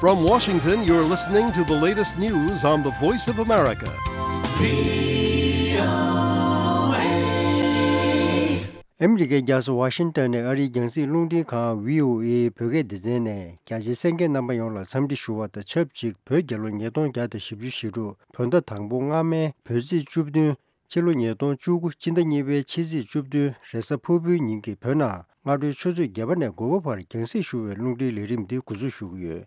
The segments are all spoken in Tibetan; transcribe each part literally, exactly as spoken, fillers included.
From Washington, you're listening to the latest news on the Voice of America. ཨ་མི་རི་ཀའི་རྒྱལ་ས་ཝ་ཤིང་ཏོན་ནས་ཨ་རིའི་རྒྱང་སྲིང་རླུང་འཕྲིན་ཁང་བྷི་ཨོ་ཨེ་བོད་སྐད་སྡེ་ཚན་ནས་རྒྱ་ཆེའི་གསན་མཁན་རྣམ་པ་ཡོངས་ལ་འཚམས་འདྲི་ཞུ་བ་དང་ཆབས་ཅིག་བོད་རྒྱལ་ལོ་ཉིས་སྟོང་བརྒྱ་དང་བཞི་བཅུ་ཞེ་དྲུག་བོད་ཟླ་དང་པོ་སྔ་མའི་བོད་ཚེས་བཅུ་བདུན། ཕྱི་ལོ་ཉིས་སྟོང་བཅུ་དགུ་སྤྱི་ཟླ་གཉིས་པའི་ཕྱི་ཚེས་བཅུ་བདུན་རེས་གཟའ་ཕུར་བུའི་ཉིན་གྱི་བོད་ནང་སྔ་དྲོའི་ཆུ་ཚོད་བརྒྱད་པ་ནས་དགུ་པ་བར་རྒྱང་སྲིང་ཞུ་བའི་རླུང་འཕྲིན་ལས་རིམ་འདི་འགོ་འཛུགས་ཞུ་གི་ཡོད།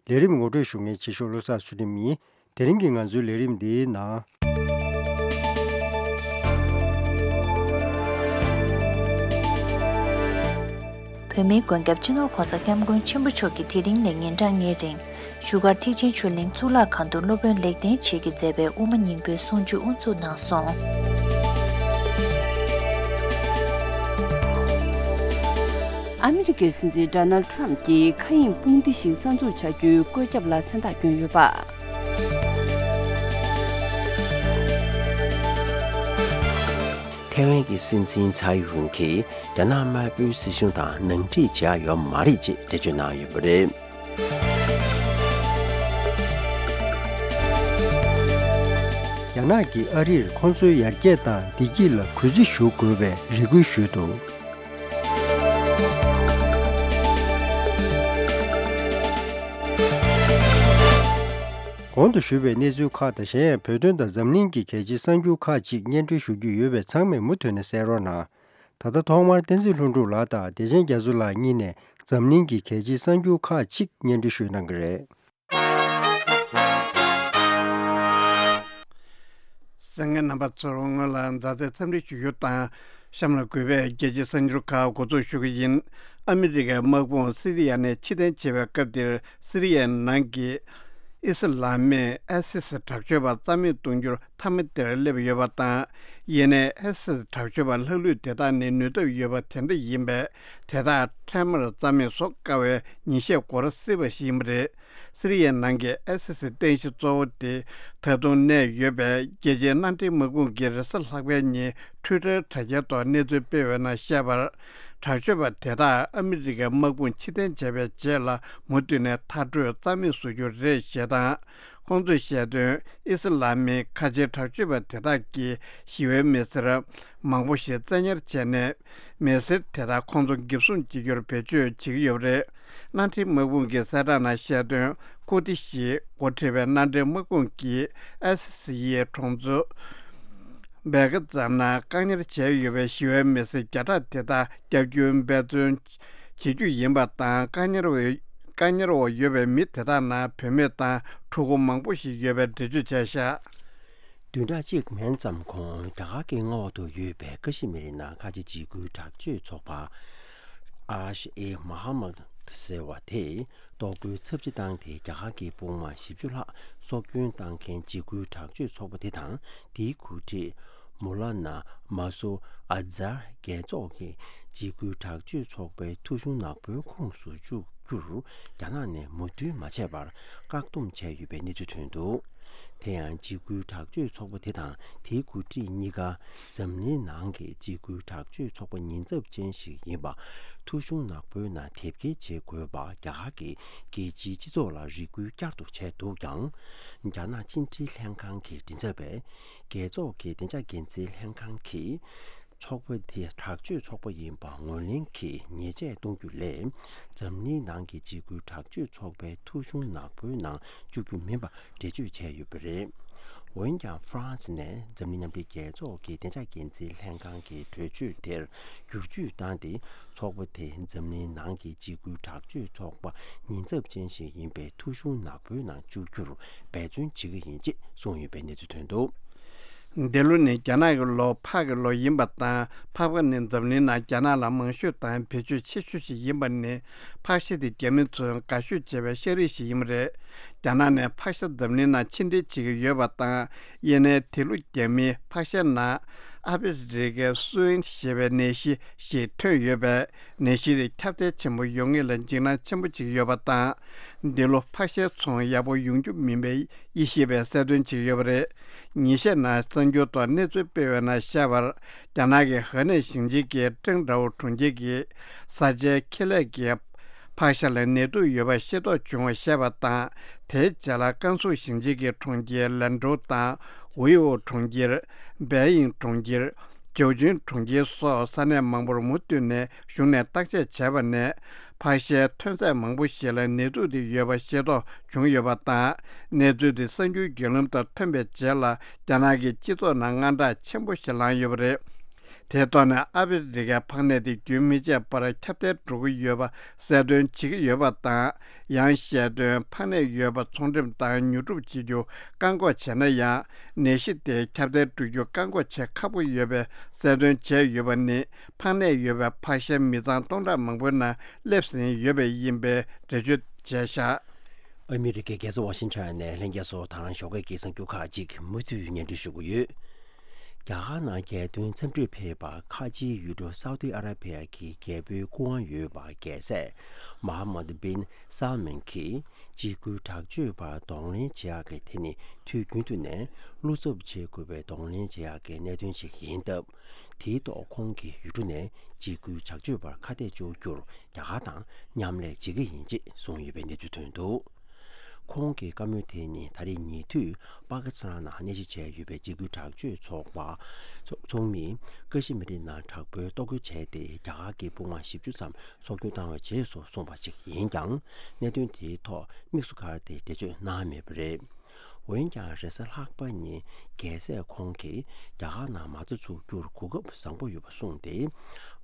ལས་རིམ་ངོ་སྤྲོད་ཞུ་མཁན་ཆེ་ཤོས་བློ་བཟང་ཚུལ་ཁྲིམས་ཡིན། དེ་རིང་གི་ང་ཚོའི་ལས་རིམ་འདིའི་ནང་། བོད་མིའི་མགོན་སྐྱབས་སྤྱི་ནོར་༸གོང་ས་༸སྐྱབས་མགོན་ཆེན་པོ་མཆོག་གིས་དེ་རིང་ནས་ཉིན་གྲངས་ལྔའི་རིང་བཞུགས་སྒར་ཐེག་ཆེན་ཆོས་གླིང་གཙུག་ལག་ཁང་དུ་སློབ་དཔོན་ལེགས་ལྡན་འབྱེད་ཀྱིས་མཛད་པའི་དབུ་མ་སྙིང་པོའི་གསུང་ཆོས་དབུ་འཛུགས་གནང་སོང་། ཨ་མི་རི་ཀའི་སྲིད་འཛིན་ཌོ་ནལ་ཌི་ཊརམ་ཕ་གྱིས་མཁའ་དབྱིངས་དཔུང་སྡེ་ཞིག་གསར་འཛུགས་བྱ་རྒྱུའི་བཀོད་ཁྱབ་ལ་མཚན་རྟགས་བསྐྱོན་ཡོད་པ། ཐའེ་ཝན་གྱི་སྲིད་འཛིན་ཚའེ་ཝུན་གྱིས་རྒྱ་ནག་དམར་པོའི་སྲིད་གཞུང་དང་ནང་འཁྲིག་བྱེད་ཡ་ཡོད་མ་རེད་ཅེས་འགྲེལ་བརྗོད་གནང་ཡོད་པ་རེད། རྒྱ་ནག་གིས་ཨ་རིར་ཁོང་ཚོའི་ཡར་རྒྱས་དང་བདེ་སྐྱིད་ལ་གུས་བརྩི་ཞུ་དགོས་པའི་རེ་སྐུལ་ཞུས་འདུག། གོང་དུ་ཞུས་པའི་གནས་ཚུལ་ཁག་དང་གཞན་ཡང་བོད་དོན་དང་འཛམ་གླིང་གི་གལ་ཆེའི་གསར་འགྱུར་ཁག་ཅིག་སྙན་སྒྲོན་ཞུ་རྒྱུ་ཡོད་པས་ཚང་མས་མུ་མཐུད་ནས་གསན་རོགས་གནང་། ད་ལྟ་ཐོག་མར་བསྟན་འཛིན་ལྷུན་གྲུབ་ལགས་དང་བདེ་ཆེན་རྒྱ་མཚོ་ལགས་གཉིས་ནས་འཛམ་གླིང་གི་གལ་ཆེའི་གསར་འགྱུར་ཁག་ཅིག་སྙན་སྒྲོན་ཞུས་གནང་གི་རེད། གསན་མཁན་རྣམ་པ་ཚོར་སྔོན་ལ་མཛའ་བརྩེའི་འཚམས་འདྲི་ཞུ་རྒྱུ་དང་། གཤམ་ལ་གུས་པས་རྒྱལ་སྤྱིའི་གསར་འགྱུར་ཁག་འགོ་འཛུགས་ཞུ་གི་ཡིན། ཨ་མི་རི་ཀའི་དམག་དཔུང་སི་རི་ཡ་ནས་ཕྱིར་འཐེན་བྱེད་པའི་སྐབས་འདིར་སི་རི་ཡའི་ནང་གི་ཨི་སི་ལ་མིག་ཨེ་སི་སི་དྲག་སྤྱོད་པ་རྩ་མེད་གཏོང་རྒྱུར་མཐའ་མ་དེར་སླེབས་ཡོད་པ་དང་། ཡིན་ནའི་ཨེ་སི་སི་དྲག་སྤྱོད་པ་ལྷག་ལུས་དེ་དག་ནི་ནུས་སྟོབས་ཡོད་པ་དེ་འདྲ་ཡིན་པས། དེ་དག་འཕྲལ་མར་རྩ་མེད་བཟོ་དཀའ་བའི་ཉིན་ཤས་འགོར་སྲིད་པ་ཞིག་ཡིན་པ་རེད། སི་རི་ཡའི་ནང་གི་ཨེ་སི་སི་རྟེན་གཞི་གཙོ་བོ་དེ་ད་དུང་གནས་ཡོད་པའི་རྒྱལ་སྤྱིའི་མནའ་འབྲེལ་དམག་དཔུང་གིས་རེས་གཟའ་ལྷག་པའི་ཉིན་ཊུའི་ཊར་དྲ་རྒྱའི་ཐོག་གནས་ཚུལ་སྤེལ་བའི་ནང་བཤད་པར། དྲག་སྤྱོད་པ་དེ་དག་ཨ་མི་རི་ཀའི་དམག་དཔུང་ཕྱིར་འཐེན་བྱས་པའི་རྗེས་ལ་མུ་མཐུད་ནས་མཐར་སྐྲོད་རྩ་མེད་བཟོ་རྒྱུ་རེད་ཞེས་དང་། ཁོང་ཚོས་བཤད་དོན། ཨི་སི་ལ་མིག་ཁ་ཆེའི་དྲག་སྤྱོད་པ་དེ་དག་གིས་ཞི་བའི་མི་སེར་མང་པོ་ཞིག་བཙན་ཉར་བྱས་ནས། མི་སེར་དེ་དག་ཁོང་ཚོ་འགེབས་སྲུང་བྱེད་རྒྱུར་བེད་སྤྱོད་བྱེད་ཀྱི་ཡོད་པ་རེད། མནའ་འབྲེལ་དམག་དཔུང་གི་གསལ་བསྒྲགས་ནང་བཤད་དོན། ཁུར་ཏི་ཞེས་འགོ་ཁྲིད་པའི་མནའ་འབྲེལ་དམག་དཔུང་གིས་ཨེ་སི་སི་ཡི་གྲོང་ཚོ་བེ་ག་ཙམ་ནང་བཀག་ཉར་བྱས་ཡོད་པའི་ཞི་བའི་མི་སེར་བརྒྱ་ཕྲག་དེ་དག་བསྐྱར་སྐྱོན་འབད་བརྩོན་བྱེད་རྒྱུ་ཡིན་པ་དང་། བཀག་ཉར་འོག་བཀག་ཉར་འོག་ཡོད་པའི་མི་དེ་དག་ནང་བུད་མེད་དང་ཕྲུ་གུ་མང་པོ་ཞིག་ཡོད་པའི་འགྲེལ་བརྗོད་བྱས་བཞག། བདུན་ཕྲག་གཅིག་མན་ཙམ་གོང་རྒྱ་གར་གྱི་མངའ་འོག་ཏུ་ཡོད་པའི་ཀ་ཤི་མིར་ནང་ཁ་ཆེ་འཇིགས་སྐུལ་དྲག་སྤྱོད་ཚོགས་པ་ཨ་ཤ་ཨེ་མ་ཧ་མ་ཟེར་བ་དེས་གཏོར་རྒོལ་ཚབས་ཆེ་བཏང་སྟེ། རྒྱ་གར་གྱི་དཔུང་དམག་བཞི་བཅུ་ལྷག་སྲོག་སྐྱོན་བཏང་མཁན་འཇིགས་སྐུལ་དྲག་སྤྱོད་ཚོགས་པ་དེ་དང་དེའི་འགོ་ཁྲིད་མོ་ལ་ན་མ་སུ་ཨ་ཛར་རྒྱལ་ཚོགས་ཀྱིས་འཇིགས་སྐུལ་དྲག་སྤྱོད་ཚོགས་པའི་ཐོ་གཞུང་ནག་པོའི་ཁོངས་སུ་བཅུག་རྒྱུར་རྒྱ་ནག་ནས་མོས་མཐུན་མ་བྱས་པར་བཀག་སྡོམ་བྱས་ཡོད་པའི་གནས་ཚུལ་ཐོན་འདུག། དེ་ཡང་འཇིགས་སྐུལ་དྲག་སྤྱོད་ཚོགས་པ་དེ་དང་དེའི་འགོ་ཁྲིད་གཉིས་ཀ་འཛམ་གླིང་ནང་གི་འཇིགས་སྐུལ་དྲག་སྤྱོད་ཚོགས་པ་ཉེན་ཚབས་ཅན་ཞིག་ཡིན་པ། ཐོ་གཞུང་ནག་པོའི་ནང་དེབ་སྐྱེལ་བྱེད་དགོས་པ་རྒྱ་གར་གྱི་རྒྱལ་སྤྱིའི་སྤྱི་ཚོགས་ལ་རེ་སྐུལ་བསྐྱར་དུ་བྱས་འདུག་ཀྱང་། རྒྱ་ནག་ཕྱི་འབྲེལ་ལྷན་ཁང་གི་མགྲིན་ཚབ་པས་རྒྱལ་ཚོགས་ཀྱི་བདེ་འཇགས་འགན་འཛིན་ལྷན་ཁང་གིས། ཚོགས་པ་དེ་དྲག་སྤྱོད་ཚོགས་པ་ཡིན་པ་ངོས་ལེན་གྱིས་ཉེས་ཆད་གཏོང་རྒྱུ་ལས། འཛམ་གླིང་ནང་གི་འཇིགས་སྐུལ་དྲག་སྤྱོད་ཚོགས་པའི་ཐོ་གཞུང་ནག་པོའི་ནང་བཅུག་རྒྱུ་མིན་པ་འགྲེལ་བརྗོད་བྱས་ཡོད་པ་རེད། འོན་ཀྱང་ཧྥ་རན་སི་ནས་འཛམ་གླིང་མཉམ་འབྲེལ་རྒྱལ་ཚོགས་ཀྱི་བདེ་འཇགས་འགན་འཛིན་ལྷན་ཁང་གི་གྲོས་ཆོད་དེར་བསྒྱུར་བཅོས་བཏང་སྟེ། ཚོགས་པ་དེ་འཛམ་གླིང་ནང་གི་འཇིགས་སྐུལ་དྲག་སྤྱོད་ཚོགས་པ་ཉེན་ཚབས་ཅན་ཞིག་ཡིན་པའི་ཐོ་གཞུང་ནག་པོའི་ནང་བཅུག་རྒྱུར་འབད་བརྩོན་བྱེད་ཀྱི་ཡིན་ཅེས་གསུངས་ཡོད་པའི་གནས་ཚུལ་ཐོན་འདུག། འདི་ལོ་ནི་རྒྱ་ནག་གི་ལོ་ཕག་གི་ལོ་ཡིན་པ་དང་། ཕག་པ་ནི་འཛམ་གླིང་ནང་རྒྱ་ནག་ལ་མང་ཤོས་དང་བེད་སྤྱོད་ཆེ་ཤོས་ཤིག་ཡིན་པ་ནི། ཕག་ཤ་དེ་རྒྱ་མི་ཚོས་དགའ་ཤོས་བྱེད་པའི་ཤ་རིགས་ཤིག་ཡིན་པ་རེད། རྒྱ་ནག་ནས་ཕག་ཤ་འཛམ་གླིང་ནང་ཕྱིར་འདྲེན་བྱེད་ཀྱི་ཡོད་པ་དང་། ཡིན་ནའི་དེ་ལོ་རྒྱ་མིའི་ཕག་ཤ་ནང་ཨ་ཕི་རི་ཀའི་སུའིན་ཞེས་པའི་ནད་གཞི་ཞིག་ཐོན་ཡོད་པས། ནད་གཞི་དེ་ཁྱབ་གདལ་ཆེན་པོ་ཡོང་ངེས་ལ་འཇིགས་སྣང་ཆེན་པོ་བྱེད་ཀྱི་ཡོད་པ་དང་། འདི་ལོ་ཕག་ཤའི་ཚོང་ཡག་པོ་ཡོང་རྒྱུ་མིན་པའི་དབྱེ་ཞིབ་པས་གསལ་སྟོན་བྱེད་ཀྱི་ཡོད་པ་རེད། ཉིན་ཤས་ནང་གསར་འགྱུར་ཐོག་གནས་ཚུལ་སྤེལ་བའི་ནང་བཤད་པར། རྒྱ་ནག་གི་ཧེ་ནན་ཞིང་ཆེན་གྱི་ཀྲེང་ཀྲའོ་གྲོང་ཁྱེར་གྱི་བཟའ་བཅའི་ཁེ་ལས་ཀྱི་ ཕག་ཤ་ལ་ནད་དུག་ཡོད་པ་ཤེས་རྟོགས་བྱུང་བ་ཤེས་པ་དང་། དེའི་རྗེས་ལ་ཀན་སུའུ་ཞིང་ཆེན་གྱི་གྲོང་ཁྱེར་ལན་ཀྲོའུ་དང་། ཝེ་ཨོ་གྲོང་ཁྱེར། པེ་ཡིང་གྲོང་ཁྱེར། ཅའོ་ཅུན་གྲོང་ཁྱེར་སོགས་ས་གནས་མང་པོར་མུ་མཐུད་ནས་ཞུགས་ནས་བརྟག་དཔྱད་བྱས་པ་ནས། ཕག་ཤའི་ཐོན་རྫས་མང་པོ་ཞིག་ལ་ནད་དུག་དེ་ཡོད་པ་ཤེས་རྟོགས་བྱུང་ཡོད་པ་དང་། གནས་ཚུལ་དེ་གསར་འགྱུར་བརྒྱུད་ལམ་དུ་ཐོན་པའི་རྗེས་ལ། རྒྱ་ནག་གི་སྤྱི་ཚོགས་ནང་དངངས་སྐྲག་ཆེན་པོ་ཞིག་ལངས་ཡོད་པ་རེད། དེའི་ཐོག་ནས་ཨ་ཧྥེ་རི་ཁའི་ཕག་ནད་དེ་རྒྱུན་མི་ཆད་པར་ཁྱབ་གདལ་འགྲོ་གི་ཡོད་པ་གསལ་སྟོན་བྱེད་ཀྱི་ཡོད་པ་དང་། ཡང་བཤད་དོན། ཕག་ནད་ཡོད་པ་ཚོང་འགྲེམས་དང་ཉོ་སྒྲུབ་བྱེད་རྒྱུ་བཀག་འགོག་བྱས་ན་ཡང་། ནད་གཞི་དེ་ཁྱབ་གདལ་འགྲོ་རྒྱུ་བཀག་འགོག་བྱེད་ཁག་པོ་ཡོད་པའི་གསལ་སྟོན་བྱས་ཡོད་པ་ནི། ཕག་ནད་ཡོད་པའི་ཕག་ཤ་མི་ཚང་སྟོང་ཕྲག་མང་པོའི་ནང་སླེབས་ཟིན་ཡོད་པས་ཡིན་པའི་འགྲེལ་བརྗོད་བྱས་བཞག་ཨ་མི་རི་ཀའི་རྒྱལ་ས་ཝ་ཤིང་ཊོན་ནས་ལྷན་རྒྱས་ཚོ་དང་ཞོགས་ཀའི་གསར་འགྱུར་ཁག་ཅིག་མུ་མཐུད་སྙན་སྒྲོན་ཞུ་གི་ཡོད། རྒྱ་གར་ནང་རྒྱལ་དོན་འཚམས་འདྲིར་ཕེབས་པར་ཁ་ཆེའི་ཡུལ་གྲུ་སའུ་ཏི་ཨ་ར་བྷི་ཡ་གི་རྒྱལ་པོའི་སྐུ་དབང་ཡོད་པ་རྒྱལ་སྲས་མ་ཧ་མད་བིན་སལ་མན་གྱིས་འཇིགས་སྐུལ་དྲག་སྤྱོད་པར་གདོང་ལེན་བྱེད་ཡག་གི་ཐད་ནས་དུས་རྒྱུན་དུ་ནས་བློ་འཚབ་བྱེད་དགོས་པའི་གདོང་ལེན་བྱེད་ཡག་གི་གནད་དོན་ཞིག་ཡིན་སྟབས། དེའི་ཐོག་ཁོང་གིས་ཡུལ་གྲུ་ནས་འཇིགས་སྐུལ་དྲག་སྤྱོད་པར་ཁ་གཏད་གཅོག་རྒྱུར་རྒྱ་གར་དང་མཉམ་ལས་བྱེད་ཀྱི་ཡིན་ཅེས་གསུངས་ཡོད་པའི་གནས་ཚུལ་ཐོན་འདུག་ཁོང་གི་བཀའ་མོལ་དེ་ནི་ད་རེས་ཉེ་དུས་པ་ཀི་སི་ཐན་ནང་གནས་གཞི་བྱས་ཡོད་པའི་འཇིགས་སྐུལ་དྲག་སྤྱོད་ཚོགས་པ་ཚོགས་ཚོགས་མིས་ཀ་ཤི་མིར་ནང་དྲག་པོའི་གཏོར་རྒོལ་བྱས་ཏེ་རྒྱ་གར་གྱི་དཔུང་དམག་བཞི་བཅུ་ཙམ་སྲོག་སྐྱོན་བཏང་བའི་རྗེས་སུ་གསུངས་པ་ཞིག་ཡིན་ཀྱང་། གནད་དོན་དེའི་ཐོག་དམིགས་སུ་བཀར་ཏེ་འགྲེལ་བརྗོད་གནང་མེད་པ་རེད། འོན་ཀྱང་རེས་གཟའ་ལྷག་པ་ཉིན་རྒྱལ་སྲས་ཁོང་གིས་རྒྱ་གར་ནང་མ་རྩ་འཛུགས་རྒྱུར་གོ་སྐབས་བཟང་པོ་ཡོད་པ་གསུངས་ཏེ།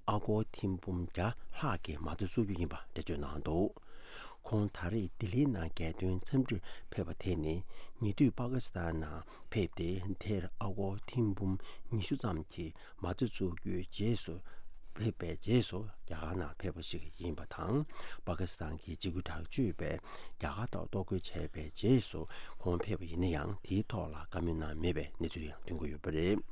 ཨ་སྒོར་ཐེར་འབུམ་བརྒྱ་ལྷག་གི་མ་རྩ་བཙུགས་རྒྱུ་ཡིན་པ་འགྲེལ་བརྗོད་གནང་འདུག་ཁོང་ད་རེས་ལྡི་ལིའི་ནང་རྒྱལ་དོན་འཚམས་འདྲིར་ཕེབས་པ་དེ་ནི་ཉེ་དུས་པ་ཀི་སི་ཐན་ནང་ཕེབས་ཏེ། དེར་ཨ་སྒོར་ཐེར་འབུམ་ཉི་ཤུ་ཙམ་གྱི་མ་རྩ་བཙུགས་རྒྱུའི་རྗེས་སུ་ཕེབས་པའི་རྗེས་སུ་རྒྱ་གར་ནང་ཕེབས་པ་ཞིག་ཡིན་པ་དང་། པ་ཀི་སི་ཐན་གྱི་འཇིགས་སྐུལ་དྲག་སྤྱོད་པས་རྒྱ་གར་ཐོག་གཏོར་རྒོལ་བྱས་པའི་རྗེས་སུ་ཁོང་ཕེབས་པ་ཡིན་ན་ཡང་། དེའི་ཐོག་ལ་བཀའ་མོལ་གནང་མེད་པའི་གནས་ཚུལ་ཡང་ཐོན་གྱི་ཡོད་པ་རེད།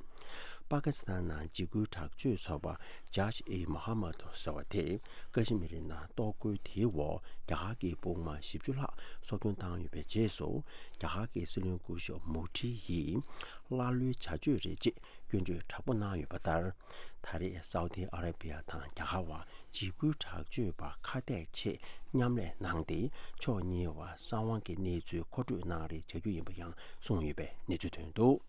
པ་ཀི་སི་ཐན་ནང་འཇིགས་སྐུལ་དྲག་སྤྱོད་ཚོགས་པ་ཇཱིཤ་ཨི་མོ་ཧམ་མད་ཟེར་བ་དེས་ཀ་ཤི་མིར་ནང་གཏོར་རྒོལ་དེའི་འོག་རྒྱ་གར་གྱི་དཔུང་དམག་བཞི་བཅུ་ལྷག་སྲོག་སྐྱོན་བཏང་ཡོད་པའི་རྗེས་སུ། རྒྱ་གར་གྱི་སྲིད་བློན་སྐུ་ཞབས་མོ་ཌི་ཡིས་ཀླ་ཀློའི་བྱ་སྤྱོད་རེད་ཅེས་སྐྱོན་བརྗོད་དྲག་པོ་གནང་ཡོད་པ་ལྟར། ད་རེས་སའུ་ཏི་ཨ་ར་བི་ཡ་དང་རྒྱ་གར་བར་འཇིགས་སྐུལ་དྲག་སྤྱོད་པར་ཁ་གཏད་ཆེད་མཉམ་ལས་གནང་སྟེ། ཕྱོགས་གཉིས་བར་གསང་བའི་གནས་ཚུལ་མཁོ་སྤྲོད་གནང་རེས་བྱ་རྒྱུ་ཡིན་པ་ཡང་གསུངས་ཡོད་པའི་གནས་ཚུལ་ཐོན་འདུག་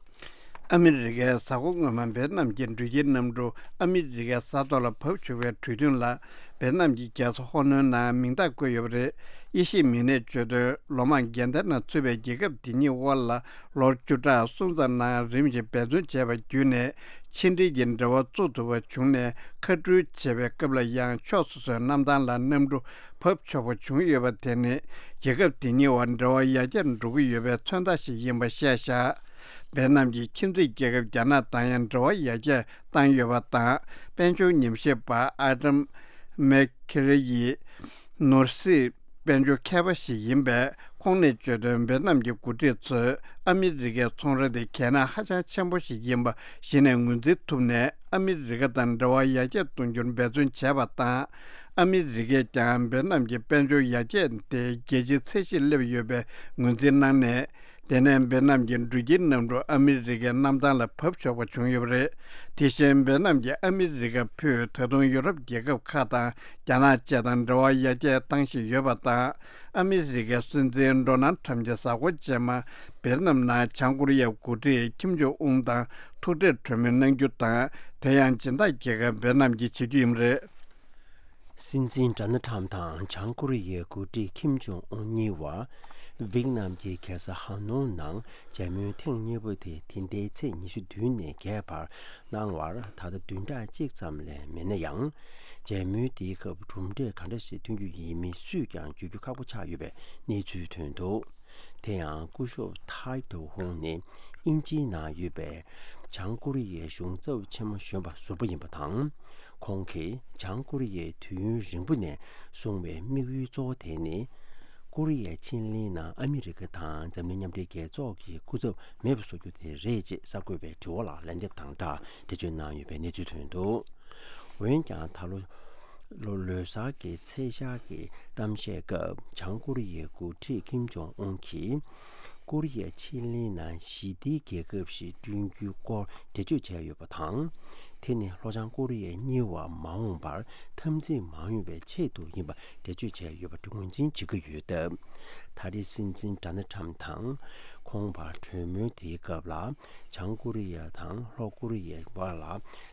ཨ་མི་རི་ཀའི་གཟའ་འཁོར་སྔོན་མ་ཝེ་ཏི་ནམ་གྱི་འགྲུལ་སྐྱེལ་གནམ་གྲུ་ཨ་མི་རི་ཀའི་ས་ཐོག་ལ་བབས་ཆོག་པའི་གྲོས་མཐུན་ལ། ཝེ་ཏི་ནམ་གྱི་རྒྱལ་ས་ཧོ་ནོན་ནང་མིང་རྟགས་བཀོད་ཡོད་པ་རེད། དབྱེ་ཞིབ་མི་སྣས་བརྗོད་དོན། ལོ་མང་འགལ་ཟླར་ནང་ཚུད་པའི་རྒྱལ་ཁབ་དེ་གཉིས་དབར་ལ་ལོ་བཅུ་ཕྲག་གསུམ་ཙམ་ནང་རིམ་བཞིན་འབད་བརྩོན་བྱས་པ་བརྒྱུད་ནས་ཕྱི་འབྲེལ་གྱི་འབྲེལ་བ་བཙུགས་ཐུབ་པ་བྱུང་ནས། མཁའ་འགྲུལ་བྱེད་པའི་སྐབས་ལ་ཡང་ཕྱོགས་སོ་སོའི་གནམ་ཐང་ལ་གནམ་གྲུ་བབས་ཆོག་པ་བྱུང་ཡོད་པ་དེ་ནི་རྒྱལ་ཁབ་དེ་གཉིས་བར་འབྲེལ་བ་ཡར་རྒྱས་འགྲོ་གི་ཡོད་པའི་མཚོན་རྟགས་ཤིག་ཡིན་པ་བཤད་བཞག་ཝེ་ཏི་ནམ་གྱི་ཁྱིམ་མཚེས་རྒྱལ་ཁབ་རྒྱ་ནག་དང་ཡང་འབྲེལ་བ་ཡར་རྒྱས་བཏང་ཡོད་པ་དང་། དཔལ་འབྱོར་ཉམས་ཞིབ་པ་ཨ་ཏམ་མེ་ཁེ་རེ་ཡིས་ནོར་སྲིད་དཔལ་འབྱོར་མཁས་པ་ཞིག་ཡིན་པས། ཁོང་ནས་བརྗོད་དོན། ཝེ་ཏི་ནམ་གྱི་འགོ་ཁྲིད་ཚོས་ཨ་མི་རི་ཀའི་ཚོང་ར་དེ་གལ་གནད་ཧ་ཅང་ཆེན་པོ་ཞིག་ཡིན་པ་གཞི་ནས་ངོས་འཛིན་ཐུབ་ནས། ཨ་མི་རི་ཀ་དང་འབྲེལ་བ་ཡར་རྒྱས་གཏོང་རྒྱུར་འབད་བརྩོན་བྱས་པ་དང་། ཨ་མི་རི་ཀས་ཀྱང་ཝེ་ཏི་ནམ་གྱི་དཔལ་འབྱོར་ཡར་རྒྱས་དེ་རྒྱལ་སྤྱིའི་ཚད་གཞིར་སླེབས་ཡོད་པའི་ངོས་འཛིན་གནང་ནས། དེ་ནས་ཝེ་ཏི་ནམ་གྱི་འགྲུལ་སྐྱེལ་གནམ་གྲུ་ཨ་མི་རི་ཀའི་གནམ་ཐང་ལ་བབས་ཆོག་པ་བྱུང་ཡོད་པ་རེད། དེ་བཞིན་ཝེ་ཏི་ནམ་གྱིས་ཨ་མི་རི་ཀ་ཕུད་ད་དུང་ཡུ་རོབ་རྒྱལ་ཁབ་ཁག་དང་རྒྱ་ནག་བཅས་དང་འབྲེལ་བ་ཡར་རྒྱས་བཏང་བཞིན་ཡོད་པ་དང་། ཨ་མི་རི་ཀའི་སྲིད་འཛིན་ཌོ་ནལ་ཁྲམ་གྱི་གཟའ་འཁོར་རྗེས་མ་ཝེ་ཏི་ནམ་ནང་བྱང་ཀོ་རི་ཡའི་འགོ་ཁྲིད་ཁིམ་ཇོང་ཨུན་དང་ཐུག་འཕྲད་གྲོས་མོལ་གནང་རྒྱུ་དང་། དེ་ཡང་སྦྱིན་བདག་རྒྱལ་ཁབ་ཝེ་ཏི་ནམ་གྱིས་བྱེད་རྒྱུ་ཡིན་པ་རེད། སྲིད་འཛིན་ཌོ་ནལ་ཁྲམ་དང་བྱང་ཀོ་རི་ཡའི་འགོ་ཁྲིད་ཁིམ་ཇོང་ཨུན་གཉིས་བར་ཝེ་ཏི་ནམ་གྱི་རྒྱལ་ས་ཧ་ནོ་ནང་མཇལ་མོལ་ཐེངས་གཉིས་པ་དེ་འདི་ཟླའི་ཚེས་ཉི་ཤུ་བདུན་ནས་བརྒྱད་བར་གནང་བར་ད་ལྟ་བདུན་ཕྲག་གཅིག་ཙམ་ལས་མེད་ན་ཡང་། མཇལ་མོལ་དེའི་སྐབས་གྲུབ་འབྲས་ག་འདྲ་ཞིག་ཐོན་རྒྱུ་ཡིན་མིན་སུས་ཀྱང་བརྗོད་རྒྱུ་ཁག་པོ་ཆགས་ཡོད་པའི་གནས་ཚུལ་ཐོན་འདུག་དེ་ཡང་སྐུ་ཞབས་ཐའེ་ཏོ་ཧུང་ནི་དབྱིན་ཇིའི་ནང་ཡོད་པའི་བྱང་ཀོ་རི་ཡའི་གཞུང་ཚབ་ཆེན་མོ་གཞོན་པ་ཟུར་པ་ཡིན་པ་དང་། ཁོང་གིས་བྱང་ཀོ་རི་ཡས་དུས་ཡུན་རིང་པོ་ནས་བཟུང་བའི་དམིགས་ཡུལ་གཙོ་བོ་དེ་ནི། ཀོ་རི་ཡའི་ཆེན་གླིང་ནང་ཨ་མི་རི་ཀ་དང་འཛམ་གླིང་མཉམ་འབྲེལ་རྒྱལ་ཚོགས་ཀྱི་སྐུ་ཚབ་མེད་པ་བཟོ་རྒྱུ་དེ་རེད་ཅེས་གསར་འགོད་པའི་དྲི་བ་ལ་ལན་འདེབས་དང་སྦྲགས་འགྲེལ་བརྗོད་གནང་ཡོད་པའི་གནས་ཚུལ་ཐོན་འདུག་འོན་ཀྱང་ད་ལོ་ལོ་ལོ་གསར་གྱི་ཚེས་ཤར་གྱི་གཏམ་བཤད་སྐབས་བྱང་ཀོ་རི་ཡའི་འགོ་ཁྲིད་ཁིམ་ཇོང་ཨུན་གྱིས། ཀོ་རི་ཡ་ཕྱེད་གླིང་ནང་ཞི་བདེའི་རྒྱལ་ཁབ་ཞིག་བསྐྲུན་རྒྱུའི་སྐོར་འགྲེལ་བརྗོད་བྱས་ཡོད་པ་དང་། དེ་ནི་ལྷོ་བྱང་ཀོ་རི་ཡ་གཉིས་བར་མ་འོངས་པར་འཐབ་འཛིང་མ་ཡོང་བའི་ཆེད་དུ་ཡིན་པ་འགྲེལ་བརྗོད་བྱས་ཡོད་པ་ངོས་འཛིན་བྱེད་ཀྱི་ཡོད་སྟབས། ད་རེས་སྲིད་འཛིན་ཌོ་ནལ་ཊམ་དང་ཁོང་བར་གྲོས་མོལ་དེའི་སྐབས་ལ། བྱང་ཀོ་རི་ཡ་དང་ལྷོ་ཀོ་རི་ཡའི་བར་ལ་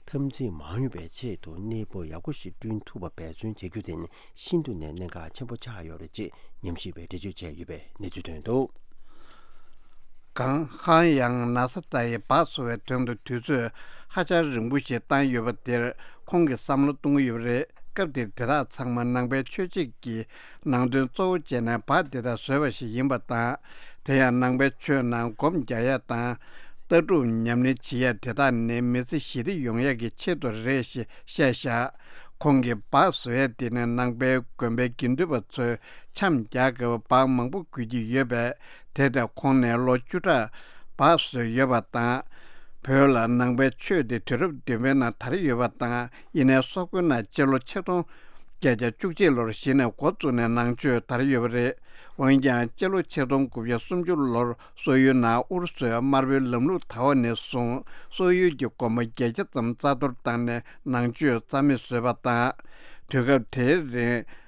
འཐབ་འཛིང་མ་ཡོང་བའི་ཆེད་དུ་གནས་བབ་ཡག་པོ་ཞིག་བསྐྲུན་ཐུབ་པ་འབད་བརྩོན་བྱེད་རྒྱུ་དེ་ནི་ཤིན་ཏུ་ནས་གནད་འགག་ཆེན་པོ་ཆགས་ཡོད་རེད་ཅེས་ཉམས་ཞིབ་པས་འགྲེལ་བརྗོད་བྱས་ཡོད་པའི་གནས་ཚུལ་ཐོན་འདུག། གངས་ཧང་ཡང་ན་ས་ཏཱ་ཡིས་སྦག་བཟོ་བའི་དོན་དུ་དུས་ཚོད་ཧ་ཅང་རིང་པོ་ཞིག་བཏང་ཡོད་པ་དེར་ཁོང་གིས་བསམ་བློ་གཏོང་གི་ཡོད་པ་རེད། སྐབས་དེར་དེ་དག་ཚང་མ་ནང་པའི་ཆོས་བྱེད་ཀྱི་ནང་དོན་གཙོ་བོ་བྱས་ནས་སྦག་དེ་དག་བཟོས་པ་ཞིག་ཡིན་པ་དང་། དེ་ཡང་ནང་པའི་ཆོས་ནང་སྒོམ་རྒྱག་ཡ་དང་། ལྟ་གྲུབ་ཉམས་ལེན་བྱེད་ཡ་དེ་དག་ནི་མི་ཚེ་ཞི་བདེ་ཡོང་ཡ་གི་ཆེད་དུ་རེད་ཞེས་བཤད་བཞག། ཁོང་གིས་སྦག་བཟོ་ཡ་དེ་ནི་ནང་པའི་དགོན་པའི་དགེ་འདུན་པ་ཚོས་འཆམ་རྒྱག་དགོས་པ་སྦག་མང་པོ་དགོས་ཀྱི་ཡོད་པས། དེ་ལྟར་ཁོང་ནས་ལོ་བཅུ་ཕྲག་སྦག་བཟོས་ཡོད་པ་དང་། བོད་ལ་ནང་པའི་ཆོས་དེ་དུས་རབས་བདུན་པའི་ནང་དར་ཡོད་པ་དང་། ཡིན་ནའི་སོག་པོའི་ནང་སྤྱི་ལོ་ཆིག་སྟོང་བརྒྱད་བརྒྱ་བཅུ་གཅིག་ལོར་གཞི་ནས་འགོ་བཙུགས་ནས་ནང་ཆོས་དར་ཡོད་པ་རེད། འོན་ཀྱང་སྤྱི་ལོ་ཆིག་སྟོང་དགུ་བརྒྱ་སུམ་ཅུ་ལོར་སོག་ཡུལ་ནང་ཨུ་རུ་སུའི་དམར་པོའི་ལམ་ལུགས་དར་བ་ནས་བཟུང་སོག་ཡུལ་གྱི་དགོན་པ་བརྒྱད་བརྒྱ་ཙམ་རྩ་གཏོར་བཏང་ནས་ནང་ཆོས་རྩ་མེད་བཟོས་པ་དང་། དུས་སྐབས་དེའི་རིང་།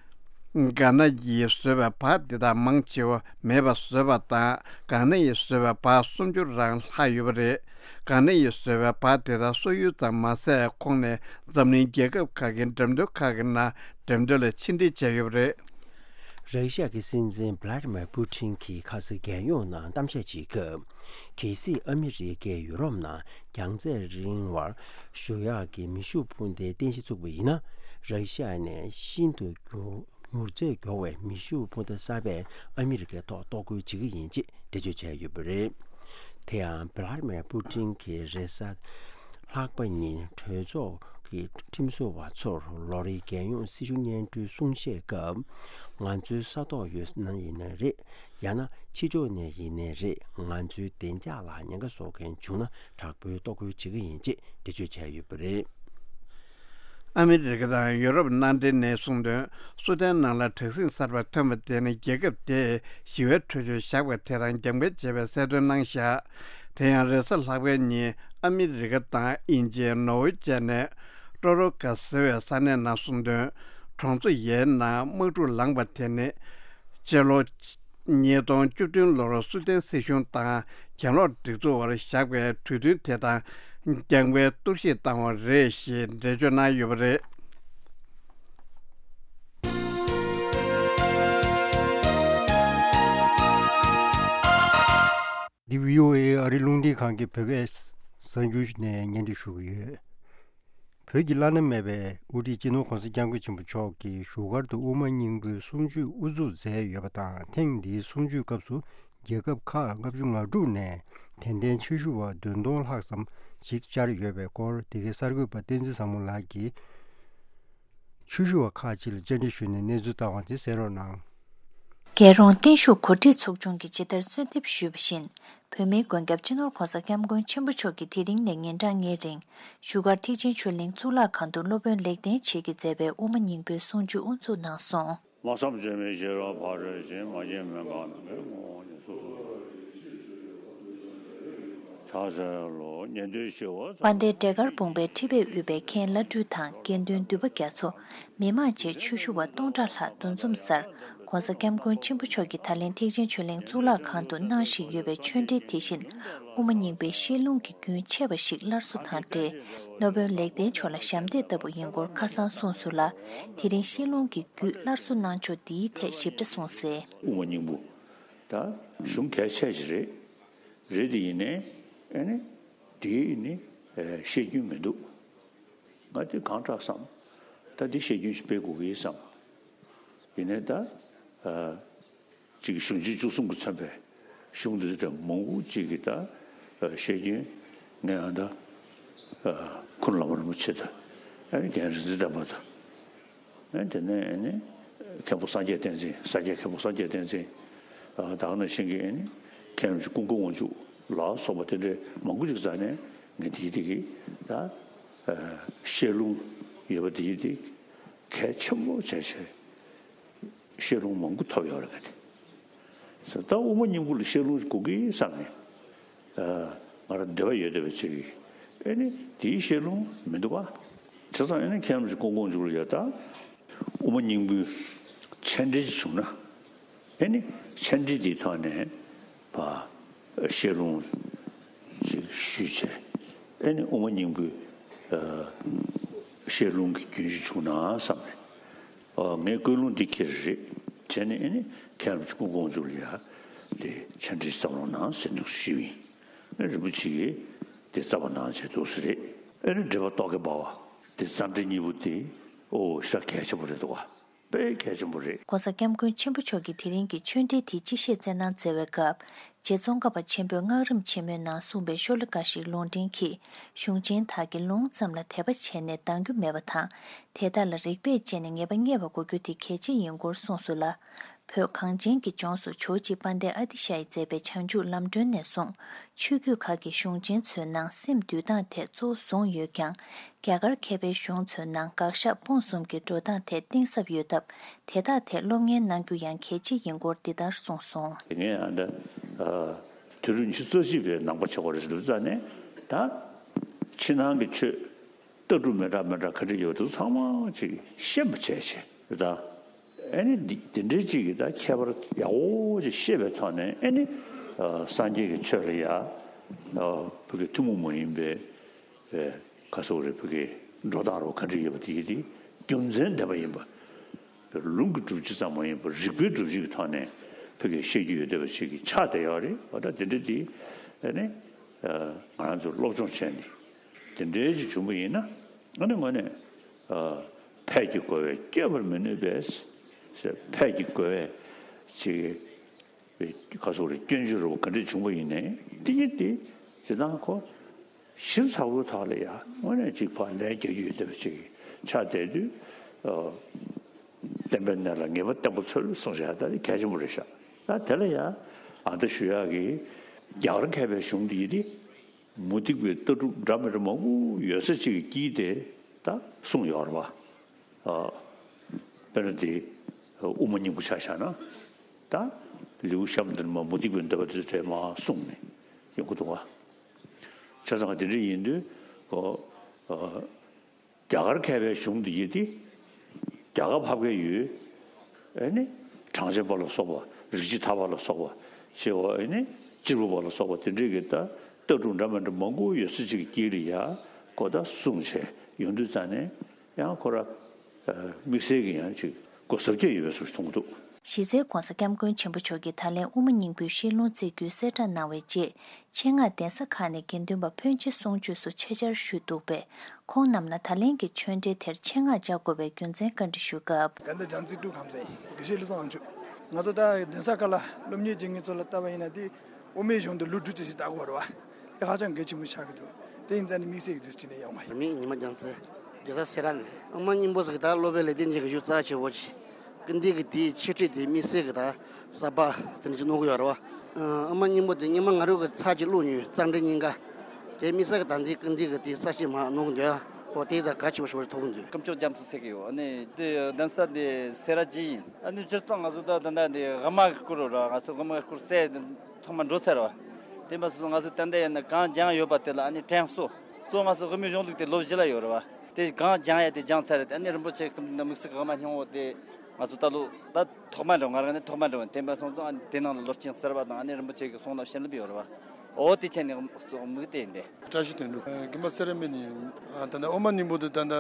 གྷ་ན་ཡིས་བཟོས་པའི་སྦག་དེ་དག་མང་ཆེ་བ་མེད་པ་བཟོས་པ་དང་། གྷ་ན་ཡིས་བཟོས་པའི་སྦག་སུམ་ཅུ་རང་ལྷག་ཡོད་པ་རེད། གྷ་ན་ཡིས་བཟོས་པའི་སྦག་དེ་དག་སོག་ཡུལ་ཙམ་མ་ཟད། ཁོང་ནས་འཛམ་གླིང་རྒྱལ་ཁབ་ཁག་གི་འགྲེམས་སྟོན་ཁག་གི་ནང་འགྲེམས་སྟོན་ལ་ཕྱིར་འཐེན་བྱས་ཡོད་པ་རེད། ར་ཤི་ཡ་གི་སྲིད་འཛིན་བྷ་ལ་ཏི་མེར་པུ་ཏིན་གྱིས་ཁ་སང་རྒྱལ་ཡོངས་ནང་གཏམ་བཤད་བྱེད་སྐབས། གལ་སྲིད་ཨ་མི་རི་ཀས་ཡུ་རོབ་ནང་རྒྱང་ཚད་རིང་བར་བཞུར་ཡག་གི་མེ་ཤུགས་འཕུར་མདའི་རྟེན་གཞི་བཙུགས་པ་ཡིན་ན། ར་ཤི་ཡ་ནས་ཤིན་ཏུ་མྱུར་མྱུར་ཚད་མགྱོགས་པའི་མེ་ཤུགས་འཕུར་མདའ་གསར་པས་ཨ་མི་རི་ཀའི་ཐོག་གཏོར་རྒོལ་བྱེད་ཀྱི་ཡིན་ཅེས་འགྲེལ་བརྗོད་བྱས་ཡོད་པ་རེད། དེ་ཡང་བྷ་ལ་ཏི་མེར་པུ་ཏིན་གྱིས་རེས་གཟའ་ལྷག་པ་ཉིན་གྲོས་ཚོགས་ཀྱི་ཁྲིམས་བཟོ་བ་ཚོར་ལོ་རེའི་རྒྱལ་ཡོངས་སྲིད་བྱུས་སྙན་སྒྲོན་གསུང་བཤད་སྐབས། ང་ཚོའི་ས་ཐོག་ཡོད་ན་ཡིན་ནའི་རེད། ཡང་ན་ཕྱི་ཕྱོགས་ནས་ཡིན་ནའི་རེད། ང་ཚོའི་བདེ་འཇགས་ལ་ཉེན་ཁ་བཟོ་མཁན་བྱུང་ན་དྲག་པོའི་གཏོར་རྒོལ་བྱེད་ཀྱི་ཡིན་ཅེས་འགྲེལ་བརྗོད་བྱས་ཡོད་པ་རེད། ཨ་མི་རི་ཀ་དང་ཡུ་རོབ་མནའ་འབྲེལ་ནས་གསུངས་དོན། སུ་དན་ནང་ལ་དྲག་ཟིང་གསར་པ་ཐོན་པ་དེ་ནི་རྒྱལ་ཁབ་དེས་ཞི་བའི་གྲོས་ཆོད་བཞག་པ་དེ་དང་རྒྱབ་འགལ་བྱས་པའི་གསལ་སྟོན་གནང་བཞག། དེ་ཡང་རེས་གཟའ་ལྷག་པའི་ཉིན་ཨ་མི་རི་ཀ་དང་དབྱིན་ཇི། ནོར་ཝེ་བཅས་ནས་ཀྲོ་རོ་ཀ་ཟེར་བའི་ས་གནས་ནང་གསུངས་དོན། གྲོང་ཚོ་ཡའི་ནང་དམག་འཁྲུག་ལངས་པ་དེ་ནི་སྤྱི་ལོ་ཉིས་སྟོང་བཅུ་བདུན་ལོར་སུ་དན་སྲིད་གཞུང་དང་གྱེན་ལོག་སྒྲིག་འཛུགས་བར་བཞག་པའི་གྲོས་མཐུན་དེ་དང་རྒྱབ་འགལ་གཏོར་བཤིག་བཏང་བ་རེད་ཞེས་འགྲེལ་བརྗོད་གནང་ཡོད་པ་རེད། འདི་བྷི་ཨོ་ཨེ་ཨ་རི་རླུང་འཕྲིན་ཁང་གི་བོད་སྐད་གསར་འགྱུར་ནས་སྙན་སྒྲོན་ཞུ་གི་ཡོད། བོད་ཀྱི་བླ་ན་མེད་པའི་དབུ་ཁྲིད་སྤྱི་ནོར་༸གོང་ས་༸སྐྱབས་མགོན་ཆེན་པོ་མཆོག་གིས་བཞུགས་སྒར་དུ་དབུ་མ་སྙིང་པོའི་གསུང་ཆོས་དབུ་འཛུགས་མཛད་ཡོད་པ་དང་། ཐེངས་འདིའི་གསུང་ཆོས་སྐབས་སུ་རྒྱལ་ཁབ་ཁག་ལྔ་བཅུ་ང་དྲུག་ནས་དད་ལྡན་ཆོས་ཞུ་བ་བདུན་སྟོང་ལྷག་ཙམ་ཞིག་བཅར་ཡོད་པའི་སྐོར། འདི་གའི་གསར་འགོད་པ་བསྟན་འཛིན་བཟང་མོ་ལགས་ཀྱིས་ཆོས་ཞུ་བ་ཁག་ཅིག་ལ་བཅར་འདྲི་ཞུས་ནས་གནས་ཚུལ་བཏང་བ་དེ་གསན་རོགས་གནང་། རྒྱལ་རོང་བརྟན་བཞུགས་གོ་སྒྲིག་ཚོགས་ཆུང་གིས་ཇི་ལྟར་གསོལ་འདེབས་ཞུས་པ་བཞིན། བོད་མིའི་མགོན་སྐྱབས་སྤྱི་ནོར་༸གོང་ས་༸སྐྱབས་མགོན་ཆེན་པོ་མཆོག་གིས་དེ་རིང་ནས་ཉིན་གྲངས་ལྔའི་རིང་བཞུགས་སྒར་ཐེག་ཆེན་ཆོས་གླིང་གཙུག་ལག་ཁང་དུ་སློབ་དཔོན་ལེགས་ལྡན་འབྱེད་ཀྱིས་མཛད་པའི་དབུ་མ་སྙིང་པོའི་གསུང་ཆོས་དབུ་འཛུགས་གནང་སོང་། དཔལ་ལྡན་འབྲས་དཀར་བུམ་པའི་ཁྲི་པས་དབུས་པའི་མཁན་བླ་སྤྲུལ་དང་དགེ་འདུན་འདུས་པ་རྒྱ་མཚོ། མི་མང་བཅས་ཆོས་ཞུ་བ་སྟོང་ཕྲག་ལྷག་འདུ་འཛོམས་སར། ༸གོང་ས་༸སྐྱབས་མགོན་ཆེན་པོ་མཆོག་གིས་ད་ལན་ཐེག་ཆེན་ཆོས་གླིང་གཙུག་ལག་ཁང་དུ་གནང་བཞིན་ཡོད་པའི་ཆོས་འབྲེལ་དེ་བཞིན། དབུ་མ་སྙིང་པོའི་བཤད་ལུང་གི་རྒྱུན་ཆད་པ་ཞིག་སླར་གསོ་དང་འབྲེལ། སློབ་དཔོན་ལེགས་ལྡན་མཆོག་ལ་ཞབས་འདེགས་ལྟ་བུ་ཡིན་སྐོར་ཁ་སང་གསུངས་སོང་ལ། དེ་རིང་བཤད་ལུང་གི་རྒྱུད་སླར་གསོ་གནང་ཕྱོགས་འདིའི་ཐད་ཞིབ་ཕྲ་གསུངས་གསལ། དབུ་མ་སྙིང་པོ་ད་གཞུང་གལ་ཆེ་ཞིག་རེད། རེད་དེ་ཡིན་ནའི་ཨ་ནི་དེའི་ནི་བཤད་རྒྱུན་མི་འདུག། ང་དེ་གང་དྲག་བསམ། ད་འདི་བཤད་རྒྱུན་ཞིག་སྤེལ་དགོས་ཀྱི་ཡིན་བསམ། ཡིན་ནའི་ད་ཨ་ཅིག་གཞུང་ཆེན་བཅུ་གསུམ་གྱིས་མཚོན་པའི་གཞུང་འདི་འདྲ་མང་པོ་ཅིག་གིས་ད་ཨ་བཤད་རྒྱུན་ངས་ཨ་ད་ཨ་ཁུངས་བླ་མ་རིན་པོ་ཆེ་དང་ཨ་ནི་རྒན་རིག་འཛིན་ལྡན་པ་དང་། ཨ་དེ་ནས་ཨ་ནི་མཁན་པོ་སངས་རྒྱས་བསྟན་འཛིན། ས་སྐྱའི་མཁན་པོ་སངས་རྒྱས་བསྟན་འཛིན། ཨ་ད་ག་ནང་བཞིན་གྱི་ཨ་ནི་མཁན་རིན་པོ་ཆེ་ཀུན་དགའ་དབང་ཕྱུག་ལ་སོགས་པ་དེ་འདྲའི་མང་པོ་ཅིག་རྩ་ནས་ངས་དེ་དེ་གི་ད་ཨ་བཤད་ལུང་ཡོད་པ་དེ་དེ་གལ་ཆེན་པོ་བྱས་བྱས་བཤད་ལུང་མང་པོ་ཐོབ་ཡོད་རེད། ངས་དེ་ ཟེར། ད་དབུ་མ་སྙིང་པོ་ལ་བཤད་ལུང་དགོས་ཀྱི་བསམ་ནས། ཨ། ང་རང་འདོད་པ་ཡོད་བསྡད་པ་ཅིག་གིས། ཨེ་ནི་དེའི་བཤད་ལུང་མི་འདུག་པ། བྱས་ཙང་ཨེ་ནི་མཁན་རིན་པོ་ཆེ་སྐུ་ངོ་མཇུག་ལ་ཡ། ད་དབུ་མ་སྙིང་པོའི་མཆན་འགྲེལ་ཅིག་བྱུང་ན། ཨེ་ནི་མཆན་འགྲེལ་དེའི་ཐོག་ནས་ཕར་བཤད་ལུང་ཅིག་ཞུས་བྱས། ཨེ་ནི་དབུ་མ་སྙིང་པོའི་ཨ་བཤད་ལུང་གི་རྒྱུན་ཞིག་བྱུང་ན་བསམ་ནས། ཨ། ངས་ཀུན་སློང་འདི་འཁྱེར་རེད་བྱས་ནས། ཨེ་ནི་མཁན་རིན་པོ་ཆེ་སྐུ་ངོ་མཇུག་ལ་ཡ་དེ་མཆན་འགྲེལ་བརྩམས་རོགས་གནང་ཟེར་འདུག་ཞུས་པ་ཡིན། ཨེ། རིན་པོ་ཆེ་གིས་དེ་བརྩམས་པ་གནང་བྱས་འདུག་ཟེར་རེད། ཨེ་ནི་འགྲེལ་པ་རྟོག་གེ་འབར་བ་དེ་རྩ་འགྲེལ་གཉིས་པོ་དེ། ཨོ། ཞེ་དྲག་གལ་ཆེན་པོ་རེད་འདུག་ག། དཔེ་གལ་ཆེན་པོ་རེད། ྋགོང་ས་ྋསྐྱབས་མགོན་ཆེན་པོ་མཆོག་གིས་དེ་རིང་གི་ཆོས་འབྲེལ་དེའི་སྤྱི་བཤད་སྩལ་གནང་མཛད་པའི་སྐབས། རྗེ་ཙོང་ཁ་པ་ཆེན་པོས་སྔགས་རིམ་ཆེན་མོའི་ནང་གསུངས་པའི་ཤོ་ལོ་ཀ་ཞིག་ལུང་འདྲེན་གྱིས། གཞུང་ཆེན་དག་གིས་ལུང་ཙམ་ལ་དད་པ་བྱས་ནས་འདང་རྒྱུ་མེད་པ་དང་། དེ་དག་ལ་རིགས་པས་དཔྱད་ནས་ངེས་པ་རྙེད་པ་དགོས་རྒྱུ་དེ་གལ་ཆེ་ཡིན་སྐོར་གསུངས་སོང་ལ། བོད་གངས་ཅན་གྱི་ལྗོངས་སུ་ཇོ་བོ་རྗེ་དཔལ་ལྡན་ཨ་ཏི་ཤ་ཡིས་མཛད་པའི་བྱང་ཆུབ་ལམ་སྒྲོན་ནས་བཟུང་། ཆོས་བརྒྱུད་ཁག་གི་གཞུང་ཆེན་ཚོའི་ནང་སེམས་འདུལ་སྟངས་ཐད་གཙོ་བོ་བཟུང་ཡོད་ཀྱང་། རྒྱ་གར་མཁས་པའི་གཞུང་ཚོའི་ནང་དགག་བཞག་སྤོང་གསུམ་གྱི་འགྲོ་སྟངས་ཐད་གཏིང་ཟབ་ཡོད་སྟབས། དེ་དག་ཐད་སློབ་གཉེར་གནང་རྒྱུ་ཡང་གལ་ཆེ་ཡིན་སྐོར་འདི་ལྟར་གསུངས་སོང་། ངས་ཨ་ད་ཨ་དུས་རབས་ཉི་ཤུ་རྩ་གཅིག་པའི་ནང་པ་ཆགས་པ་རེད་འདུག་ཙང་ནས། ད་ཕྱི་ནང་གི་ཆོས་ལྟ་གྲུབ་མི་འདྲ་མི་འདྲ་ག་འདྲ་ཡོད་འདུག་ཚང་མ་ཅིག་ཤེས་པ་བྱས་བྱས་ད། ཨེ་ནི་འདི་འདི་འདྲའི་ཅིག་གིས་ད་ཁྱད་པར་ཡག་པོ་ཅིག་ཤེས་པའི་ཐོག་ནས། ཨེ་ནི་ཨ་སངས་རྒྱས་ཀྱི་ཆོས་ལ་ཡ་ཨ་བོད་ཀྱི་ཐུན་མོང་མ་ཡིན་པའི་ཨེ་ག་ཟེར་དགོས་རེད། བོད་ཀྱི་འགྲོ་སྟངས་རོ་ག་འདྲ་ཡོད་པ་དེ་ཡི་དེ་རྒྱུ་མཚན་ལྡན་པ་ཡིན་པ། ལུང་གི་སྒྲུབ་བྱེད་ཙམ་མ་ཡིན་པར་རིགས་པའི་སྒྲུབ་བྱེད་ཀྱི་ཐོག་ནས་བོད་ཀྱི་བཤད་རྒྱུ་ཡོད་བསྡད་པ་ཅིག་གིས་ཆགས་བསྡད་ཡོད་རེད་པ། ད་དེ་འདྲ་དེ་ཨེ་ནི་ཨ་ང་རང་ཚོ་སློབ་སྦྱོང་བྱས་ནས་དེ་འདྲའི་ཅིག་བྱུང་བ་ཡིན་ན། ཨ་ནི་དངོས་གནས་ཨ་ཕས་ཀྱི་རྒོལ་བས་བསྐྱོད་པར་མི་ནུས་པས་ཟེར། ཕས་ཀྱི་རྒོལ་བས་ཅིག་པའི་ཁ་སོགས་རེ་སྐྱོན་བརྗོད་རོ་ག་འདྲས་བྱུང་བ་ཡིན་ནའི། དེ་ཉིད་དེ་ཇི་ལྟར་ཁོ་ཞིབ་ཚགས་པོའི་ཐོག་ལ་ཡང་དངོས་གནས་ཅིག་ཕར་ལན་རྒྱག་རྒྱུ་ཡོད་བསྡད་པ་ཅིག་ཆགས་བསྡད་དུས། ཨ་བསྟན་པའི་གནས་ལ་ངེས་པ་བརྟན་པོ་འཚོལ་གསུངས་བཞག་ད་གལ་ཆེན་པོ་རེད་ཤག་ད་དེ་ལ་ཡང་ཨ་ད་ཞུ་ཡག་གི་རྒྱ་གར་མཁས་པའི་གཞུང་འདི་ཡིན་ཏེ། མུ་སྟེགས་པའི་ལྟ་གྲུབ་འདྲ་མི་འདྲ་མང་པོ་ཡོད་ས་ཅིག་གི་དཀྱིལ་དེ་ད་གསུངས་ཡོད་རེད་པ། ཨ་དཔེར་ན་དེ་དབུ་མ་སྙིང་པོ་ཆ་བཞག་ན། ད་ལེའུ་གཤམ་དེར་མ་མུ་སྟེགས་པའི་འདོད་པ་དེ་འདྲ་མར་གསུངས་ནས་ཡོང་གི་འདུག་ག་བྱས་ཙང་དེ་འདྲ་ཡིན་དུས། ཨོ། ཨ། རྒྱ་གར་མཁས་པའི་གཞུང་འདི་ཡིན་ཏེ། རྒྱ་གར་ཕབ་མཁན་ཡོད། ཨེ་ནི་གྲངས་ཅན་པ་ལ་སོགས་པ། རིགས་བྱེ་བྲག་པ་ལ་སོགས་པ། ཞེས་པ། ཨེ་ནི་སྤྱིར་བུ་པ་ལ་སོགས་པ་དེ་འདྲའི་གི་ད་ལྟ་གྲུབ་འདྲ་མི་འདྲ་མང་པོ་ཡོད་ས་ཅིག་གི་དཀྱིལ་ལ་ཡ་ཁོ་ད་གསུངས་བྱས་ཡོང་དུས་ཙང་ནས། ཡང་ཁོ་ར་ཨ་དམིགས་བསལ་གྱི་ཡང་ཅིག་གོ་གཟབ་རྒྱས་ཡོད་པའི་བཟོ་ཞིག་མཐོང་གི་འདུག་གཞི་རྩའི་ྋགོང་ས་ྋསྐྱབས་མགོན་ཆེན་པོ་མཆོག་གིས་ད་ལན་དབུ་མ་སྙིང་པོའི་བཤད་ལུང་བསྩལ་རྒྱུའི་གསལ་བསྒྲགས་གནང་བའི་རྗེས། ཆེད་མངགས་གདན་ས་ཁག་ནས་དགེ་འདུན་པ་ཕོན་ཆེ་གསུང་ཆོས་སུ་ཆེད་བཅར་ཞུས་འདུག་པས། ཁོང་རྣམས་ལ་ད་ལན་གྱི་ཆོས་འབྲེལ་དེར་ཆེད་མངགས་བཅར་དགོས་པའི་རྒྱུ་མཚན་བཀའ་འདྲི་ཞུས་སྐབས། དགའ་ལྡན་རྒྱལ་མཚན་སྤྲུལ་ཁམས་ཚན་དགེ་བཤེས་བློ་བཟང་དབང་ཕྱུག་ང་ཚོ་ད་གདན་ས་ཁག་ལ་སློབ་གཉེར་བྱེད་མཁན་ཚོ་ལ་ལྟ་བ་ཡིན་ན། དེ་དབུ་མའི་གཞུང་དུ་ལོ་དྲུག་ཅུ་ཞིག་བལྟ་དགོས་པ་རེད་པ། དེ་ཧ་ཅང་གལ་ཆེན་པོ་ཆགས་ཀྱི་འདུག་དེ་ཡིན་ཙང་ནི་དམིགས་བསལ་གྱི་དུས་ཚོད་ནས་ཡོང་བ་ཡིན། མི་ཉི་མ་རྒྱལ་མཚན་གདན་ས་སེ་ར་ནས། དབུ་མ་སྙིང་པོ་ཟེར་གི་ད་སློབ་དཔོན་ལེགས་ལྡན་འབྱེད་ཀྱི་གཞུང་རྩ་ཆེ་བོ་ཅིག་སྐུ་འདི་གི་དེའི་འཆད་ཁྲིད་དེ་དམིགས་བསལ་གྱི་ད་གསར་པ་དེ་འདྲ་ཅིག་གནང་གི་ཡོད་རེད་པ། ཨ་དབུ་མ་སྙིང་པོ་དེ་སྔོན་མ་ང་རང་གིས་ཚར་གཅིག་ཀློག་མྱོང་། རྩ་འགྲེལ་གཉིས་ཀ། དེ་དམིགས་བསལ་གྱི་ད་འདི་སྐུ་འདི་གི་དེའི་གསར་ཤེས་མར་གནང་གི་འདུག་ཨོ་དེ་ད་གལ་ཆེན་པོ་ཞིག་ཐོགས་ཀྱི་འདུག་སྐུ་མཆོག་རྒྱ་མཚོ་ཚེ་གི་ཡོད། ཨ་ནི་དེ་གདན་ས་དེ་སེ་ར་བྱེས་ཡིན། ཨ་ནི་སྤྱིར་བཏང་ང་ཚོ་ད་ད་ལྟ་དེ་དབུ་མ་གི་སྐོར་ར་ང་ཚོ་དབུ་མ་གི་སྐོར་རྩ་ཐོག་མ་འགྲོ་ཚར་བ། དེ་མ་སོང་ང་ཚོ་ད་ལྟ་ཡིན་ན་གང་སྦྱངས་ཡོད་པ་དེ་ལ་ཨ་ནི་དྲན་གསོ། གཙོ་ང་ཚོ་དབུ་མའི་གཞུང་ལུགས་དེ་ལོ་བཞི་ལ་ཡོད་རེད་པ། དེ་གང་སྦྱང་ཡ་དེ་སྦྱངས་ཚར་རེད། ཨ་ནི་རིན་པོ་ཆེ་གི་དམིགས་བསལ་གྱི་དབུ་མ་སྙིང་པོ་དེ་ང་ཚོ་ད་ལོ་ད་ཐོག་མ་འགྲོ། ང་རང་ནི་ཐོག་མ་འགྲོ་བ་དེ་མ་སོང་ཙང་ཨ་ནི་དེ་ནང་ལ་ལོ་རྒྱུས་གསར་པ་དང་ཨ་ནི་རིན་པོ་ཆེ་གི་གསུང་རབ་བཤད་ལམ་ཡོད་རེད་པ། འོ་དེ་ཆ་ནས་དམིགས་དེ་ཡིན་ཏེ། བཀྲ་ཤིས་དོན་གྲུབ། དགོན་པ་སེ་ར་སྨད་ནས་ཡིན། ད་ལྟ་དབུ་མ་སྙིང་པོ་དེ་ད་ལྟ་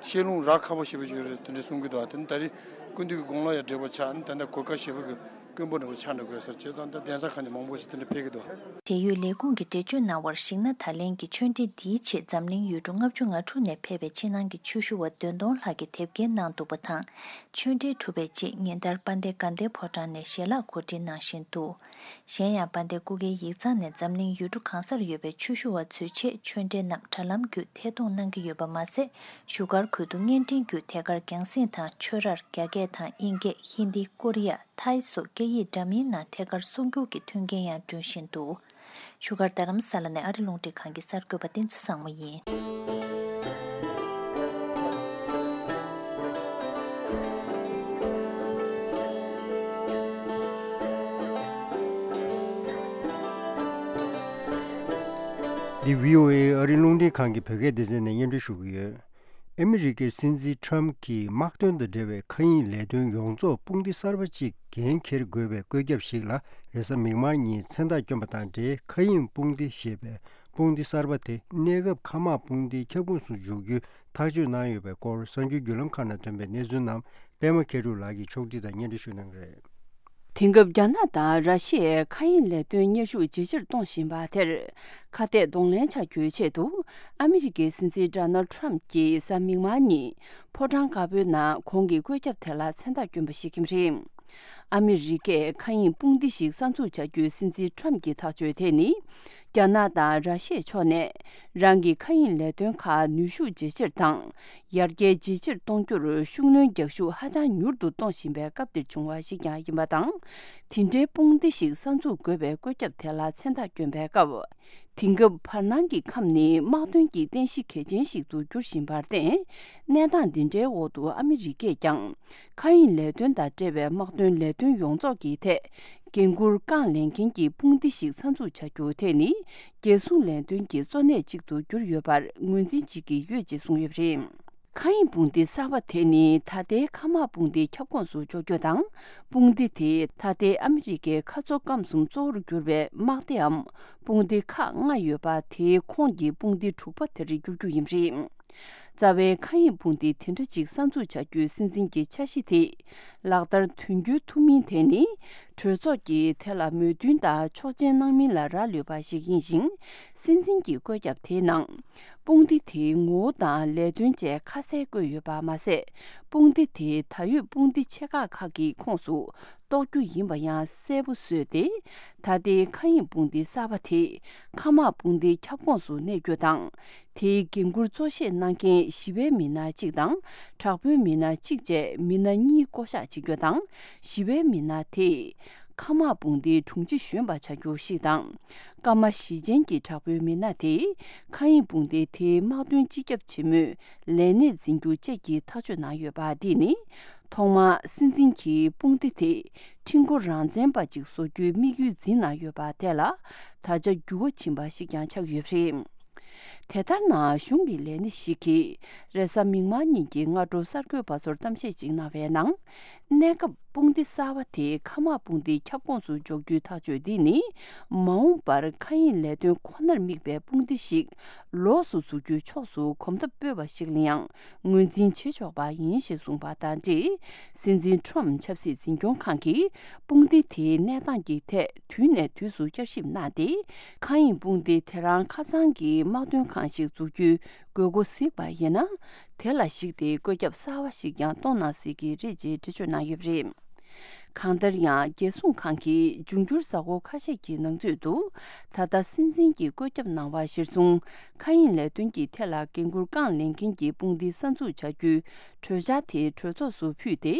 བཤད་ལུང་རག་ཁག་པོ་ཞེ་པོ་ཞིག་རེད་དེ་འདྲ་གསུང་གི་འདུག་དེ་ནི་ད་རེས་སྐུ་མདུན་གྱི་དགུང་ལོ་ཡང་བགྲེས་པོ་ཆགས། ད་ལྟ་གོ་སྐབས་ཞེ་པོ་གི་དཀོན་པོ་འདྲ་པོ་ཆགས་འགྲོ་དགོས་ཟེར། བྱས་ཙང་ད་གདན་ས་ཁག་ནས་མང་པོ་ཞིག་དེ་འདྲ་ཕེབས་ཀྱི་འདུག་འབྲེལ་ཡོད་ལས་ཁུངས་ཀྱིས་འགྲེལ་བརྗོད་གནང་བར་གཞིགས་ན། ད་ལན་གྱི་ཆོས་འབྲེལ་འདིའི་ཆེད་འཛམ་གླིང་ཡུལ་གྲུ་ལྔ་བཅུ་ང་དྲུག་ནས་ཕེབས་པའི་ཕྱི་ནང་གི་ཆོས་ཞུ་བ་བདུན་སྟོང་ལྷག་གིས་དེབ་སྐྱེལ་གནང་འདུག་པ་དང་། ཆོས་འབྲེལ་གྲུབ་པའི་རྗེས་ཉིན་ལྟར་དཔལ་ལྡན་དགའ་ལྡན་ཕོ་བྲང་ནས་ཞལ་ལག་གོ་སྒྲིག་གནང་བཞིན་འདུག་གཞན་ཡང་དཔལ་ལྡན་སྐུ་སྒེར་ཡིག་ཚང་ནས་འཛམ་གླིང་ཡུལ་གྲུ་གང་སར་ཡོད་པའི་ཆོས་ཞུ་བ་ཚོའི་ཆེད་ཆོས་འབྲེལ་རྣམས་དྲ་ལམ་བརྒྱུད་ཐད་གཏོང་གནང་གི་ཡོད་པ་མ་ཟད། བཞུགས་སྒར་ཁུལ་དུ་བརྙན་འཕྲིན་བརྒྱུད་ཐད་ཀར་རྒྱང་སྲིང་དང་ཆོས་རར་རྒྱ་སྐད་དང་དབྱིན་སྐད། ཧིན་དི། ཀོ་རི་ཡ། ཐའི་སོགས་སྐད་ཡིག་འདྲ་མིན་ནང་ཐད་ཀར་གསུང་སྒྱུར་གྱི་མཐུན་རྐྱེན་ཡང་བསྐྲུན་བཞིན་འདུག་བཞུགས་སྒར་རྡ་རམ་ས་ལ་ནས་ཨ་རི་རླུང་འཕྲིན་ཁང་གི་གསར་འགོད་པ་བསྟན་འཛིན་བཟང་མོ་ཡིན། འདི་བྷི་ཨོ་ཨེ་ཨ་རིའི་རླུང་འཕྲིན་ཁང་གི་བོད་སྐད་སྡེ་ཚན་ནས་སྙན་སྒྲོན་ཞུ་གི་ཡོད། ཨ་མི་རི་ཀའི་སྲིད་འཛིན་ཁྲམ་གྱིས་དམག་དོན་དང་འབྲེལ་བའི་མཁའ་དབྱིངས་ལས་དོན་ཡོངས་རྫོགས་དཔུང་སྡེ་གསར་པ་གཅིག་འགན་འཁྱེར་དགོས་པའི་བཀོད་ཁྱབ་ཞིག་ལ་རེས་གཟའ་མིག་དམར་ཉིན་མཚན་རྟགས་བསྐྱོན་པ་དང་འབྲེལ། མཁའ་དབྱིངས་དཔུང་སྡེ་ཞེས་པའི་དཔུང་སྡེ་གསར་པ་དེ་གནས་སྐབས་མཁའ་དམག་དཔུང་སྡེའི་ཁྱབ་ཁོངས་སུ་འཇུག་རྒྱུའི་ཐག་གཅོད་གནང་ཡོད་པའི་སྐོར་གསར་འགྱུར་བརྒྱུད་ལམ་ཁག་ནང་ཐོན་པའི་གནས་ཚུལ་རྣམས་པད་མ་མཁས་གྲུབ་ལགས་ཀྱིས་ཕྱོགས་སྒྲིག་དང་སྙན་སྒྲོན་ཞུ་གནང་གི་རེད། དེང་སྐབས་རྒྱ་ནག་དང་ར་ཤི་ཡའི་མཁའ་དབྱིངས་ལས་དོན་གཉེར་ཤུགས་ཇེ་ཆེར་གཏོང་བཞིན་པ་དེར་ཁ་གཏད་གདོང་ལེན་བྱ་རྒྱུའི་ཆེད་དུ། ཨ་མི་རི་ཀའི་སྲིད་འཛིན་ཌོ་ནལ་ཌི་ཊརམ་གྱིས་གཟའ་མིག་དམར་ཉིན་ཕོ་བྲང་དཀར་པོའི་ནང་ཁོང་གི་བཀོད་ཁྱབ་དེ་ལ་མཚན་རྟགས་བསྐྱོན་པ་ཞིག་ཡིན་པ་རེད། ཨ་མི་རི་ཀས་མཁའ་དབྱིངས་དཔུང་སྡེ་ཞིག་གསར་འཛུགས་བྱ་རྒྱུའི་སྲིད་འཛིན་ཊརམ་གྱི་ཐག་གཅོད་དེ་ནི། རྒྱ་ནག་དང་ར་ཤི་ཡའི་ཕྱོགས་ནས་རང་གི་མཁའ་དབྱིངས་ལས་དོན་ཁག་ནུས་ཤུགས་ཇེ་ཆེར་དང་། ཡར་རྒྱས་ཇེ་ཆེར་གཏོང་རྒྱུར་ཤུགས་སྣོན་རྒྱག་ཤུགས་ཧ་ཅང་མྱུར་དུ་གཏོང་བཞིན་པའི་སྐབས་འདིར་བྱུང་བ་ཞིག་ཀྱང་ཡིན་པ་དང་། དེ་འདྲའི་དཔུང་སྡེ་ཞིག་གསར་འཛུགས་དགོས་པའི་བཀོད་ཁྱབ་དེ་ལ་མཚན་རྟགས་བསྐྱོན་པའི་སྐབས། དེང་སྐབས་བར་སྣང་གི་ཁམས་ནི་དམག་དོན་གྱི་རྟེན་གཞི་གལ་ཆེན་ཞིག་ཏུ་འགྱུར་བཞིན་པར་བརྟེན། གནས་སྟངས་འདི་འདྲའི་འོག་ཏུ་ཨ་མི་རི་ཀས་ཀྱང་མཁའ་དབྱིངས་ལས་དོན་དང་འབྲེལ་བའི་དམག་དོན་ལས་དོན་ཡོངས་རྫོགས་ཀྱི་ཐད་འགན་འཁུར་རྐང་ལེན་མཁན་གྱི་དཔུང་སྡེ་ཞིག་གསར་འཛུགས་བྱ་རྒྱུ་དེ་ནི། རྒྱལ་སྲུང་ལས་དོན་གྱི་གཙོ་གནད་ཅིག་ཏུ་གྱུར་ཡོད་པར་ངོས་འཛིན་བྱེད་ཀྱི་ཡོད་ཅེས་གསུངས་ཡོད་པ་རེད། མཁའ་དབྱིངས་དཔུང་སྡེ་གསར་པ་དེ་ནི་ད་ལྟའི་མཁའ་དམག་དཔུང་སྡེའི་ཁྱབ་ཁོངས་སུ་འཇོག་རྒྱུ་དང་། དཔུང་སྡེ་དེ་ད་ལྟའི་ཨ་མི་རི་ཀའི་མཁའ་མཚོ་སྐམ་གསུམ་གཙོ་བོར་གྱུར་པའི་དམག་སྡེའམ་དཔུང་སྡེ་ཁག་ལྔ་ཡོད་པ། དེའི་ཁོངས་ཀྱི་དཔུང་སྡེ་དྲུག་པ་དེར་འགྱུར་རྒྱུ་ཡིན་པ་རེད། རྩ་བའི་མཁའ་དབྱིངས་དཔུང་སྡེ་དེ་འདྲ་ཅིག་གསར་འཛུགས་བྱ་རྒྱུའི་སྲིད་འཛིན་གྱི་འཆར་གཞི་དེ་ལག་བསྟར་དོན་འཁྱོལ་ཐུབ་མིན་དེ་ནི། གྲོས་ཚོགས་ཀྱིས་དེ་ལ་མོས་མཐུན་དང་ཆོག་མཆན་གནང་མིན་ལ་རག་ལུས་པ་ཞིག་ཡིན་ཞིང་། སྲིད་འཛིན་གྱི་བཀོད་ཁྱབ་དེའི་ནང་། དཔུང་སྡེ་དེའི་ངོ་བོ་དང་ལས་དོན་བཅས་ཁ་གསལ་བཀོད་ཡོད་པ་མ་ཟད། དཔུང་སྡེ་དེ་ད་ཡོད་དཔུང་སྡེ་ཆེ་ཁག་ཁག་གི་ཁོངས་སུ་གཏོགས་རྒྱུ་ཡིན་པ་ཡང་གསལ་པོ་བཟོས་ཏེ། ད་ལྟའི་མཁའ་དབྱིངས་དཔུང་སྡེ་གསར་པ་དེ་མཁའ་དམག་དཔུང་སྡེའི་ཁྱབ་ཁོངས་སུ་གནས་རྒྱུ་དང་། དེའི་འགན་འཁུར་གཙོ་ཆེ་གནང་མཁན་ཞི་བའི་མི་སྣ་གཅིག་དང་། དྲག་པོའི་མི་སྣ་གཅིག་བཅས་མི་སྣ་གཉིས་བསྐོ་གཞག་བྱེད་རྒྱུ་དང་། ཞི་བའི་མི་སྣ་དེས་མཁའ་དམག་དཔུང་སྡེའི་དྲུང་ཆེ་གཞོན་པ་བྱ་རྒྱུ་ཞིག་དང་། སྐར་མ་བཞི་ཅན་གྱི་དྲག་པོའི་མི་སྣ་དེས་མཁའ་དབྱིངས་དཔུང་སྡེ་དེའི་དམག་དོན་སྤྱི་ཁྱབ་ཆེན་མོའི་ལས་གནས་འཛིན་རྒྱུ་བཅས་ཀྱི་ཐག་གཅོད་གནང་ཡོད་པ། འདི་ནི་ཐོག་མར་སྲིད་འཛིན་གྱིས་དཔུང་སྡེ་དེ་ཁྲིམས་སྒོ་རང་བཙན་པ་ཅིག་བཟོ་རྒྱུའི་དམིགས་ཡུལ་འཛིན་གནང་ཡོད་པ་དེ་ལ་ད་ཆ་འགྱུར་བ་ཕྱིན་པ་ཞིག་ཀྱང་ཆགས་ཡོད་པ་རེད། དེ་ལྟར་ན། གཞུང་གི་ལས་སྣེ་ཞིག་གིས་རེས་གཟའ་མིག་དམར་ཉིན་གྱི་སྔ་དྲོ་གསར་འགོད་པ་ཚོར་གཏམ་བཤད་ཅིག་གནང་བའི་ནང་། གནས་སྐབས་དཔུང་སྡེ་གསར་པ་དེ་མཁའ་དམག་དཔུང་སྡེའི་ཁྱབ་ཁོངས་སུ་འཇོག་རྒྱུའི་ཐག་གཅོད་འདི་ནི། མ་འོངས་པར་མཁའ་དབྱིངས་ལས་དོན་ཁོ་ནར་དམིགས་པའི་དཔུང་སྡེ་ཞིག་ལོགས་སུ་འཛུགས་རྒྱུའི་ཕྱོགས་སུ་གོམ་སྟབས་སྤོས་པ་ཞིག་ལ་ཡང་ངོས་འཛིན་བྱེད་ཆོག་པ་ཡིན་ཞེས་གསུངས་པ་དང་འབྲེལ། སྲིད་འཛིན་ཁྲོམ་ཆབ་སྲིད་འཛིན་སྐྱོང་ཁང་གིས་དཔུང་སྡེ་དེའི་གནས་སྟངས་ཀྱི་ཐད་དུས་ནས་དུས་སུ་བསྐྱར་ཞིབ་གནང་སྟེ། མཁའ་དབྱིངས་དཔུང་སྡེ་དེ་རང་ཁ་ཚང་གི་དམག་དོན་ཁང་ཞིག་འཛུགས་རྒྱུའི་དགོས་མཁོ་གཟིགས་པ་ཡིན་ན། དེ་ལ་གཞིགས་ཏེ་བཀོད་ཁྱབ་གསར་བ་ཞིག་ཀྱང་གཏོང་གནང་སྲིད་ཀྱི་རེད་ཅེས་འགྲེལ་བརྗོད་གནང་ཡོད་པ་རེད། གང་ལྟར་ཡང་། རྒྱལ་སྲུང་ཁང་གིས་འབྱུང་འགྱུར་གཟའ་འཁོར་ཁ་ཤས་ཀྱི་ནང་ཚུད་དུ། ད་ལྟ་སྲིད་འཛིན་གྱིས་བཀོད་ཁྱབ་གནང་བ་གཞིར་བཟུང་། མཁའ་དབྱིངས་ལས་དོན་གྱི་ཐད་ལ་འགན་འཁུར་རྐང་ལེན་མཁན་གྱི་དཔུང་སྡེ་གསར་འཛུགས་བྱ་རྒྱུའི་གྲོས་འཆར་དེ་གྲོས་ཚོགས་སུ་ཕུལ་ཏེ།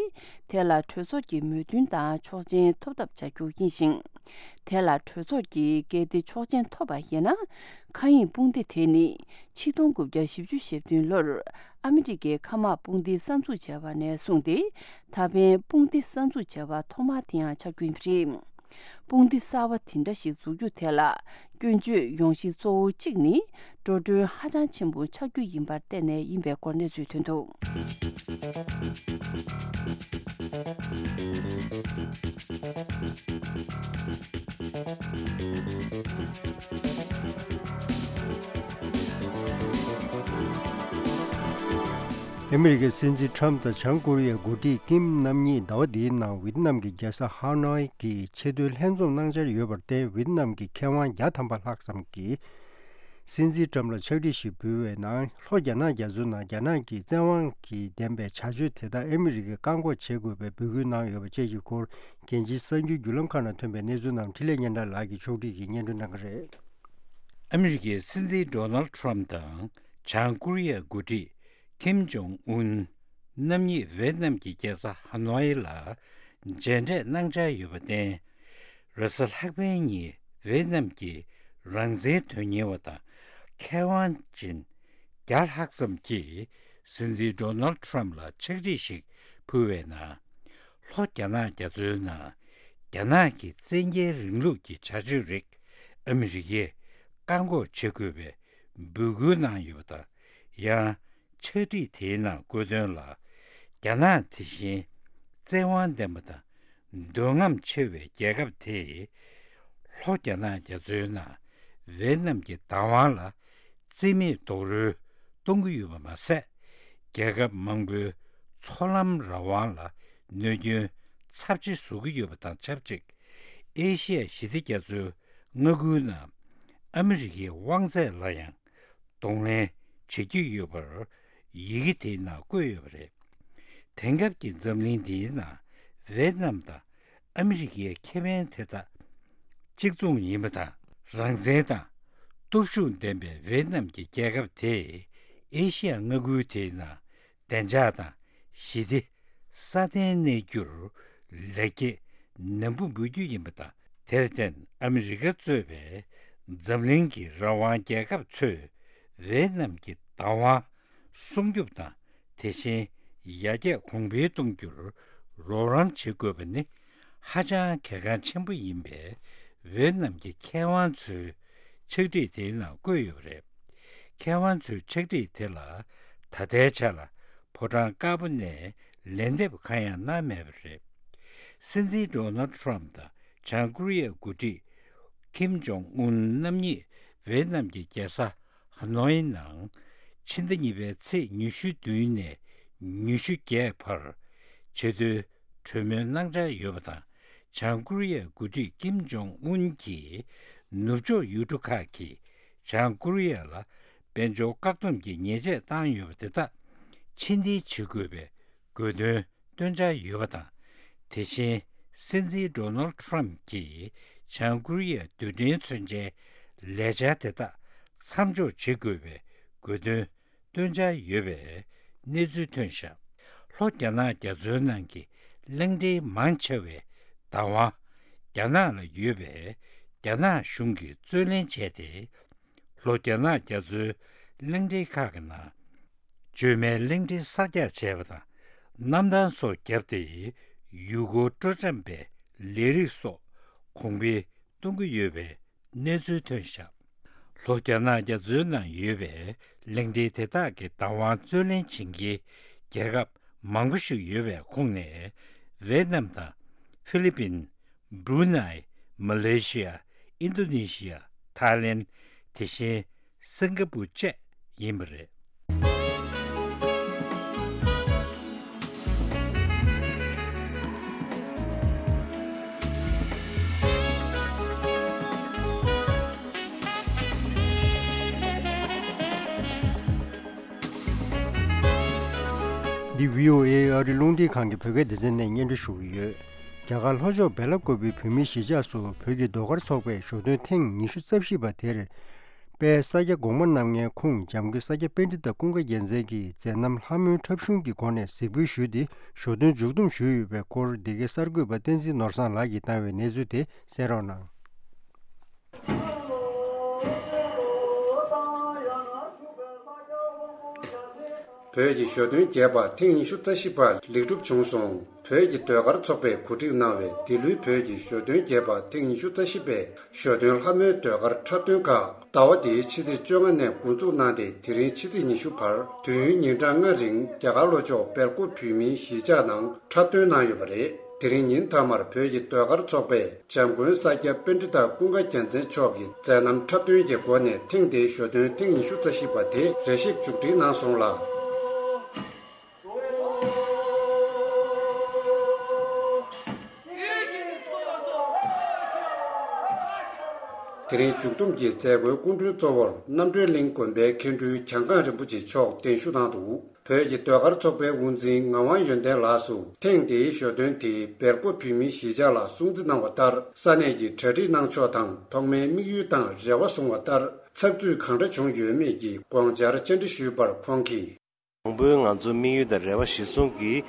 དེ་ལ་གྲོས་ཚོགས་ཀྱི་མོས་མཐུན་དང་ཆོག་མཆན་ཐོབ་ཐབས་བྱ་རྒྱུ་ཡིན་ཞིང་། དེ་ལ་གྲོས་ཚོགས་ཀྱིས་གལ་ཏེ་ཆོག་མཆན་ཐོབ་པ་ཡིན་ན། མཁའ་དབྱིངས་དཔུང་སྡེ་དེ་ནི་ཆིག་སྟོང་དགུ་བརྒྱ་བཞི་བཅུ་ཞེ་བདུན་ལོར་ཨ་མི་རི་ཀའི་མཁའ་དམག་དཔུང་སྡེ་གསར་འཛུགས་བྱས་པ་ནས་བཟུང་སྟེ། ད་ཕན་དཔུང་སྡེ་གསར་འཛུགས་བྱས་པ་ཐོག་མ་དེ་ཡང་ཆགས་རྒྱུ་ཡིན་པ་རེད། དཔུང་སྡེ་གསར་བ་དེ་འདྲ་ཞིག་འཛུགས་རྒྱུ་དེ་ལ་སྐྱོན་བརྗོད་ཡོང་གཞི་གཙོ་བོ་གཅིག་ནི་འགྲོ་གྲོན་ཧ་ཅང་ཆེན་པོ་ཆགས་རྒྱུ་ཡིན་པར་བརྟེན་ནས་ཡིན་པའི་སྐོར་གནས་ཚུལ་ཐོན་འདུག། ཨ་མི་རི་ཀའི་སྲིད་འཛིན་ཁྲམ་དང་བྱང་ཀོ་རི་ཡའི་འགོ་ཁྲིད་ཀིམ་རྣམ་གཉིས་ཟླ་བ་འདིའི་ནང་ཝི་ཏི་ནམ་གྱི་རྒྱལ་ས་ཧ་ནོའི་གི་ཆེས་མཐོའི་ལྷན་འཛོམས་གནང་འཆར་ཡོད་པར་བརྟེན། ཝི་ཏི་ནམ་གྱི་མཁས་དབང་བརྒྱ་ཐམ་པ་ལྷག་ཙམ་གྱིས་སྲིད་འཛིན་ཁྲམ་ལ་ཕྱག་བྲིས་ཤིག་ཕུལ་བའི་ནང་། ལྷོ་རྒྱ་ནག་རྒྱ་མཚོའི་ནང་རྒྱ་ནག་གི་བཙན་དབང་གིས་ལྡན་པའི་བྱ་སྤྱོད་དེ་དག་ཨ་མི་རི་ཀས་བཀག་འགོག་བྱེད་དགོས་པའི་འབོད་སྐུལ་གནང་ཡོད་པ་བཅས་ཀྱི་སྐོར། རྒྱལ་སྤྱིའི་གསར་འགྱུར་བརྒྱུད་ལམ་ཁག་ནང་ཐོན་པའི་གནས་ཚུལ་རྣམས་འཕྲིན་ལས་སྙན་གྲགས་ལགས་ཀྱིས་ཕྱོགས་བསྒྲིགས་ཀྱིས་སྙན་སྒྲོན་གནང་གི་རེད། ཨ་མི་རི་ཀའི་སྲིད་འཛིན་ཌོ་ནལ་ཁྲམ་དང་བྱང་ཀོ་རི་ཡའི་འགོ་ཁྲིད་ཀིམ་ཇོང་ཨུན་རྣམ་གཉིས་ཝེ་ཏི་ནམ་གྱི་རྒྱལ་ས་ཧ་ནོའི་ལ་མཇལ་འཕྲད་གནང་འཆར་ཡོད་པར་བརྟེན། རེས་གཟའ་ལྷག་པའི་ཉིན་ཝེ་ཏི་ནམ་གྱི་རང་བཙན་དོན་གཉེར་བ་དང་མཁས་དབང་ཅན་བརྒྱ་ལྷག་ཙམ་གྱིས་སྲིད་འཛིན་ཌོ་ནལ་ཁྲམ་ལ་ཕྱག་བྲིས་ཤིག་ཕུལ་བའི་ནང་། ལྷོ་རྒྱ་ནག་རྒྱ་མཚོའི་ནང་རྒྱ་ནག་གི་བཙན་རྒྱལ་རིང་ལུགས་ཀྱི་བྱ་སྤྱོད་རིགས་ཨ་མི་རི་ཀས་ བཀག་འགོག་བྱེད་དགོས་པའི་འབོད་སྐུལ་གནང་ཡོད་པ་དང་། ཡང་ཕྱག་བྲིས་དེའི་ནང་བཀོད་དོན་ལ། རྒྱ་ནག་དེ་བཞིན་བཙན་དབང་ལྡན་པ་དང་འདོད་རྔམ་ཆེ་བའི་རྒྱལ་ཁབ་དེས་ལྷོ་རྒྱ་ནག་རྒྱ་མཚོའི་ནང་ཝེ་ཏི་ནམ་གྱི་བདག་དབང་ལ་རྩིས་མེད་རྡོག་རོལ་གཏོང་གི་ཡོད་པ་མ་ཟད། རྒྱལ་ཁབ་མང་པོའི་མཚོ་ལམ་རང་དབང་ལ་གནོད་སྐྱོན་ཚབས་ཆེ་བཟོ་གི་ཡོད་པ་དང་ཆབས་ཅིག་ཨེ་ཤི་ཡ་ཞི་བདེ་རྒྱ་མཚོའི་མངའ་ཁུལ་ནང་ཨ་མི་རི་ཀའི་དབང་ཚད་ལ་ཡང་གདོང་ལེན་བྱེད་ཀྱི་ཡོད་པར་ཡི་གེ་དེའི་ནང་བཀོད་ཡོད་པ་རེད། དེང་སྐབས་ཀྱི་འཛམ་གླིང་འདིའི་ནང་ཝེ་ཏི་ནམ་དང་ཨ་མི་རི་ཀའི་ཁེ་ཕན་དེ་དག་གཅིག་མཚུངས་ཡིན་པ་དང་། རང་བཙན་དང་སྟོབས་ཤུགས་ལྡན་པའི་ཝེ་ཏི་ནམ་གྱི་རྒྱལ་ཁབ་དེས་ཨེ་ཤི་ཡ་མངའ་ཁུལ་དེའི་ནང་བདེ་འཇགས་དང་ཞི་བདེ་སྲ་བརྟན་གནས་རྒྱུར་ལེགས་སྐྱེས་ནན་པོ་འབུལ་རྒྱུ་ཡིན་པ་དང་། དེར་བརྟེན་ཨ་མི་རི་ཀ་གཙོས་པའི་འཛམ་གླིང་གི་རང་དབང་རྒྱལ་ཁབ་ཚོས་ཝེ་ཏི་ནམ་གྱི་བདག་དབང་སྲུང་སྐྱོབ་དང་། དེ་བཞིན་ཡར་རྒྱས་གོང་འཕེལ་གཏོང་རྒྱུར་རོགས་རམ་བྱེད་དགོས་པ་ནི་ཧ་ཅང་གལ་འགངས་ཆེན་པོ་ཡིན་པས། ཝེ་ཏི་ནམ་གྱི་མཁས་དབང་ཚོའི་ཕྱག་བྲིས་དེའི་ནང་བཀོད་ཡོད་པ་རེད། མཁས་དབང་ཚོའི་ཕྱག་བྲིས་དེ་ལ་ད་ལྟའི་ཆ་ལ་ཕོ་བྲང་དཀར་པོ་ནས་ལན་འདེབས་གང་ཡང་གནང་མེད་པ་རེད། སྲིད་འཛིན་ཌོ་ནལ་ཊམ་དང་བྱང་ཀོ་རི་ཡའི་འགོ་ཁྲིད་ཁིམ་ཇོང་ཨུན་རྣམ་གཉིས་ཝེ་ཏི་ནམ་གྱི་རྒྱལ་ས་ཧ་ནོའི་ནང་ཕྱི་ཟླ་གཉིས་པའི་ཚེས་ཉི་ཤུ་བདུན་ནས་ཉི་ཤུ་བརྒྱད་བར་བྱེད་དོན་གྲོས་མོལ་གནང་འཆར་ཡོད་པ་དང་། བྱང་ཀོ་རི་ཡའི་འགོ་ཁྲིད་ཀིམ་ཇོང་ཨུན་གྱིས་ནུབ་ཕྱོགས་ཡུལ་གྲུ་ཁག་གིས་བྱང་ཀོ་རི་ཡ་ལ་དཔལ་འབྱོར་བཀག་སྡོམ་གྱི་ཉེས་ཆད་བཏང་ཡོད་པ་དེ་དག་ཕྱིར་འཐེན་བྱེད་དགོས་པའི་དགོས་འདུན་བཏོན་འཆར་ཡོད་པ་དང་། དེ་བཞིན་སྲིད་འཛིན་ཌོ་ནལ་ཊམ་གྱིས་བྱང་ཀོ་རི་ཡའི་རྡུལ་ཕྲན་མཚོན་ཆའི་ལས་འཆར་དེ་དག་མཚམས་འཇོག་བྱེད་དགོས་པའི་དགོས་འདུན་བཏོན་འཆར་ཡོད་པའི་གནས་ཚུལ་ཐོན་བཞག་ལྷོ་རྒྱ་ནག་རྒྱ་མཚོའི་ནང་གི་གླིང་ཕྲན་མང་ཆེ་བའི་བདག་དབང་རྒྱ་ནག་ལ་ཡོད་པས། རྒྱ་ནག་གཞུང་གིས་རྩོད་ལེན་བྱས་ཏེ། ལྷོ་རྒྱ་ནག་རྒྱ་མཚོའི་གླིང་ཕྲན་ཁག་གི་ནང་། བཅོས་མའི་གླིང་ཕྲན་གསར་རྒྱག་བྱས་པ་དང་། གནམ་ཐང་སོགས་བརྒྱབ་སྟེ། ཡུལ་སྐོར་སྤྲོ་འཆམ་པའི་ལས་རིགས་སོགས་གོང་འཕེལ་གཏོང་གི་ཡོད་པའི་གནས་ཚུལ་ཐོན་བཞག་ལྷོ་རྒྱ་ནག་རྒྱ་མཚོའི་ནང་ཡོད་པའི་གླིང་ཕྲན་དེ་དག་གི་བདག་དབང་རྩོད་ལེན་བྱེད་མཁན་རྒྱལ་ཁབ་མང་པོ་ཞིག་ཡོད་པའི་ཁོངས་ནས། ཝེ་ཏི་ནམ་དང་ཧྥི་ལི་པིན། བྷྲུ་ནའི། མ་ལེ་ཤི་ཡ། ཨིན་རྡོ་ནེ་ཤི་ཡ། ཐའི་ལེན། དེ་བཞིན་སིང་ག་པུར་བཅས་ཡིན་པ་རེད། འདི་བྷི་ཨོ་ཨེ་ཨ་རིའི་རླུང་འཕྲིན་ཁང་གི་བོད་སྐད་སྡེ་ཚན་ནས་སྙན་སྒྲོན་ཞུ་གི་ཡོད། རྒྱ་གར་ལྷོ་ཕྱོགས་སྦེ་ལ་ཀོབ་པའི་བོད་མིའི་གཞིས་ཆགས་སུ་བོད་ཀྱི་ཟློས་གར་ཚོགས་པས་ཞོ་སྟོན་ཐེངས་ཉི་ཤུ་རྩ་བཞི་པ་དེར། དཔལ་ས་སྐྱ་གོང་མ་རྣམ་ལྔའི་ཁུངས་འཇམ་མགོན་ས་སྐྱ་པཎྜི་ཏ་ཀུན་དགའ་རྒྱལ་མཚན་གྱི་མཛད་རྣམ་ལྷ་མོའི་འཁྲབ་གཞུང་གི་སྒོ་ནས་གཟིགས་འབུལ་ཞུས་ཏེ་ཞོ་སྟོན་མཇུག་བསྡོམས་ཞུས་ཡོད་པའི་སྐོར། འདི་གའི་གསར་འགོད་པ་བསྟན་འཛིན་ནོར་བཟང་ལགས་ཀྱིས་བཏང་བའི་གནས་ཚུལ་དེ་གསན་རོགས་གནང་། བོད་ཀྱི་ཞོ་སྟོན་རྒྱས་པ་ཐེངས་ཉི་ཤུ་རྩ་བཞི་པ་ལེགས་གྲུབ་བྱུང་སོང་། བོད་ཀྱི་ཟློས་གར་ཚོགས་པས་གོ་སྒྲིག་གནང་བའི་འདི་ལོའི་བོད་ཀྱི་ཞོ་སྟོན་རྒྱས་པ་ཐེངས་ཉི་ཤུ་རྩ་བཞི་པའི་ཞོ་སྟོན་ལྷ་མོའི་ཟློས་གར་འཁྲབ་སྟོན་ཁག་ཟླ་བ་འདིའི་ཕྱི་ཚེས་བཅོ་ལྔ་ནས་འགོ་འཛུགས་གནང་སྟེ། དེ་རིང་ཕྱི་ཚེས་ཉི་ཤུ་བར་དུས་ཡུན་ཉིན་གྲངས་ལྔ་རིང་རྒྱ་གར་ལྷོ་ཕྱོགས་སྦེལ་ཀོབ་བོད་མིའི་གཞིས་ཆགས་ནང་འཁྲབ་སྟོན་གནང་ཡོད་པ་རེད། དེ་རིང་ཉིན་མཐའ་མར་བོད་ཀྱི་ཟློས་གར་ཚོགས་པས་འཇམ་མགོན་ས་སྐྱ་པཎྜི་ཏ་ཀུན་དགའ་རྒྱལ་མཚན་མཆོག་གི་མཛད་རྣམ་འཁྲབ་སྟོན་གྱི་སྒོ་ནས་ཐེངས་འདིའི་ཞོ་སྟོན་ཐེངས་ཉི་ཤུ་རྩ་བཞི་པ་དེ་རེ་ཞིག་མཇུག་སྒྲིལ་གནང་སོང་ལ། དེ་རིང་མཇུག་བསྡོམས་ཀྱི་མཛད་སྒོའི་སྐུ་མགྲོན་གཙོ་བོར་རྣམ་གྲོལ་གླིང་དགོན་པའི་མཁན་སྤྲུལ་གྱང་ཁང་རིན་པོ་ཆེ་མཆོག་གདན་ཞུ་གནང་འདུག་བོད་ཀྱི་ཟློས་གར་ཚོགས་པའི་དབུ་འཛིན་ངག་དབང་ཡོན་ཏན་ལགས་སུ་ཐེངས་འདིའི་ཞོ་སྟོན་དེ་སྦེལ་ཀོབ་བོད་མིའི་གཞིས་ཆགས་ལ་སྲུང་བརྩི་གནང་བ་ལྟར། ས་གནས་ཀྱི་གྲ་སྒྲིག་གནང་ཕྱོགས་དང་ཐོག་མའི་དམིགས་ཡུལ་དང་རེ་བ་བཟུང་བ་ལྟར་ཚགས་ཚུད་གང་འདྲ་བྱུང་ཡོད་མེད་ཀྱི་དགོངས་འཆར་བཅར་འདྲི་ཞུས་པར་ཁོང་གིས། དང་པོའི་ང་ཚོའི་དམིགས་ཡུལ་དང་རེ་བ་གཞིར་བཟུང་གིས་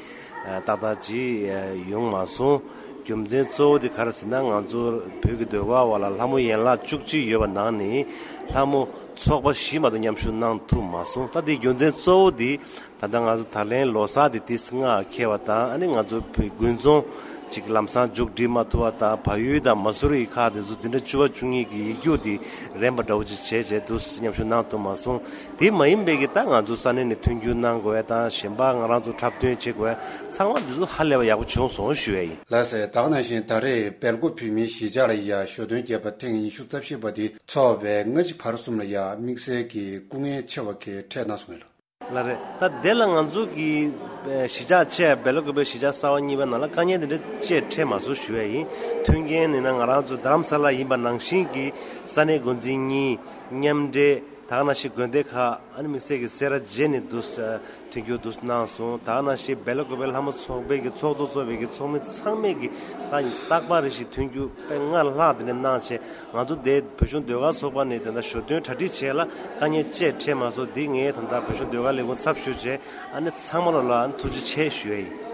ཏག་ཏག་ཅིག་ཡོང་མ་སོང་། རྒྱུ་མཚན་གཙོ་བོ་དེ་ག་རེ་ཟེར་ན། ང་ཚོ་བོད་ཀྱི་ཟློས་གར་བ་ལ་ལྷ་མོ་ཡན་ལག་བཅུ་གཅིག་ཡོད་པ་ནང་ནས་ལྷ་མོ་ཚོགས་པ་བཞི་མ་གཏོགས་མཉམ་ཞུགས་གནང་ཐུབ་མ་སོང་། ད་དེའི་རྒྱུ་མཚན་གཙོ་བོ་དེ་ད་ལྟ་ང་ཚོ་ད་ལན་ལོ་གསར་དེ་དུས་སྔ་འཁེལ་བ་དང་། ཨ་ནི་ང་ཚོ་བོད་དགུན་ཚོང་ ཅིག་ལམ་སང་མཇུག་སྒྲིལ་མ་ཐུབ་པ་དང་། བལ་ཡུལ་དང་མ་སུ་རི་ཡི་ཁག་དེ་ཚོ་འཛིན་གྲྭ་བཅུ་པ་བཅུ་གཉིས་ཀྱི་ཡིག་རྒྱུགས་དེ་རན་པ་འདྲ་བོ་ཅིག་བྱས་བྱས་འདུག་སེ་མཉམ་ཞུགས་གནང་ཐུབ་མ་སོང་། དེ་མ་ཡིན་པའི་གི་ད་ང་ཚོ་ས་གནས་ནས་མཐུན་འགྱུར་གནང་དགོས་ཡ་དང་། གཞན་པ་ང་རང་ཚོ་འཁྲབ་སྟོན་བྱེད་དགོས་ཡ་ཚང་མ་འདི་ཚོ་ཧ་ལས་པ་ཡག་པོ་བྱུང་སོང་ཞུ་ཡ་ཡིན། ལགས་སོ། ད་ག་ནང་བཞིན་ད་རེས་སྦེལ་ཀོབ་བོད་མིའི་གཞིས་ཆགས་ལ་ཡ་ཞོ་སྟོན་རྒྱས་པ་ཐེངས་ཉི་ཤུ་རྩ་བཞི་པ་དེ་འཚོགས་པའི་སྔ་ཕྱི་བར་གསུམ་ལ་ཡ་དམིགས་བསལ་གྱི་སྐུ་ངལ་ཆེ་བ་གས་འཕྲད་གནང་སོང་ངས་ལ། ལགས་རེད། ད་དེ་ལ་ང་ཚོ་གི་ཨེ་གཞིས་ཆགས་ཆེ་སྦེལ་ཀོབ་པའི་གཞིས་ཆགས་གསར་པ་གཉིས་པའི་ནང་ལ་དཀའ་ངལ་དེ་འདྲ་ཅིག་འཕྲད་མ་སོང་ཞུ་ཡ་ཡིན། མཐུན་རྐྱེན་ནི་ན་ང་རང་ཚོ་རྡ་རམ་ས་ལ་ཡིན་པ་ནང་བཞིན་གྱི་ས་གནས་འགོ་འཛིན་གཉིས་མཉམ་འབྲེལ། ད་ག་ནང་བཞིན་དགོན་སྡེ་ཁག་ཨ་ནི་དམིགས་བསལ་གྱི་སེ་ར་བྱེས་ནས་འདུག་སེ་མཐུན་འགྱུར་འདུག་སེ་གནང་སོང་། ད་ག་ནང་བཞིན་སྦེལ་ཀོབ་པའི་ལྷ་མོ་ཚོགས་པའི་གི་ཚོགས་གཙོ་གཙོས་པའི་གི་ཚོགས་མི་ཚང་མས་གི་ད་རྟག་པར་རེ་བཞིན་མཐུན་འགྱུར་དཔེ་སྔར་ལྷག་དེ་འདྲ་གནང་བྱས། ང་ཚོ་དེ་བོད་གཞུང་ཟློས་གར་ཚོགས་པ་ནས་དེ་འདྲ་ཞོ་སྟོན་གྲ་སྒྲིག་བྱས་ལ་དཀའ་ངལ་ཅིག་འཕྲད་མ་སོང་། འདི་ངས་ད་ལྟ་བོད་གཞུང་ཟློས་གར་ལས་ཁུངས་ཚབ་ཞུས་བྱས་ཨ་ནི་ཚང་མ་ལ་ལ་ཨ་ནི་ཐུགས་རྗེ་ཆེ་ཞུ་ཡ་ཡིན།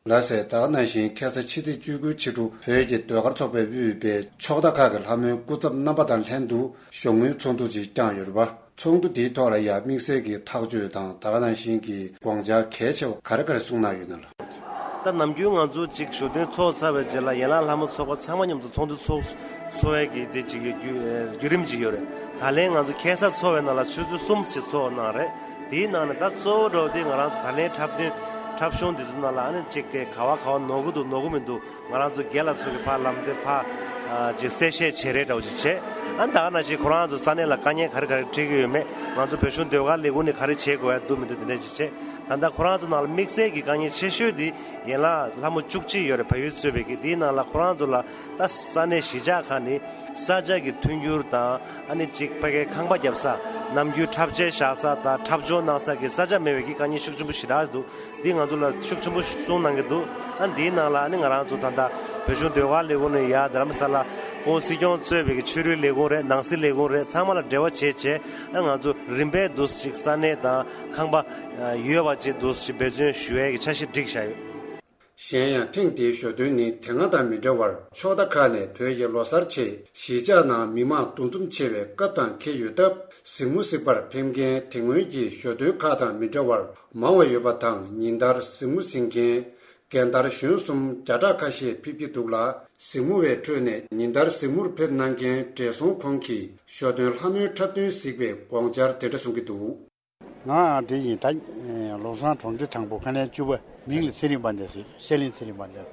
ལགས་སོ། ད་ག་ནང་བཞིན་ཁ་སང་ཕྱི་ཚེས་བཅུ་དགུ་ཕྱི་དྲོ་བོད་ཀྱི་ཟློས་གར་ཚོགས་པས་དབུས་པའི་ཕྱོགས་མཐའ་ཁག་གི་ལྷ་མོའི་སྐུ་ཚབ་རྣམ་པ་དང་ལྷན་དུ་ཞོགས་དངུལ་ཚོགས་འདུ་ཅིག་བསྐྱངས་ཡོད་རེད་པ། ཚོགས་འདུ་དེའི་ཐོག་ལ་ཡང་དམིགས་བསལ་གྱི་ཐག་གཅོད་དང་ད་ག་ནང་བཞིན་གྱི་དགོངས་འཆར་གལ་ཆེ་བ་ག་རེ་ག་རེ་གསུངས་གནང་ཡོད་ན་ལ། ད་ནམ་རྒྱུན་ང་ཚོ་ཅིག་ཞོ་སྟོན་ཚོགས་ཚར་བའི་རྗེས་ལ་ཡན་ལག་ལྷ་མོ་ཚོགས་པ་ཚང་མ་མཉམ་དུ་ཚོགས་འདུ་ཚོགས་ཚོགས་ཡས་ཀྱི་དེ་ཅིག་ཡོད་རྒྱུ་བརྒྱུད་རིམ་ཅིག་ཡོད་རེད། ད་ལན་ང་ཚོ་ཁ་སང་ཚོགས་པའི་ནང་ལ་ཆུ་ཚོད་གསུམ་ཞིག་ཚོགས་གནང་རེད། དེའི་ནང་ནས་ད་གཙོ་བོ་འདྲ་བོ་དེ་ང་རང་ཚོ་ད་ལན་འཁྲབ་སྟོན་འཁྲབ་གཞུང་འདི་ཚོ་ནང་ལ་ཨ་ནི་ཅིག་ག་བ་ག་བ་ནོར་གི་འདུག་ནོར་གི་མི་འདུག་ང་རང་ཚོ་རྒན་ལགས་ཚོ་གི་ཕར་ལམ་སྟོན་ཕར་ཨ་ཅིག་གསལ་བཤད་བྱེད་རེས་འདྲ་བོ་ཅིག་བྱས། ཨ་ནི་ད་ག་ནང་བཞིན་ཁོ་རང་ཚོ་ས་གནས་ལ་དཀའ་ངལ་ག་རེ་ག་རེ་འཕྲད་ཀྱི་ཡོད་མེད། ང་ཚོ་བོད་གཞུང་ཟློས་གར་ལས་ཁུངས་ནས་ག་རེ་བྱེད་དགོས་ཡ་འདུག་མི་འདུག་དེ་འདྲ་ཅིག་བྱས། ད་ལྟ་ཁོ་རང་ཚོ་ནང་ལ་དམིགས་བསལ་གྱི་དཀའ་ངལ་ཆེ་ཤོས་དེ་ཡན་ལག་ལྷ་མོ་བཅུ་གཅིག་ཡོད་རེད། བལ་ཡུལ་གཙོས་པའི་གི་དེའི་ནང་ལ་ཁོ་རང་ཚོ་ལ་ད་ས་གནས་གཞིས་ཆགས་ཁག་ནས་ས་ཆ་གི་མཐུན་འགྱུར་དང་ཨ་ནི་ཅིག་ཕ་གའི་ཁང་པ་བརྒྱབ་ས། ནམ་རྒྱུན་འཁྲབ་ཆས་བཞག་ས་དང་འཁྲབ་སྦྱོང་གནང་ས་གི་ས་ཆ་མེད་པའི་གི་དཀའ་ངལ་ཤུགས་ཆེན་པོ་ཞེ་དྲག་འདུག་འདི་ང་ཚོ་ལ་ཤུགས་ཆེན་པོ་གསུངས་གནང་གི་འདུག་ཨ་འདིའི་ནང་ལ་ཨ་ནི་ང་རང་ཚོ་ད་ལྟ་བོད་གཞུང་ཟློས་གར་ལས་ཁུངས་ནས་ཡར་རྡ་རམ་ས་ལ་ཁོང་སྲིད་སྐྱོང་གཙོས་པའི་གི་ཆོས་རིག་ལས་ཁུངས་རེད། ནང་སྲིད་ལས་ཁུངས་རེད། ཚང་མ་ལ་འབྲེལ་བ་བྱས་བྱས་ཨ་ང་ཚོ་རིམ་པས་འདུག་ཅིག་ས་གནས་དང་ཁང་པ་ཡོད་པ་ཅིག་འདུག་ཅིག་འབད་བརྩོན་ཞུ་ཡས་ཀྱི་འཆར་གཞི་བསྒྲིགས་བཞག་ཡོད། གཞན་ཡང་ཐེངས་འདིའི་ཞོ་སྟོན་ནི་དེ་སྔ་དང་མི་འདྲ་བར་ཕྱོགས་མཐའ་ཁག་ནས་བོད་ཀྱི་ལོ་གསར་ཆེད་གཞིས་ཆགས་ནང་མི་མང་འདུ་འཛོམས་ཆེ་བའི་སྐབས་དང་འཁེལ་ཡོད་སྟབས། གཟིགས་མོ་གཟིགས་པར་ཕེབས་མཁན་དེ་སྔོན་གྱི་ཞོ་སྟོན་ཁག་དང་མི་འདྲ་བར་མང་བ་ཡོད་པ་དང་། ཉིན་ལྟར་གཟིགས་མོ་གཟིགས་མཁན་རྒན་དར་གཞོན་གསུམ་བརྒྱ་ཕྲག་ཁ་ཤས་ཕེབས་ཀྱི་འདུག་ལ། གཟིགས་མོ་བའི་ཁྲོད་ནས་ཉིན་ལྟར་གཟིགས་མོར་ཕེབས་གནང་མཁན་བགྲེས་སོང་ཁོང་གིས་ཞོ་སྟོན་ལྷ་མོའི་འཁྲབ་སྟོན་གཟིགས་པའི་དགོངས་འཆར་དེ་འདྲ་གསུང་གི་འདུག་ང་དེ་ཡིན་ད། ལོ་བཟང་གྲོང་སྡེ་དང་པོ་ཁ་ལན་བཅུ་པ། མིང་ལ་ཚེ་རིང་དཔལ་ལྡན་ཟེར། ཤེས་ལེན་ཚེ་རིང་དཔལ་ལྡན།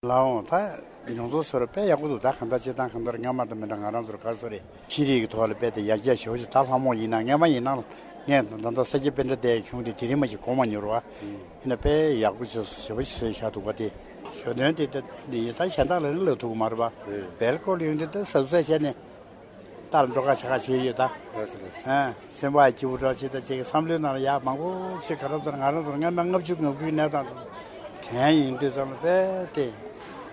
ལའོ་ད། མྱོང་ཚོར་ཚོར་དཔེ་ཡག་པོ་འདུག་ད་གང་ལྟར་སྤྱིར་བཏང་གང་ལྟར་སྔ་མ་དང་མི་འདྲ། ང་རང་ཚོར་ག་རེ་ཟེར་རེད། ཤེས་རིག་གི་ཐོག་ལ་དཔེ་དེ་ཡར་རྒྱས་ཞེ་པོ་ཞིག་ད་ལྷ་མོ་ཡིན་ན་སྔ་མ་ཡིན་ན་ངས་ད་ལྟ་ས་སྐྱ་པཎྜི་ཏའི་གཞུང་དེ་དེ་རིང་མ་ཞིག་གོ་མ་མྱོང་རེད་བ། ཡིན་ན་དཔེ་ཡག་པོ་ཞེ་པོ་ཞིག་བཟོས་བཞག་འདུག་བ། དེ་ཞོ་སྟོན་དེ་ད་ཡིན་ད་གཞན་དག་ལ་ནི་ལབ་ཐུབ་ཀྱི་མ་རེད་བ། སྦེལ་ཀོབ་ལ་ཡོང་དུས་ད་གཟབ་གཟབ་བྱས་ནས། ལྟར་འགྲོ་ཁ་ཆ་ཁ་བྱས་ཡོད་ད། ལགས་སོ་ལགས་སོ། ཨ། སེམས་པ་སྐྱིད་པོ་འདྲ་བྱེད་ད་ཅིག་བསམ་བློའི་ནང་ལ་ཡག་མང་པོ་ཅིག་ག་རེ་ཟེར་ང་རང་ཚོར་སྔ་མ་ལྔ་བཅུ་ང་དགུའི་གནས་སྟངས་དང་དྲན་ཡོང་དུས་ཙམ་ལ་དཔེ་དེ་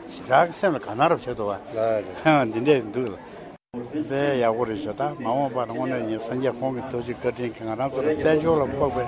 ཞེ་དྲག་སེམས་ལ་དགའ་སྣང་རབ་བྱེད་དོ་བ། ལགས་རེད། འདི་འདྲས་འདུག་ལ། དཔེ་ཡག་པོ་རེད་ཤག་ད་མ་འོངས་པར་དངོས་གནས་ཡིན་སངས་རྒྱས་ཁོང་གི་ཐུགས་རྗེ་བཀའ་དྲིན་གྱིས་ང་རང་ཚོ་ལ་བཙན་བྱོལ་ལ་ཕོག་པའི་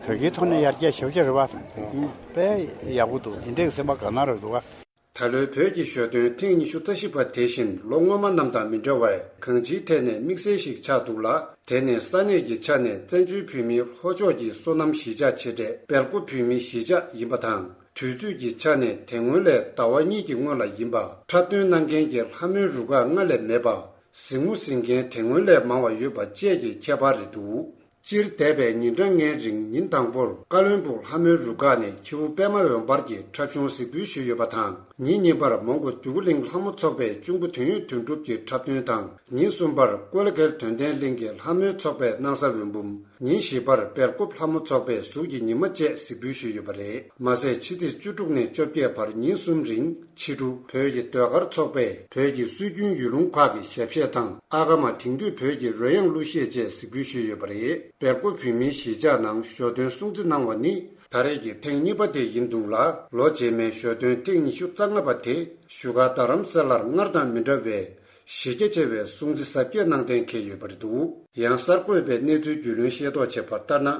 བོད་ཀྱི་ཐོག་ནས་ཡར་རྒྱས་ཞེ་པོ་ཅིག་རེད་བ། དཔེ་ཡག་པོ་འདུག་འདི་འདྲས་སེམས་པ་དགའ་སྣང་རབ་འདུག་བ། ད་ལོའི་བོད་ཀྱི་ཞོ་སྟོན་ཐེངས་ཉི་ཤུ་རྩ་བཞི་པ་དེ་བཞིན་ལོ་སྔོན་མ་རྣམས་དང་མི་འདྲ་བར་གང་ཅིའི་ཐད་ནས་དམིགས་བསལ་ཞིག་ཆགས་འདུག་ལ། དེ་ནི་ས་གནས་ཀྱི་ཆ་ནས་བཙན་བྱོལ་བོད་མིའི་ལྷོ་ཕྱོགས་ཀྱི་སོ་ནམ་གཞིས་ཆགས་ཆེ་གྲས་སྦེལ་ཀོབ་བོད་མིའི་གཞིས་ཆགས་ཡིན་པ་དང་། དུས་ཚོད་ཀྱི་ཆ་ནས་དེ་སྔོན་ལས་ཟླ་བ་གཉིས་ཀྱི་སྔོན་ལ་ཡིན་པ། འཁྲབ་སྟོན་གནང་མཁན་གྱི་ལྷ་མོའི་རུ་ཁག་སྔར་ལས་མེད་པ། གཟིགས་མོ་གཟིགས་མཁན་དེ་སྔོན་ལས་མང་བ་ཡོད་པ་བཅས་ཀྱི་ཁྱད་པར་རེད་འདུག་སྤྱིར་འདས་པའི་ཉིན་གྲངས་ལྔའི་རིང་ཉིན་དང་པོར་ཀ་བློན་སྦུག་ལྷ་མོའི་རུ་ཁག་ནས་ཁྱེའུ་པད་མ་འོད་འབར་གྱི་འཁྲབ་གཞུང་གཟིགས་འབུལ་ཞུས་ཡོད་པ་དང་། ཉིན་གཉིས་པར་མོན་གྷོ་འདོད་རྒུ་གླིང་ལྷ་མོ་ཚོགས་པའི་གཅུང་པོ་དོན་ཡོད་དོན་གྲུབ་ཀྱི་འཁྲབ་སྟོན་དང་། ཉིན་གསུམ་པར་ཀོ་ལ་གྷལ་དོན་ལྡན་གླིང་གི་ལྷ་མོའི་ཚོགས་པའི་སྣང་ས་འོད་འབུམ། ཉིན་བཞི་པར་སྦེལ་ཀོབ་ལྷ་མོ་ཚོགས་པས་གཟུགས་ཀྱི་ཉི་མ་བཅས་གཟིགས་འབུལ་ཞུས་ཡོད་པ་རེད། མ་ཟད་ཕྱི་ཚེས་བཅུ་དྲུག་ནས་བཅོ་བརྒྱད་བར་ཉིན་གསུམ་རིང་ཕྱི་དྲོ་བོད་ཀྱི་ཟློས་གར་ཚོགས་པས་བོད་ཀྱི་སྲོལ་རྒྱུན་ཡུལ་ལུང་ཁག་གི་ཞབས་གཞས་དང་ཨ་ཀ་མ། དེང་དུས་བོད་ཀྱི་རོལ་དབྱངས་གླུ་གཞས་བཅས་གཟིགས་འབུལ་ཞུས་ཡོད་པ་རེད། སྦེལ་ཀོབ་བོད་མིའི་གཞིས་ཆགས་ནང་ཞོ་སྟོན་སྲུང་བརྩི་གནང་བ་ནི་ད་རེས་ཀྱི་ཐེངས་གཉིས་པ་དེ་ཡིན་འདུག་ལ། ལོ་རྗེས་མའི་ཞོ་སྟོན་ཐེངས་ཉི་ཤུ་རྩ་ལྔ་པ་དེ་བཞུགས་སྒར་རྡ་རམ་ས་ལར་སྔར་དང་མི་འདྲ་བའི་གཞི་རྒྱ་ཆེ་བའི་སྲུང་བརྩི་གཟབ་རྒྱས་གནང་གཏན་འཁེལ་ཡོད་པ་རེད་འདུག་ཡང་གསར་འགོད་པས་གནས་ཚུལ་རྒྱུས་ལོན་ཤེས་རྟོགས་བྱས་པ་ལྟར་ན།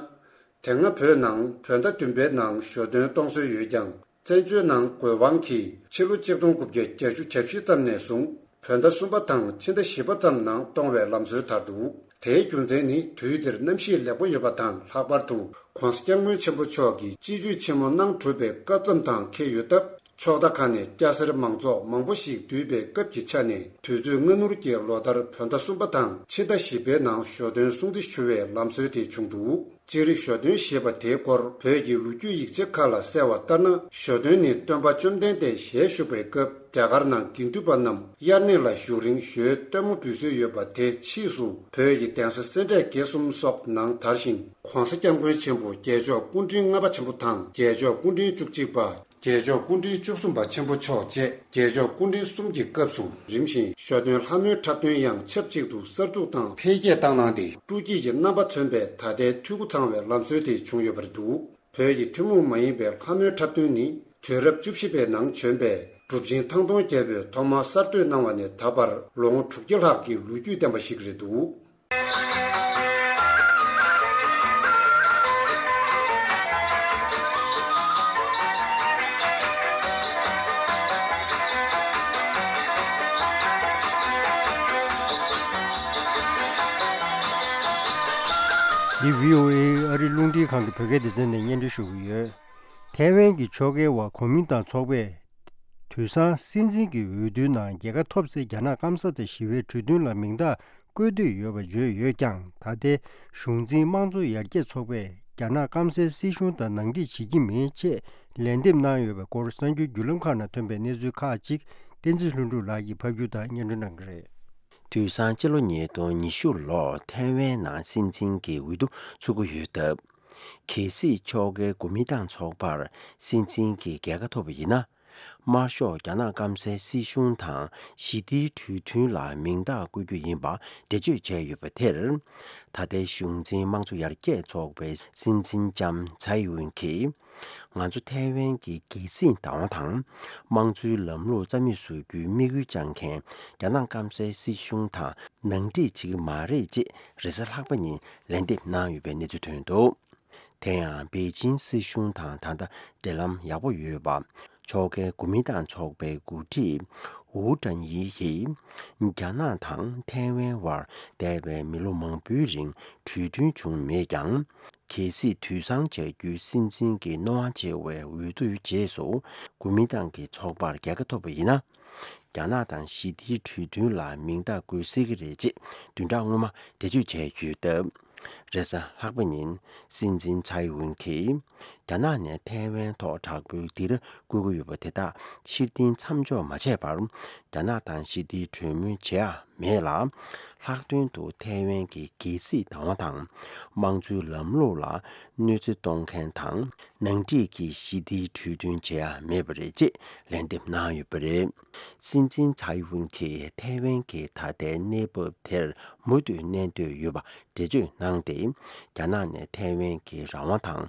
དེ་སྔ་བོད་ནང་བོད་ཟླ་བདུན་པའི་ནང་ཞོ་སྟོན་གཏོང་སྲོལ་ཡོད་ཀྱང་། བཙན་བྱོལ་ནང་དགོས་དབང་གིས་ཕྱི་ལོ་ཆིག་སྟོང་དགུ་བརྒྱ་བརྒྱད་ཅུ་གྱ་བཞི་ཙམ་ནས་བཟུང་བོད་ཟླ་གསུམ་པ་དང་ཕྱི་ཟླ་བཞི་པ་ཙམ་ནང་གཏོང་བའི་ལམ་སྲོལ་དར་འདུག་དེའི་རྒྱུ་མཚན་ནི་དུས་དེར་གནམ་གཤིས་ལེགས་པོ་ཡོད་པ་དང་། ལྷག་པར་དུ་༧གོང་ས་༧སྐྱབས་མགོན་ཆེན་པོ་མཆོག་གིས་སྤྱི་སྤྱོད་ཆེན་མོ་གནང་གྲུབ་པའི་སྐབས་ཙམ་དང་འཁེལ་ཡོད་སྟབས། ཕྱོགས་མཐའ་ཁག་ནས་སྐྱ་སེར་མང་ཚོགས་མང་པོ་ཞིག་འདུས་པའི་སྐབས་ཀྱི་ཆ་ནས། དུས་ཚོད་སྔ་སྣུར་གྱི་ལོ་ལྟར་བོད་ཟླ་གསུམ་པ་དང་ཕྱི་ཟླ་བཞི་པའི་ནང་ཞོ་སྟོན་སྲུང་བརྩི་ཞུ་བའི་ལམ་སྲོལ་དེ་བྱུང་འདུག་སྤྱིར་ཞོ་སྟོན་ཞེས་པ་དེའི་སྐོར་བོད་ཀྱི་ལོ་རྒྱུས་ཡིག་ཆ་ཁག་ལ་གསལ་བ་ལྟར་ན། ཞོ་སྟོན་ནི་སྟོན་པ་བཅོམ་ལྡན་འདས་ཞལ་བཞུགས་པའི་སྐབས། རྒྱ་གར་ནང་དགེ་འདུན་པ་རྣམས་དབྱར་གནས་ལ་བཞུགས་རིང་ཞོའི་སྟོན་མོ་འབུལ་སྲོལ་ཡོད་པ་དེ་ཕྱིས་སུ་བོད་ཀྱི་གདན་ས་སེ་འབྲས་དགེ་གསུམ་སོགས་ནང་དར་ཞིང་། ༸གོང་ས་༸སྐྱབས་མགོན་ཆེན་པོ་རྒྱལ་མཆོག་སྐུ་ཕྲེང་ལྔ་པ་ཆེན་པོ་དང་རྒྱལ་མཆོག་སྐུ་ཕྲེང་བཅུ་གཅིག་པ། རྒྱལ་མཆོག་སྐུ་ཕྲེང་བཅུ་གསུམ་པ་ཆེན་པོ་མཆོག་བཅས་རྒྱལ་མཆོག་སྐུ་ཕྲེང་གསུམ་གྱི་སྐབས་སུ་རིམ་བཞིན་ཞོ་སྟོན་ལྷ་མོའི་འཁྲབ་སྟོན་ཡང་ཆབས་ཅིག་ཏུ་གསར་འཛུགས་དང་འཕེལ་རྒྱས་བཏང་གནང་སྟེ། སྤྲོ་སྐྱིད་ཀྱི་རྣམ་པ་མཚོན་པའི་ད་ལྟའི་འཐུས་སྒོ་ཚང་བའི་ལམ་སྲོལ་དེ་བྱུང་ཡོད་པ་རེད་འདུག་བོད་ཀྱི་ཐུན་མོང་མ་ཡིན་པའི་ལྷ་མོའི་འཁྲབ་སྟོན་ནི་དུས་རབས་བཅུ་བཞི་པའི་ནང་བྱོན་པའི་གྲུབ་ཆེན་ཐང་སྟོང་རྒྱལ་པོས་ཐོག་མར་གསར་གཏོད་གནང་བ་ནས་ད་བར་ལོ་ངོ་དྲུག་བརྒྱ་ལྷག་གི་ལོ་རྒྱུས་ལྡན་པ་ཞིག་རེད་འདུག་འདི་བྷི་ཨོ་ཨེ་ཨ་རིའི་རླུང་འཕྲིན་ཁང་གི་བོད་སྐད་སྡེ་ཚན་ནས་སྙན་སྒྲོན་ཞུ་གི་ཡོད། ཐའེ་ཝན་གྱི་ཕྱོགས་འགལ་བ་གོ་མིན་ཏང་ཚོགས་པས། དུས་སང་སྲིད་འཛིན་གྱི་འོས་བསྡུའི་ནང་རྒྱལ་ཁ་ཐོབ་ཚེ་རྒྱ་ནག་སྐམ་ས་དང་ཞི་བའི་གྲོས་མཐུན་ལ་མིང་རྟགས་བཀོད་འདོད་ཡོད་པ་བརྗོད་ཡོད་ཀྱང་། ད་ལྟའི་གཞུང་འཛིན་དམངས་གཙོ་ཡར་རྒྱས་ཚོགས་པས་རྒྱ་ནག་སྐམ་སའི་སྲིད་གཞུང་དང་ནང་འགྲིག་བྱེད་ཀྱི་མེད་ཅེས་ལན་འདེབས་གནང་ཡོད་པའི་སྐོར་གསར་འགྱུར་བརྒྱུད་ལམ་ཁག་ནང་ཐོན་པའི་གནས་ཚུལ་ཁག་ཅིག་བསྟན་འཛིན་ལྷུན་གྲུབ་ལགས་ཀྱིས་ཕབ་སྒྱུར་དང་སྙན་སྒྲོན་གནང་གི་རེད། དུས་སང་སྤྱི་ལོ་ཉིས་སྟོང་ཉི་ཤུ་ལོར་ཐའེ་ཝན་ནང་སྲིད་འཛིན་གྱི་འོས་བསྡུ་ཚུགས་ཀྱི་ཡོད་སྟབས། གལ་སྲིད་ཕྱོགས་འགལ་གོ་མིན་ཏང་ཚོགས་པར་སྲིད་འཛིན་གྱི་རྒྱལ་ཁ་ཐོབ་པ་ཡིན་ན། དམར་ཤོག་རྒྱ་ནག་སྐམ་སའི་སྲིད་གཞུང་དང་ཞི་བདེའི་གྲོས་མཐུན་ལ་མིང་རྟགས་བཀོད་རྒྱུ་ཡིན་པ་འགྲེལ་བརྗོད་བྱས་ཡོད་པ་དེར། ད་ལྟའི་གཞུང་འཛིན་དམངས་གཙོ་ཡར་རྒྱས་ཚོགས་པའི་སྲིད་འཛིན་ལྕམ་ཚའེ་ཝུན་གྱིས། ང་ཚོ་ཐའེ་ཝན་གྱི་རྒྱལ་སྲིད་བདག་དབང་དང་། དམངས་གཙོའི་ལམ་ལུགས་རྩ་མེད་བཟོ་རྒྱུའི་དམིགས་ཡུལ་བཅངས་མཁན་རྒྱ་ནག་སྐམ་སའི་སྲིད་གཞུང་དང་ནང་འགྲིག་བྱེད་ཀྱི་མ་རེད་ཅེས་རེས་གཟའ་ལྷག་པ་ཉིན་ལན་འདེབས་གནང་ཡོད་པའི་གནས་ཚུལ་ཐོན་འདུག་དེ་ཡང་པེ་ཅིང་སྲིད་གཞུང་དང་ད་ལྟ་འབྲེལ་ལམ་ཡག་པོ་ཡོད་པ། ཕྱོགས་འགལ་གོ་མིན་ཏང་ཚོགས་པའི་འགོ་ཁྲིད་ཝུའུ་ཀྲན་ཡི་ཡིས། རྒྱ་ནག་དང་ཐའེ་ཝན་དབར་འདས་པའི་མི་ལོ་མང་པོའི་རིང་གྲོས་མཐུན་བྱུང་མེད་ཀྱང་། གལ་སྲིད་དུས་སང་བྱ་རྒྱུའི་སྲིད་འཛིན་གྱི་རྣོ་དབང་ཆེ་བའི་འོས་བསྡུའི་རྗེས་སུ་གོ་མིན་ཏང་གི་ཚོགས་པར་རྒྱལ་ཁ་ཐོབ་པ་ཡིན་ན། རྒྱ་ནག་དང་ཞི་བདེའི་གྲོས་མཐུན་ལ་མིང་རྟགས་བཀོད་སྲིད་ཀྱི་རེད་ཅེས་བདུན་ཕྲག་སྔོན་མ་འགྲེལ་བརྗོད་བྱས་ཡོད་སྟབས། རེས་གཟའ་ལྷག་པ་ཉིན་སྲིད་འཛིན་ཚའེ་ཝུན་གྱིས། རྒྱ་ནག་ནས་ཐའེ་ཝན་ཐོག་དྲག་པོའི་སྡིགས་ར་བསྐུལ་གྱི་ཡོད་པ་དེ་དག་ཕྱིར་འཐེན་མཚམས་འཇོག་མ་བྱས་པར། རྒྱ་ནག་དང་ཞི་བདེའི་གྲོས་མོལ་བྱེད་ཡ་མེད་ལ། ལྷག་དོན་དུ་ཐའེ་ཝན་གྱི་རྒྱལ་སྲིད་བདག་དབང་དང་། དམངས་གཙོའི་ལམ་ལུགས་ལ་གནོད་འཚེ་གཏོང་མཁན་དང་། ནང་འགྲིག་གི་ཞི་བདེའི་གྲོས་མཐུན་བྱེད་ཡ་མེད་པ་རེད་ཅེས་ལན་འདེབས་གནང་ཡོད་པ་རེད། སྲིད་འཛིན་ཚའེ་ཝུན་གྱིས་ཐའེ་ཝན་གྱི་ད་ལྟའི་གནས་བབ་དེར་མུ་མཐུད་གནས་འདོད་ཡོད་པ་འགྲེལ་བརྗོད་གནང་སྟེ། རྒྱ་ནག་ནས་ཐའེ་ཝན་གྱི་རང་དབང་དང་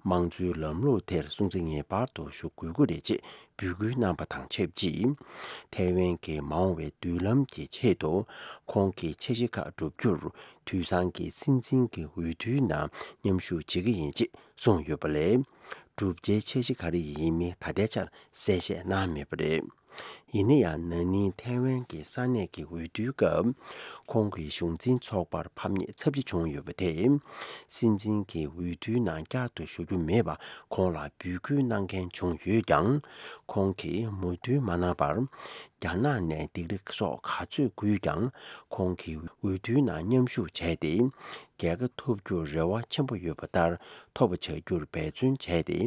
དམངས་གཙོའི་ལམ་ལུགས་དེར་སྲུང་བརྩི་ངེས་པར་དུ་ཞུ་དགོས་ཀྱི་རེད་ཅེས་འབོད་སྐུལ་གནང་པ་དང་ཆབས་ཅིག་ཐའེ་ཝན་གྱི་མ་འོངས་པའི་མདུན་ལམ་གྱི་ཆེད་དུ། ཁོང་གིས་འཆར་གཞི་ཁག་བསྒྲུབ་རྒྱུར། དུས་སང་གི་སྲིད་འཛིན་གྱི་འོས་བསྡུའི་ནང་མཉམ་ཞུགས་བྱེད་ཀྱི་ཡིན་ཅེས་གསུངས་ཡོད་པ་ལས། བསྒྲུབ་བྱའི་འཆར་གཞི་ག་རེ་ཡིན་མིན་ད་ལྟའི་ཆར་གསལ་བཤད་གནང་མེད་པ་རེད། ཡིན་ན་ཡང་ན་ནིང་ཐའེ་ཝན་གྱི་ས་གནས་ཀྱི་འོས་བསྡུའི་སྐབས། ཁོང་གི་གཞུང་འཛིན་ཚོགས་པར་ཕམ་ཉེས་ཚབས་ཆེ་བྱུང་ཡོད་པ་དེས། སྲིད་འཛིན་གྱི་འོས་བསྡུའི་ནང་བསྐྱར་དུ་ཞུགས་རྒྱུ་མེད་པ་ཁོང་ལ་འབོད་སྐུལ་གནང་མཁན་བྱུང་ཡོད་ཀྱང་། ཁོང་གིས་མོས་མཐུན་མ་གནང་བར། རྒྱ་ནག་ནས་སྡིགས་ར་སོགས་ག་ཚོད་བསྐུལ་ཀྱང་། ཁོང་གིས་འོས་བསྡུའི་ནང་མཉམ་ཞུགས་བྱས་ཏེ། རྒྱལ་ཁ་ཐོབ་རྒྱུར་རེ་བ་ཆེན་པོ་ཡོད་པ་ལྟར་ཐོབ་པ་བྱ་རྒྱུར་འབད་བརྩོན་བྱས་ཏེ།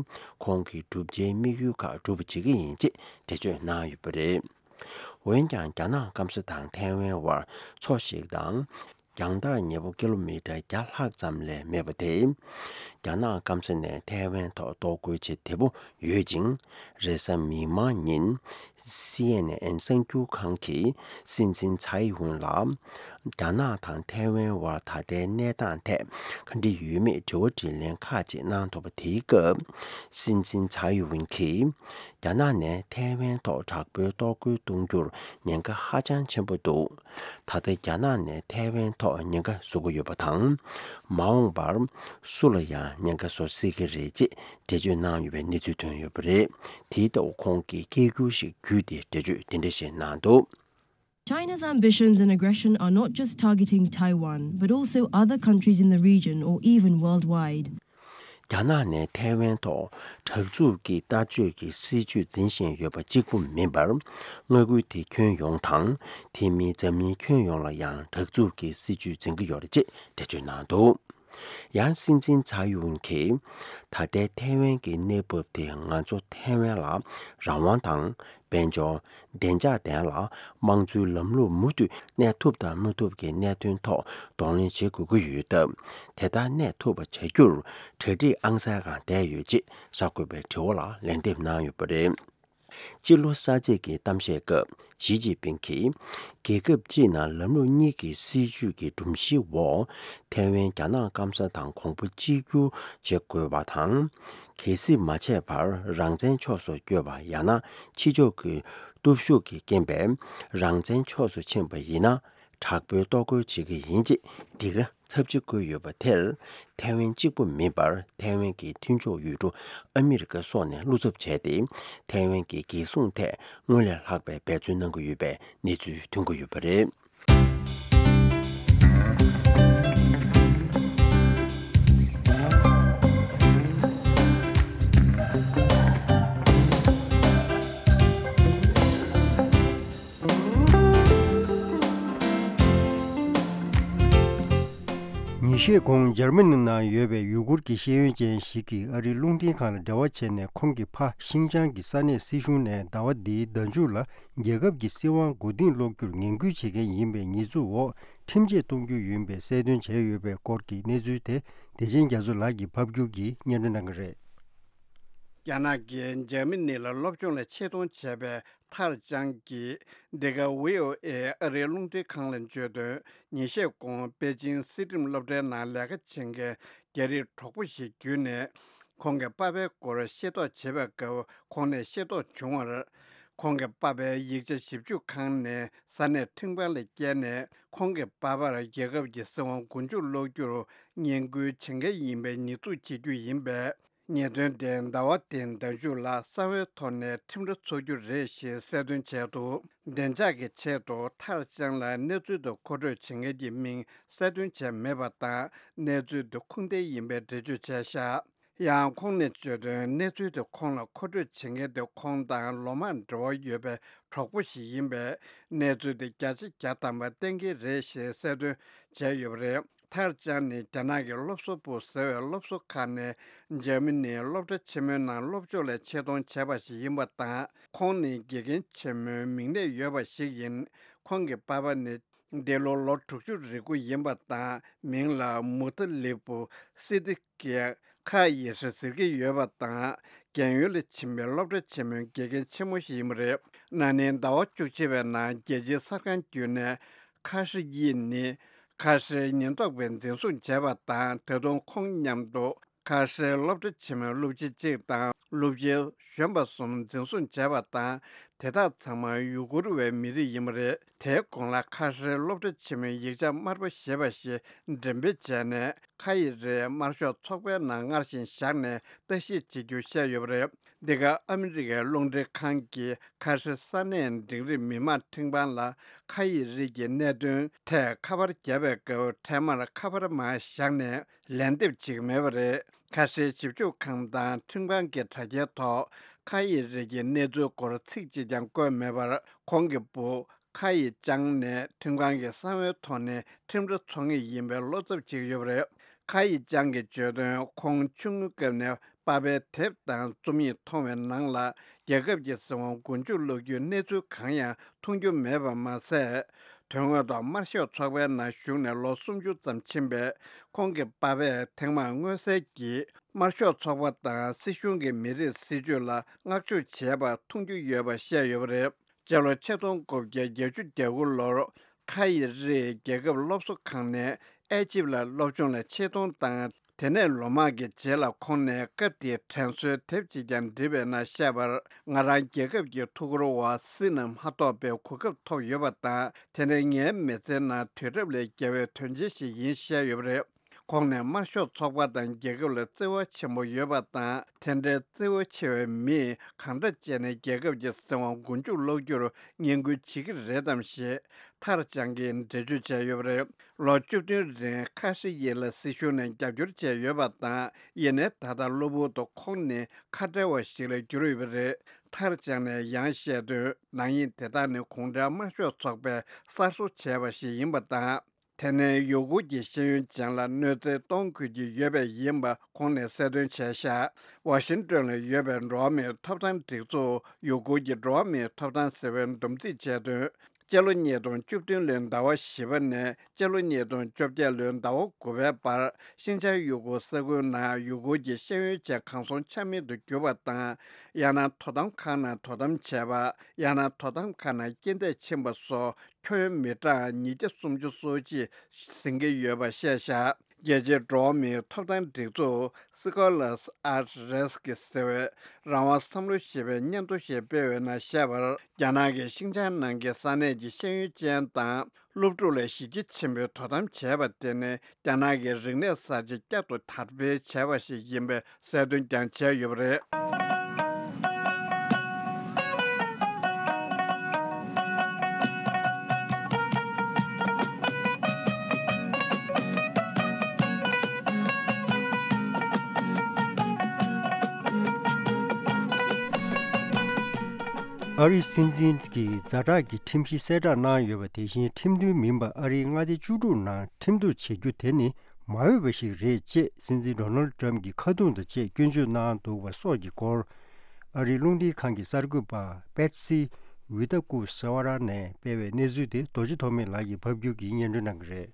ཁོང་གི་བསྒྲུབ་བྱའི་དམིགས་ཡུལ་ཁག་འགྲུབ་པ་བྱེད་ཀྱི་ཡིན་ཅེས་འགྲེལ་བརྗོད་གནང་ཡོད་པ་རེད། འོན་ཀྱང་རྒྱ་ནག་སྐམ་ས་དང་ཐའེ་ཝན་དབར་མཚོ་ཞིག་དང་། རྒྱང་ཐག་ཉེ་པོ་ཀི་ལོ་མི་ཊར་བརྒྱ་ལྷག་ཙམ་ལས་མེད་པ་དེ། རྒྱ་ནག་སྐམ་ས་ནས་ཐའེ་ཝན་ཐོག་གཏོར་རྒོལ་བྱེད་བདེ་པོ་ཡོད་ཅིང་། རེས་གཟའ་མིག་དམར་ཉིན། སི་ཨེན་ཨེན་གསར་འགྱུར་ཁང་གིས་སྲིད་འཛིན་ཚའེ་ཝུན་ལ། རྒྱ་ནག་དང་ཐའེ་ཝན་དབར་ད་ལྟའི་གནས་སྟངས་ཐད་ག་འདྲ་ཡོད་མེད་དྲི་བ་དྲིས་ལན་ཁག་ཅིག་གནང་ཐུབ་པ་དེའི་སྐབས། སྲིད་འཛིན་ཚའེ་ཝུན་གྱིས། རྒྱ་ནག་ནས་ཐའེ་ཝན་ཐོག་དྲག་པོའི་གཏོར་རྒོལ་གཏོང་རྒྱུར་ཉེན་ཁ་ཧ་ཅང་ཆེན་པོ་འདུག་ད་ལྟ་རྒྱ་ནག་ནས་ཐའེ་ཝན་ཐོག་ཉེན་ཁ་བཟོ་གི་ཡོད་པ་དང་། མ་འོངས་པར་སུ་ལ་ཡང་ཉེན་ཁ་བཟོ་སྲིད་ཀྱི་རེད་ཅེས་འགྲེལ་བརྗོད་གནང་ཡོད་པའི་གནས་ཚུལ་ཐོན་ཡོད་པ་རེད། དེའི་ཐོག་ཁོང་གིས་སྐད་སྒྱུར་ཞིག་བརྒྱུད་དེ་འགྲེལ་བརྗོད་འདི་འདྲ་ཞིག་གནང་འདུག China's ambitions and aggression are not just targeting Taiwan, but also other countries in the region or even worldwide. རྒྱ་ནག་ནས་ཐའེ་ཝན་ཐོག་དྲག་རྩུབ་ཀྱི་ལྟ་སྤྱོད་ཀྱི་སྲིད་བྱུས་འཛིན་བཞིན་ཡོད་པ་གཅིག་པུ་མིན་པར། མངའ་ཁུལ་དེ་ཁྱོན་ཡོངས་དང་། དེ་མིན་འཛམ་གླིང་ཁྱོན་ཡོངས་ལ་ཡང་དྲག་རྩུབ་ཀྱི་སྲིད་བྱུས་འཛིན་གྱི་ཡོད་རེད་ཅེས་འགྲེལ་བརྗོད་གནང་འདུག། ཡང་སྲིད་འཛིན་ཚའེ་ཡུན་གྱིས། ད་ལྟའི་ཐའེ་ཝན་གྱི་གནས་བབ་དེ་ང་ཚོ་ཐའེ་ཝན་ལ་རང་དབང་དང་། དཔལ་འབྱོར། བདེ་འཇགས་ལྡན་ལ། དམངས་གཙོའི་ལམ་ལུགས་མུ་མཐུད་གནས་ཐུབ་དང་མི་ཐུབ་ཀྱི་གནད་དོན་ཐོག་གདོང་ལེན་བྱེད་དགོས་ཀྱི་ཡོད་སྟབས། དེ་ལྟར་གནས་ཐུབ་པ་བྱ་རྒྱུར་གྲ་སྒྲིག་ཨང་གསར་སྒང་བསྡད་ཡོད་ཅེས་གསར་འགོད་པའི་དྲི་བ་ལ་ལན་འདེབས་གནང་ཡོད་པ་རེད། སྤྱི་ལོ་གསར་ཚེས་ཀྱི་གཏམ་བཤད་སྐབས་ཞི་ཅིན་ཕིང་གིས། རྒྱལ་ཁབ་སྤྱིའི་ནང་ལམ་ལུགས་གཉིས་ཀྱི་སྲིད་བྱུས་ཀྱི་སྒྲོམ་གཞིའི་འོག་ཐའེ་ཝན་རྒྱ་ནག་སྐམ་ས་དང་གོང་བུ་གཅིག་གྱུར་བྱེད་དགོས་པ་དང་། གལ་སྲིད་མ་བྱས་པར་རང་བཙན་ཕྱོགས་སུ་བསྐྱོད་པ་ཡང་ན་ཕྱི་ཕྱོགས་ཀྱི་སྟོབས་ཤུགས་ཀྱི་རྐྱེན་པས་རང་བཙན་ཕྱོགས་སུ་ཕྱིན་པ་ཡིན་ན། དྲག་པོའི་གཏོར་རྒོལ་བྱེད་ཀྱི་ཡིན་ཅེས་སྡིགས་ར་ཚབས་ཆེ་བཀོད་ཡོད་པ་དེར། ཐའེ་ཝན་གཅིག་པུ་མིན་པར་ཐའེ་ཝན་གྱི་མཐུན་ཕྱོགས་ཡུལ་གྲུ་ཨ་མི་རི་ཀ་སོགས་ནས་བློ་འཚབ་བྱས་ཏེ། ཐའེ་ཝན་གྱི་རྒྱལ་སྲུང་ཐད་སྔོན་ལས་ལྷག་པའི་འབད་བརྩོན་གནང་གི་ཡོད་པའི་གནས་ཚུལ་ཐོན་གྱི་ཡོད་པ་རེད། ཉིན་ཤས་གོང་འཇར་མ་ནི་ནང་ཡོད་པའི་ཡུ་གུར་གྱི་ཤེས་ཡོན་ཅན་ཞིག་གིས་ཨ་རིའི་རླུང་འཕྲིན་ཁང་ལ་འབྲེལ་བ་བྱས་ནས། ཁོང་གི་ཕ་ཤིང་ཅང་གི་ས་གནས་སྲིད་གཞུང་ནས་ཟླ་བ་འདིའི་ཟླ་མཇུག་ལ་རྒྱལ་ཁབ་ཀྱི་སྲིད་དབང་མགོ་རྟིང་སློག་རྒྱུར་ངན་སྐུལ་བྱེད་མཁན་ཡིན་པའི་ཉེས་འཛུགས་འོག་ཁྲིམས་ཆད་གཏོང་རྒྱུ་ཡིན་པའི་གསལ་སྟོན་བྱས་ཡོད་པའི་སྐོར་གྱི་གནས་ཚུལ་དེ། བདེ་ཆེན་རྒྱ་མཚོ་ལགས་ཀྱིས་ཕབ་སྒྱུར་གྱིས་སྙན་སྒྲོན་གནང་གི་རེད། རྒྱ་ནག་གིས་འཇར་མ་ནི་ལ་སློབ་སྦྱོང་ལ་ཆེད་གཏོང་བྱས་པའི་ཐར་ཅང་གིས་འདི་ག་ཝི་ཨོ་ཨེ་ཨ་རིའི་རླུང་འཕྲིན་ཁང་ལ་བརྗོད་དོན། ཉིན་ཤས་གོང་པེ་ཅིང་སྲིད་ཁྲིམས་སློབ་གྲྭའི་ནང་ལས་ཀ་བྱེད་མཁན་རྒྱ་རིགས་གྲོགས་པོ་ཞིག་བརྒྱུད་ནས། ཁོང་གི་པ་ཕའི་སྐོར་ཤེས་རྟོགས་བྱེད་པའི་སྐབས། ཁོང་ནས་ཤེས་རྟོགས་བྱུང་བར། ཁོང་གི་པ་ཕའི་ཡིག་ཆ་ཞིབ་འཇུག་ཁང་ནས་ས་གནས་ཁྲིམས་ཁང་ལ་བསྐྱལ་ནས། ཁོང་གི་པ་ཕར་རྒྱལ་ཁབ་ཀྱི་སྲིད་དབང་མགོ་མཇུག་སློག་རྒྱུར་ངན་སྐུལ་བྱེད་མཁན་ཡིན་པའི་ཉེས་འཛུགས་བྱེད་རྒྱུ་ཡིན་པས། ཉེས་དོན་དེ་ཟླ་བ་འདིའི་ཟླ་མཇུག་ལ་གསང་བའི་ཐོག་ནས་ཁྲིམས་ར་འཚོགས་རྒྱུ་རེད་ཞེས་གསལ་སྟོན་བྱས་འདུག། བདེ་འཇགས་ཀྱི་ཆེད་དུ་ཐར་ཅང་ལ་གནས་ཚུལ་དེ་མཁོ་སྤྲོད་བྱེད་མཁན་གྱི་མིང་གསལ་སྟོན་བྱས་མེད་པ་དང་། གནས་ཚུལ་དེ་ཁུངས་ལྡན་ཡིན་པའི་འགྲེལ་བརྗོད་བྱས་བཞག། ཡང་ཁོང་ནས་བརྗོད་དོན། གནས་ཚུལ་དེ་ཁོང་ལ་མཁོ་སྤྲོད་བྱེད་མཁན་དེ་ཁོང་དང་ལོ་མང་འབྲེལ་བ་ཡོད་པའི་གྲོགས་པོ་ཞིག་ཡིན་པས། གནས་ཚུལ་དེ་བརྒྱ་ཆ་བརྒྱ་ཐམ་པ་གཏན་འཁེལ་རེད་ཞེས་གསལ་སྟོན་བྱས་ཡོད་པ་རེད། ཐར་ཅང་ནི་རྒྱ་ནག་གི་སློབ་གསོ་པུའུ་ཟེར་བའི་སློབ་གསོ་ཁང་ནས་འཇར་མ་ནིའི་སློབ་གྲྭ་ཆེན་མོའི་ནང་སློབ་སྦྱོང་ལ་ཆེད་གཏོང་བྱས་པ་ཞིག་ཡིན་པ་དང་། ཁོང་ནི་དགེ་རྒན་ཆེན་མོའི་མིང་གནས་ཡོད་པ་ཞིག་ཡིན། ཁོང་གི་པ་ཕ་ནི་འདི་ལོ་ལོ་དྲུག་ཅུ་རེ་དགུ་ཡིན་པ་དང་། མིང་ལ་མུ་ཏ་ལི་པུ་སི་ཏི་ཀེ། ཁ་ཡི་ཧྲི་ཟེར་གྱི་ཡོད་པ་དང་། རྒན་ཡོལ་ལ་ཕྱིན་པའི་སློབ་གྲྭ་ཆེན་མོའི་དགེ་རྒན་ཆེན་མོ་ཞིག་ཡིན་པ་རེད། ན་ནིང་ཟླ་བ་བཅུ་གཅིག་པའི་ནང་རྒྱལ་སྤྱིའི་གསར་ཁང་བརྒྱུད་ནས། ཁ་ཧྲི་ཡི་ནི་ཁ་ཧྲིའི་ཉེན་རྟོག་པས་འཛིན་བཟུང་བྱས་པ་དང་། ད་དུང་ཁོང་མཉམ་དུ་ཁ་ཧྲིའི་སློབ་གྲྭ་ཆེན་མོའི་སློབ་སྤྱི་གཅིག་དང་སློབ་སྤྱི་གཞོན་པ་གསུམ་འཛིན་བཟུང་བྱས་པ་དང་། དེ་དག་ཚང་མ་ཡུ་གུར་བའི་མི་རིགས་ཡིན་པ་རེད། དེའི་གོང་ལ་ཁ་ཧྲིའི་སློབ་གྲྭ་ཆེན་མོའི་ཡིག་ཆ་དམར་པོ་ཞེས་པ་ཞིག་འགྲེམས་སྤེལ་བྱས་ནས། ཁ་ཡི་རེ་དམར་ཤོག་ཚོགས་པའི་ནང་སྔར་བཞིན་བཞག་ནས་ལྟ་ཞིབ་བྱེད་རྒྱུ་བཤད་ཡོད་པ་རེད། འདི་ག་ཨ་མི་རི་ཀའི་རླུང་འཕྲིན་ཁང་གིས་ཁ་ཧྲི་ས་གནས་འབྲིང་རིམ་མི་དམངས་ཁྲིམས་ཁང་ལ་ཁ་ཡི་རེ་གྱི་གནད་དོན་ཐད་ཁ་པར་བརྒྱབ་པའི་སྐབས། འཕྲལ་མར་ཁ་པར་མར་བཞག་ནས་ལན་འདེབས་བྱེད་ཀྱི་མེད་པ་རེད། ཁ་ཧྲིའི་ཞིབ་འཇུག་ཁང་དང་ཁྲིམས་ཁང་གི་དྲ་རྒྱའི་ཐོག་ཁ་ཡི་རེ་གྱི་གནས་ཚུལ་སྐོར་ཚིག་གཅིག་ཀྱང་བཀོད་མེད་པར། ཁོང་གི་བུ་ཁ་ཡི་ཅང་ནས་ཁྲིམས་ཁང་གི་གསང་བའི་ཐོག་ནས་ཁྲིམས་ར་འཚོགས་ངེས་ཡིན་པའི་བློ་འཚབ་བྱེད་ཀྱི་ཡོད་པ་རེད། ཁ་ཡི་ཅང་གིས་བརྗོད་དོན། ཁོང་ཆུང་ངུའི་སྐབས་ནས་པ་ཕའི་དེབ་དང་རྩོམ་ཡིག་མཐོང་བའི་ནང་ལ། རྒྱལ་ཁབ་ཀྱི་སྲིད་དབང་མགོ་མཇུག་སློག་རྒྱུའི་གནས་ཚུལ་གང་ཡང་མཐོང་རྒྱུ་མེད་པ་མ་ཟད། དོན་དངོས་ཐོག་དམར་ཤོག་ཚོགས་པའི་ནང་ཞུགས་ནས་ལོ་སུམ་ཅུ་ཙམ་ཕྱིན་པས། ཁོང་གི་པ་ཕས་ཐེངས་མང་མངོན་གསལ་གྱིས་དམར་ཤོག་ཚོགས་པ་དང་སྲིད་གཞུང་གི་མི་རིགས་སྲིད་ཇུས་ལ་བསྔགས་བརྗོད་བྱས་པ་མཐོང་རྒྱུ་ཡོད་པ་བཤད་ཡོད་པ་རེད། སྤྱི་ལོ་ཆིག་སྟོང་དགུ་བརྒྱ་བརྒྱད་ཅུ་གྱ་དགུ་ལོར། ཁ་ཡི་རེས་རྒྱལ་ཁབ་སློབ་གསོ་ཁང་ནས་ཨེ་ཇིབ་ལ་སློབ་སྦྱོང་ལ་ཆེད་གཏོང་དང་། དེ་ནས་ལོ་མང་གི་རྗེས་ལ་ཁོང་ནས་སྐབས་དེའི་དྲན་གསོའི་དེབ་ཅིག་ཀྱང་བྲིས་པའི་ནང་བཤད་པར། ང་རང་རྒྱལ་ཁབ་ཀྱི་ཐུགས་ཁུར་འོག་སྲིད་ནང་མ་གཏོགས་པའི་གོ་སྐབས་ཐོབ་ཡོད་པ་དང་། དེ་ནས་ངའི་མི་ཚེའི་ནང་དུས་རབས་ལས་བརྒལ་བའི་དོན་ཆེན་ཞིག་ཡིན་བཤད་ཡོད་པ་རེད། ཁོང་ནས་དམར་ཤོག་ཚོགས་པ་དང་རྒྱལ་ཁབ་ལ་བརྩེ་བ་ཆེན་པོ་ཡོད་པ་དང་། དེ་འདྲའི་བརྩེ་བ་ཆེ་བའི་མིས་གང་འདྲ་བྱས་ནས་རྒྱལ་ཁབ་ཀྱི་སྲིད་དབང་མགོ་མཇུག་སློག་རྒྱུར་ངན་སྐུལ་བྱེད་ཀྱི་རེད་དམ་ཞེས་ཐར་ཅང་གིས་འགྲེལ་བརྗོད་བྱས་ཡོད་པ་རེད། ལོ་བཅུ་བདུན་རིང་ཁ་ཧྲི་ཡེ་ལ་སྲིད་གཞུང་ནས་རྒྱབ་སྐྱོར་བྱས་ཡོད་པ་དང་། ཡིན་ནའི་ད་ལྟ་གློ་བུར་དུ་ཁོང་ནི་ཁ་བྲལ་བ་ཞིག་ལ་གྱུར་ཡོད་པ་རེད། ཐར་ཅང་ནས་ཡང་བཤད་དོན། ནག་ཉེས་དེ་དག་ནི་གུང་ཁྲན་དམར་ཤོག་ཚོགས་པས་གསར་བཟོ་བྱས་པ་ཞིག་ཡིན་པ་དང་། དེ་ནས་ཡུ་གུར་གྱི་ཤེས་ཡོན་ཅན་ལ་གནོད་འཚེ་གཏོང་དགོས་ཀྱི་ཡོད་པས་ཡིན་པ་ཁོང་ནས་གསལ་སྟོན་བྱས་ཤག་ཝ་ཤིང་ཏོན་ལ་ཡོད་པའི་འགྲོ་བ་མིའི་ཐོབ་ཐང་སྒྲིག་འཛུགས། ཡུ་གུར་གྱི་འགྲོ་བ་མིའི་ཐོབ་ཐང་ཟེར་བས་འདུམ་འགྲིག་བྱས་དོན། སྤྱི་ལོ་ཉིས་སྟོང་བཅུ་བདུན་ལོའི་ཟླ་བ་བཞི་པ་ནས་སྤྱི་ལོ་ཉིས་སྟོང་བཅོ་བརྒྱད་ལོའི་ཟླ་བ་དགུ་པའི་བར། ཤིན་ཅང་ཡུ་གུར་ས་ཁུལ་ནང་ཡུ་གུར་གྱི་ཤེས་ཡོན་ཅན་གང་སོང་ཆ་མེད་དུ་གྱུར་པ་དང་། ཡང་ན་དོ་དམ་ཁང་ནང་དོ་དམ་བྱས་པ། ཡང་ན་དོ་དམ་ཁང་ནང་རྐྱེན་འདས་ཕྱིན་པ་སོགས། ཁྱོན་མི་གྲངས་ཉིས་བརྒྱ་སུམ་ཅུ་སོ་གཅིག་ཟིན་གྱི་ཡོད་པ་བཤད་བཞག་རྒྱལ་སྤྱིའི་འགྲོ་བ་མིའི་ཐོབ་ཐང་སྒྲིག་འཛུགས་Scholars at Risk ཟེར་བས་རང་དབང་བསམ་བློ་ཞེས་པའི་སྙན་ཐོ་ཞིག་སྤེལ་བའི་ནང་བཤད་པར། རྒྱ་ནག་གིས་ཤིན་ཅང་ནང་གི་ས་གནས་ཀྱི་ཤེས་ཡོན་ཅན་དང་སློབ་ཕྲུག་ལ་གཞི་རྒྱ་ཆེན་པོས་དོ་དམ་བྱས་པ་དེ་ནི་རྒྱ་ནག་གི་རིག་གནས་གསར་བརྗེ་བསྐྱར་དུ་དར་སྤེལ་བྱས་པ་ཞིག་ཡིན་པའི་གསལ་སྟོན་ཀྱང་བྱས་ཡོད་པ་རེད། ཨ་རིའི་སྲིད་འཛིན་གྱི་ཛ་དྲག་གི་ཁྲིམས་གཞི་གསལ་བསྒྲགས་གནང་ཡོད་པ་དེ་བཞིན་ཁྲིམས་མཐུན་མིན་པ་ཨ་རིའི་མངའ་སྡེ་བཅུ་དྲུག་ནང་ཁྲིམས་གཏུག་བྱེད་རྒྱུ་དེ་ནི་མ་འོས་པ་ཞིག་རེད་ཅེས་སྲིད་འཛིན་ཌོ་ནལ་ཌི་ཊརམ་གྱི་ཁ་རྡུང་དང་བཅས་སྐྱོན་བརྗོད་གནང་འདུག་པ་སོགས་ཀྱི་སྐོར། ཨ་རིའི་རླུང་འཕྲིན་ཁང་གི་གསར་འགོད་པ་པེ་ཊི་སི་ཝི་ཏཱ་ཀུ་ས་ཝ་ར་ནས་སྤེལ་བའི་གནས་ཚུལ་དེ་རྡོ་རྗེ་ཐོགས་མེད་ལགས་ཀྱིས་ཕབ་སྒྱུར་གྱིས་སྙན་སྒྲོན་གནང་གི་རེད།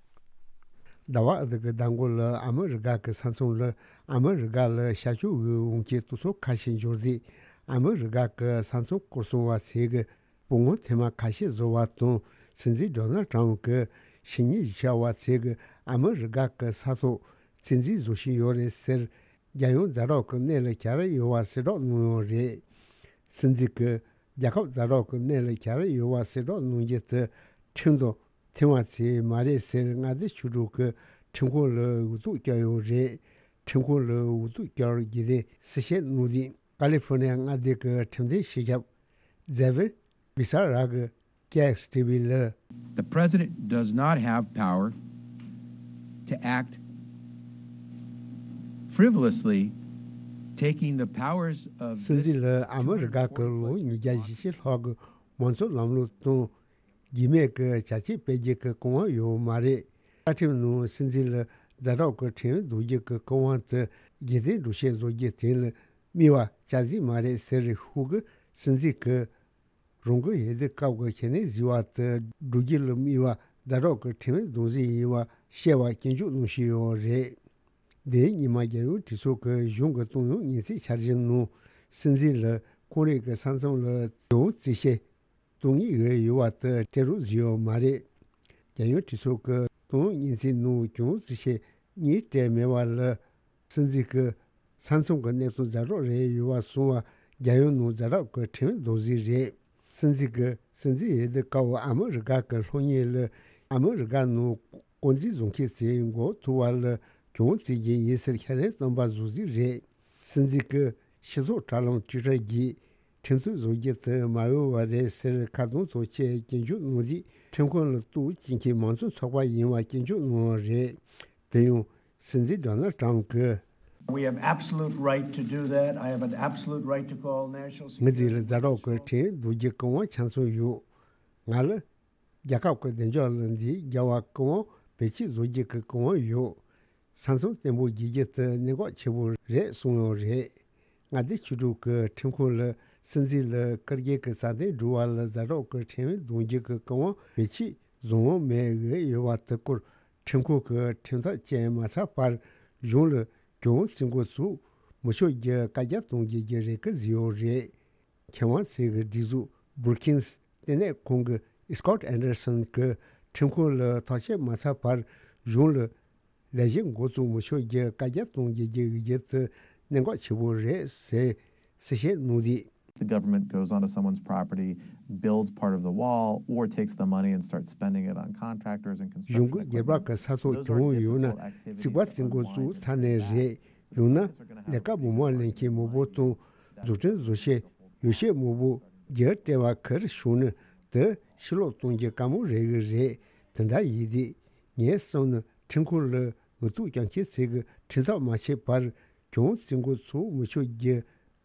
ཟླ་བ་ཨ་ཟླ་གི་ཟླ་མགོ་ལ་ཨ་མི་རི་ཀ་གི་ས་མཚམས་ལ་ཨ་མི་རི་ཀ་ལ་ཤར་ཕྱོགས་འོག་འོང་ཆེད་གཏོར་ཚོགས་ཁ་ཤས་འབྱོར་རྗེས། ཨ་མི་རི་ཀ་གི་ས་མཚམས་སྐོར་སྲུང་བ་ཚོས་ཀྱི་སྤོ་ངོ་ཐེངས་མ་ཁ་ཤས་བཟོ་བ་དང་། སྲིད་འཛིན་ཌོ་ནལ་ཌི་ཊརམ་གྱི་ཕྱི་ཉིན་གཞིས་ཆགས་པ་ཚོས་ཀྱི་ཨ་མི་རི་ཀ་གི་ས་ཐོག་བཙན་འཛུལ་བཟོ་བཞིན་ཡོད་རེད་ཟེར། རྒྱལ་ཡོངས་ཛ་དྲག་གི་གནས་ལ་གྱར་ཡོད་པ་གསལ་བསྒྲགས་གནང་ཡོད་རེད། སྲིད་འཛིན་གྱིས་རྒྱལ་ཁབ་ཛ་དྲག་གི་གནས་ལ་གྱར་ཡོད་པ་གསལ་བསྒྲགས་གནང་རྒྱུ་དེ་ཁྲིམས་དང་མཐུན་པ་ཚོས་མ་རེད་ཟེར་མངའ་སྡེ་ཆོས་གྲོས་ཀྱིས་ཁྲིམས་ཁང་ལ་འུ་ཐུག་བསྐྱལ་ཡོད་རེད། ཁྲིམས་ཁང་ལ་འུ་ཐུག་བསྐྱལ་རྒྱུ་དེ་གསལ་བཤད་གནང་རྗེས། ཀ་ལི་ཧྥོ་ནི་ཡ་མངའ་སྡེ་གི་ཁྲིམས་དོན་སྤྱི་ཁྱབ་ཛེ་ཝེར་བི་ས་ར་གིས་ཀེ་ཨེག་སི་ཊི་ཝི་ལ། The president does not have power to act frivolously, taking the powers of སྲིད་འཛིན་ལ་ཨ་མི་རི་ཀ་གི་ལོ་ཉིས་བརྒྱ་ཞེ་གཅིག་ལྷག་གི་མང་གཙོ་ལམ་ལུགས་དང་། རྒྱུས་མེད་ཀྱི་བྱ་སྤྱོད་སྤེལ་རྒྱུ་གི་གོ་སྐབས་ཡོད་མ་རེད། བཅའ་ཁྲིམས་ནང་སྲིད་འཛིན་ལ་ཛ་དྲག་གི་ཁྲིམས་འཛུགས་རྒྱུ་གི་གོ་སྐབས་དེ་རྒྱལ་བསྟན་སྒྲུབ་བྱེད་བཟོ་རྒྱུ་དེ་ལ་དམིགས་པ་བཅའ་སྲིད་མ་རེད་ཟེར། ཧུའུ་གིས་སྲིད་འཛིན་གྱིས་རང་གི་འོས་བསྡུ་སྐབས་ཀྱི་ཁས་ལེན་བཟོས་པ་དེ་སྒྲུབ་རྒྱུ་ལ་དམིགས་པ་ཛ་དྲག་གི་ཁྲིམས་འཛུགས་རྒྱུ་ཡིན་པ་བཤད་པ་སྐྱོན་བརྗོད་གནང་བཞིན་ཡོད་རེད། འདིའི་ཉི་མ་རྒྱལ་ཡོངས་གྲོས་ཚོགས་ཀྱི་གཞུང་གི་གཏོང་ཡོང་སྙན་ཚིག་འཆར་གཞི་ནང་སྲིད་འཛིན་ལ་ཁོང་རང་གི་ས་མཚམས་ལ་གྱོང་རྩིས་བྱེད་གཏོང་ངེས་ཡོད་པ་དེ་སྤྲད་རོགས་བཟོས་ཡོད་མ་རེད། རྒྱལ་ཡོངས་གྲོས་ཚོགས་ཀྱི་གཏོང་ཡོང་སྙན་ཚིག་ནང་གྱོང་རྩིས་བྱེད་གཉིས་སྤྲད་མེད་པ་ལ། སྲིད་འཛིན་གྱི་ས་མཚམས་ཀྱི་གནས་སྟངས་ཛ་དྲག་རེད་ཡོད་པ་སོང་བ་རྒྱལ་ཡོངས་ནང་ཛ་དྲག་གི་ཁྲིམས་འཛུགས་རྒྱུ་རེད། སྲིད་འཛིན་གྱི་སྲིད་འཛིན་འོས་བསྡུ་སྐབས་ཨ་མི་རི་ཀ་གི་སློབ་གཉེར་ལ་ཨ་མི་རི་ཀ་ནང་དཀོན་རྩིས་བཟོ་མཁན་ཚོས་མགོ་ཐུག་པ་ལ་གྱོང་རྩིས་རྒྱུ་ཡིན་ཟེར་ཁས་ལེན་གཏོང་པ་བཟོ་རྒྱུ་རེད། སྲིད་འཛིན་གྱི་སྤྱི་ཚོགས་དྲ་ལམ་ཊུའི་ཊར་གྱིས་ཁྲིམས་མཐུན་བཟོ་རྒྱུ་དེ་མ་འོས་པ་རེད་ཟེར་ཁ་རྡུང་དང་བཅས་སྐྱོན་བརྗོད་གནང་རྗེས། ཁྲིམས་ཁང་ལ་གཏུག་བྱེད་མཁན་མང་གཙོ་ཚོགས་པ་ཡིན་པ་སྐྱོན་བརྗོད་གནང་བ་རེད། དེ་ཡང་སྲིད་འཛིན་ཌོ་ནལ་ཊརམ་གྱིས། We have absolute right to do that. I have an absolute right to call national security. ངའི་རྩིས་ལ་ཛ་དྲག་གི་ཁྲིམས་འཛུགས་རྒྱུ་གི་གོ་སྐབས་ཆ་ཚང་ཡོད། ང་ལ་རྒྱལ་ཁབ་ཀྱི་བདེ་འཇགས་ལ་འདི་རྒྱལ་བ་གི་དབང་བེད་སྤྱོད་བཟོ་རྒྱུ་གི་གོ་སྐབས་ཡོད། ས་མཚམས་བརྟན་པོ་བརྗེ་རྒྱུ་དེ་གནད་འགག་ཆེ་པོ་རེད་གསུངས་ཡོད་རེད། མངའ་སྡེ་ཆོས་གྲོས་ཀྱི་ཁྲིམས་ཁང་ལ་སྲིད་འཛིན་ལ་བཀའ་བརྒྱུད་ཀྱི་རྩ་དོན་སྒྲུབ་པ་ལ་ཛ་དྲག་གི་ཁྲིམས་འཛུགས་རྒྱུ་གི་གོ་སྐབས་བེད་སྤྱོད་བཟོ་འོས་མེད་འོས་ཡོད་པ་དེ་སྐོར་ཁྲིམས་ཁང་གི་ཁྲིམས་ཐག་བཅད་མ་ཚར་བར་གཞུང་ལ་གྱོང་རྩིས་འགོ་བཙུགས་མི་ཆོག་རྒྱུ་བཀའ་རྒྱ་གཏོང་རྒྱུ་གི་རེ་སྐུལ་བཟོས་ཡོད་རེད། མཁས་དབང་ཚོའི་སྒྲིག་འཛུགས་Brookings་ལྟེ་གནས་ཁང་གི་Scott Anderson་གྱིས་ཁྲིམས་ཁང་ལ་ཐག་གཅོད་མ་ཚར་བར་གཞུང་ལ་ལས་གཞི་འགོ་བཙུགས་མི་ཆོག་རྒྱུ་བཀའ་རྒྱ་གཏོང་རྒྱུ་གི་འོས་བསྡུ་དེ་གནད་འགག་ཆེ་པོ་རེད་ཟེར་གསལ་བཤད་གནང་དུས། The government goes onto someone's property, builds part of the wall, or takes the money and starts spending it on contractors and construction equipment. གཞུང་གིས་སྒེར་པ་གི་ས་ཐོག་གྱོང་ཡོད་ན་རྩིག་པ་རྩིག་འགོ་བཙུགས་ཚར་ནས་རེད། ཡང་ན་ལས་ཀ་མང་པོ་ལེན་མཁན་མང་པོ་དང་། འཛུགས་སྐྲུན་བཟོ་བྱེད་ཡོ་བྱད་མང་པོ་སྒེར་སྤྲད་པ་གིར་བྱུང་ན་དེ་ཕྱིར་སློག་གཏོང་རྒྱུ་དཀའ་མོ་རེད་གི་རེད། དེ་འདྲ་ཡིན་དུས་ངས་བསམ་ན་ཁྲིམས་ཁང་ལ་འུ་ཐུག་རྒྱག་མཁན་ཚོས་གི་ཁྲིམས་ཐག་མ་ཆོད་བར་གྱོང་རྩིག་འགོ་ཚུགས་མི་ཆོག་རྒྱུ་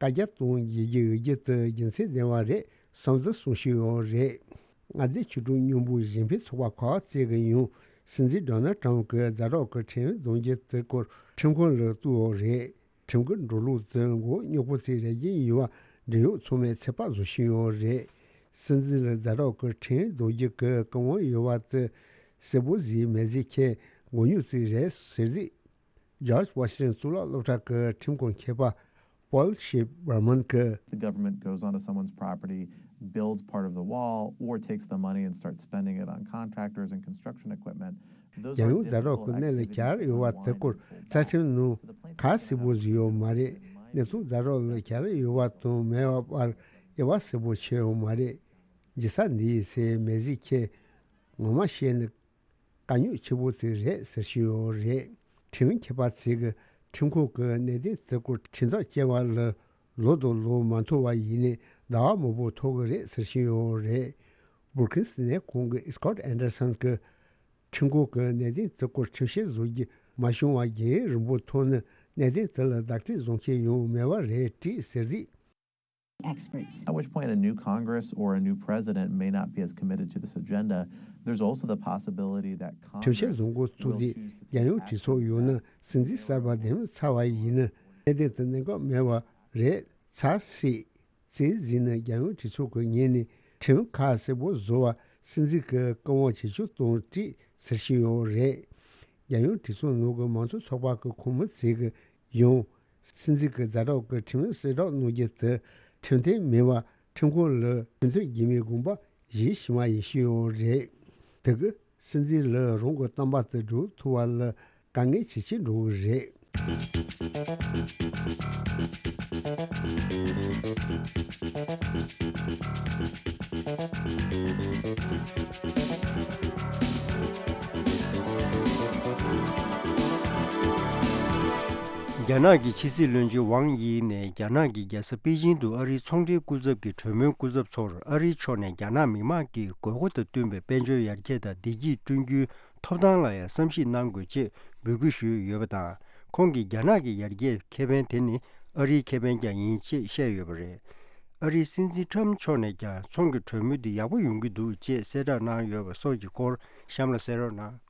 བཀའ་རྒྱ་གཏོང་བྱེད་རྒྱུ་འོས་བསྡུ་དེ་རྒྱུ་མཚན་ལྡན་པ་རེད་བསམ་དུ་གསུངས་བཞིན་ཡོད་རེད། མངའ་སྡེ་ཆོས་སྒྲུབ་མཉམ་འབོར་གཞན་ཕན་ཚོགས་པ་ཁག་ཅིག་གིས་ཡང་སྲིད་འཛིན་ཌོ་ནལ་ཊམ་གྱིས་ཛ་དྲག་གི་ཁྲིམས་ཡིག་འདོན་རྒྱུ་དེ་སྐོར་ཁྲིམས་ཁང་ལ་གཏུགས་ཡོད་རེད། ཁྲིམས་ཀྱི་འགྲོ་ལུགས་དེ་མགོ་རྙོག་པོ་ཅིག་རེག་གི་ཡིན་པ་འབྲེལ་ཡོད་ཚང་མས་ཚོད་དཔག་བཟོ་བཞིན་ཡོད་རེད། སྲིད་འཛིན་ལ་ཛ་དྲག་གི་ཁྲིམས་ཡིག་འདོན་རྒྱུ་གི་བཀའ་དབང་ཡོད་པ་དེ་གསལ་པོ་ཞིག་མེད་ཟེར་མཁན་མགོ་རྙོག་ཅིག་རེད་ཟེར་རྗེས། ཇོརྗ་ཝ་ཤིང་ཊོན་གཙུག་ལག་སློབ་གྲྭ་གི་ཁྲིམས་ཁང་མཁས་པ་པོལ་ཤེབ་བྷར་མན་གྱིས། The government goes onto someone's property, builds part of the wall, or takes the money and starts spending it on contractors and construction equipment. Those རྒྱལ་ཡོངས་ཛ་དྲག་གི་གནད་ལ་གྱར་ཡོད་པ་དེ་སྐོར་རྩ་ཁྲིམས་ནང་ག་གསལ་པོ་ཞིག་ཡོད་མ་རེད། གནས་ཚུལ་ཛ་དྲག་ལ་གྱར་ཡོད་པ་དང་མེད་པ་བར་དབྱེ་བ་གསལ་པོ་ཕྱེ་ཡོད་མ་རེད། འཇིགས་ས་འདི་ཡིན་ཟེར་མེད་ཟེར་མཁན་ངོ་མ་བཤད་ན་དཀའ་རྙོག་ཆེ་པོ་ཅིག་རེད་ཟེར་བཞིན་ཡོད་རེད། ཁྲིམས་མཁས་པ་ཚོས་ཀྱི་ཁྲིམས་ཁང་གི་གནད་དོན་དེ་སྐོར་ཁྲིམས་ཐག་བཅད་པ་ལ་ལོ་དང་ལོ་མ་འཐོར་བ་ཡིན་ནའི་ཟླ་བ་མང་པོ་འཐོར་གི་རེད་ཟེར་བཞིན་ཡོད་རེད། བྷུར་ཁིན་སི་ནས་ཁོང་གི་སི་ཀོཊ་ཨན་ཌར་སན་གྱིས་ཁྲིམས་ཁང་གི་གནད་དོན་དེ་སྐོར་ཁྲིམས་བཤེར་བཟོ་རྒྱུ་མ་བྱུང་བ་རྒྱུན་རིང་པོ་འཐོར་ན་གནད་དོན་དེ་ལ་བརྡ་སྤྲོད་བཟོ་མཁན་ཡང་མེད་པ་རེད་དྲིས་ཟེར་རིགས། Experts. At which point a new Congress or a new president may not be as committed to this agenda. There's also the possibility that Congress ཁྲིམས་བཤེར་བཟོ་འགོ་བཙུགས་རྗེས་རྒྱལ་ཡོངས་གྲོས་ཚོགས་ཡོད་ན་སྲིད་འཛིན་གསར་པ་འདེམས་ཚར་བ་ཡིན་ན་གནད་དོན་དེ་གནད་འགག་མེད་པ་རེད་ཚར་སྲིད་ཅེས་གཟིགས་ན་རྒྱལ་ཡོངས་གྲོས་ཚོགས་ཀྱི་ངོས་ནས་ཁྲིམས་ཁག་གསལ་པོ་བཟོ་བ་སྲིད་འཛིན་གྱི་བཀའ་དབང་ཇེ་ཆུང་གཏོང་སྲིད་ཟེར་བཞིན་ཡོད་རེད། རྒྱལ་ཡོངས་གྲོས་ཚོགས་ནང་གི་མང་གཙོ་ཚོགས་པ་གི་ཁོངས་མི་ཚོས་ཀྱི་ཡང་སྲིད་འཛིན་གྱི་ཛ་དྲག་གི་ཁྲིམས་ཡིག་གསལ་བསྒྲགས་གནང་རྒྱུ་དེ་ཁྲིམས་མཐུན་མིན་པ་ཁྲིམས་ཁང་ལ་ཁྲིམས་མཐུན་རྒྱུ་མེད་དགོངས་པ་བཞེས་བཞིན་པ་ཡིན་ཞུས་ཡོད་རེད། དེ་གི་སྲིད་འཛིན་ལ་རང་གི་བསྟན་པ་དེ་སྒྲུབ་ཐུབ་པ་ལ་དཀའ་ངལ་ཇེ་ཆེ་འགྲོ་གི་རེད། རྒྱ་ནག་གི་ཕྱི་སྲིད་བློན་ཆེན་ཝང་དབྱི་ནས་རྒྱ་ནག་གི་རྒྱལ་ས་པེ་ཅིང་དུ་ཨ་རིའི་ཚོང་འབྲེལ་སྐུ་ཚབ་ཀྱི་གྲོས་མོལ་སྐུ་ཚབ་ཚོར་ཨ་རིའི་ཕྱོགས་ནས་རྒྱ་ནག་མི་དམངས་ཀྱི་དགོས་མཁོ་དང་བསྟུན་པའི་དཔལ་འབྱོར་ཡར་རྒྱས་དང་བདེ་སྐྱིད་བསྐྲུན་རྒྱུའི་ཐོབ་ཐང་ལ་ཡང་བསམ་གཞིག་གནང་དགོས་ཅེས་འབོད་སྐུལ་ཞུས་ཡོད་པ་དང་། ཁོང་གིས་རྒྱ་ནག་གི་ཡར་རྒྱས་ཁེ་ཕན་དེ་ནི་ཨ་རིའི་ཁེ་ཕན་ཀྱང་ཡིན་ཅེས་བཤད་ཡོད་པ་རེད། ཨ་རིའི་སྲིད་འཛིན་ཊམ་མཆོག་ནས་ཀྱང་ཚོང་གི་གྲོས་མོལ་འདི་ཡག་པོ་ཡོང་གི་འདུག་ཅེས་གསལ་བསྒྲགས་གནང་ཡོད་པ་སོགས་ཀྱི་སྐོར་གཤམ་ལ་གསན་རོགས་གནང་།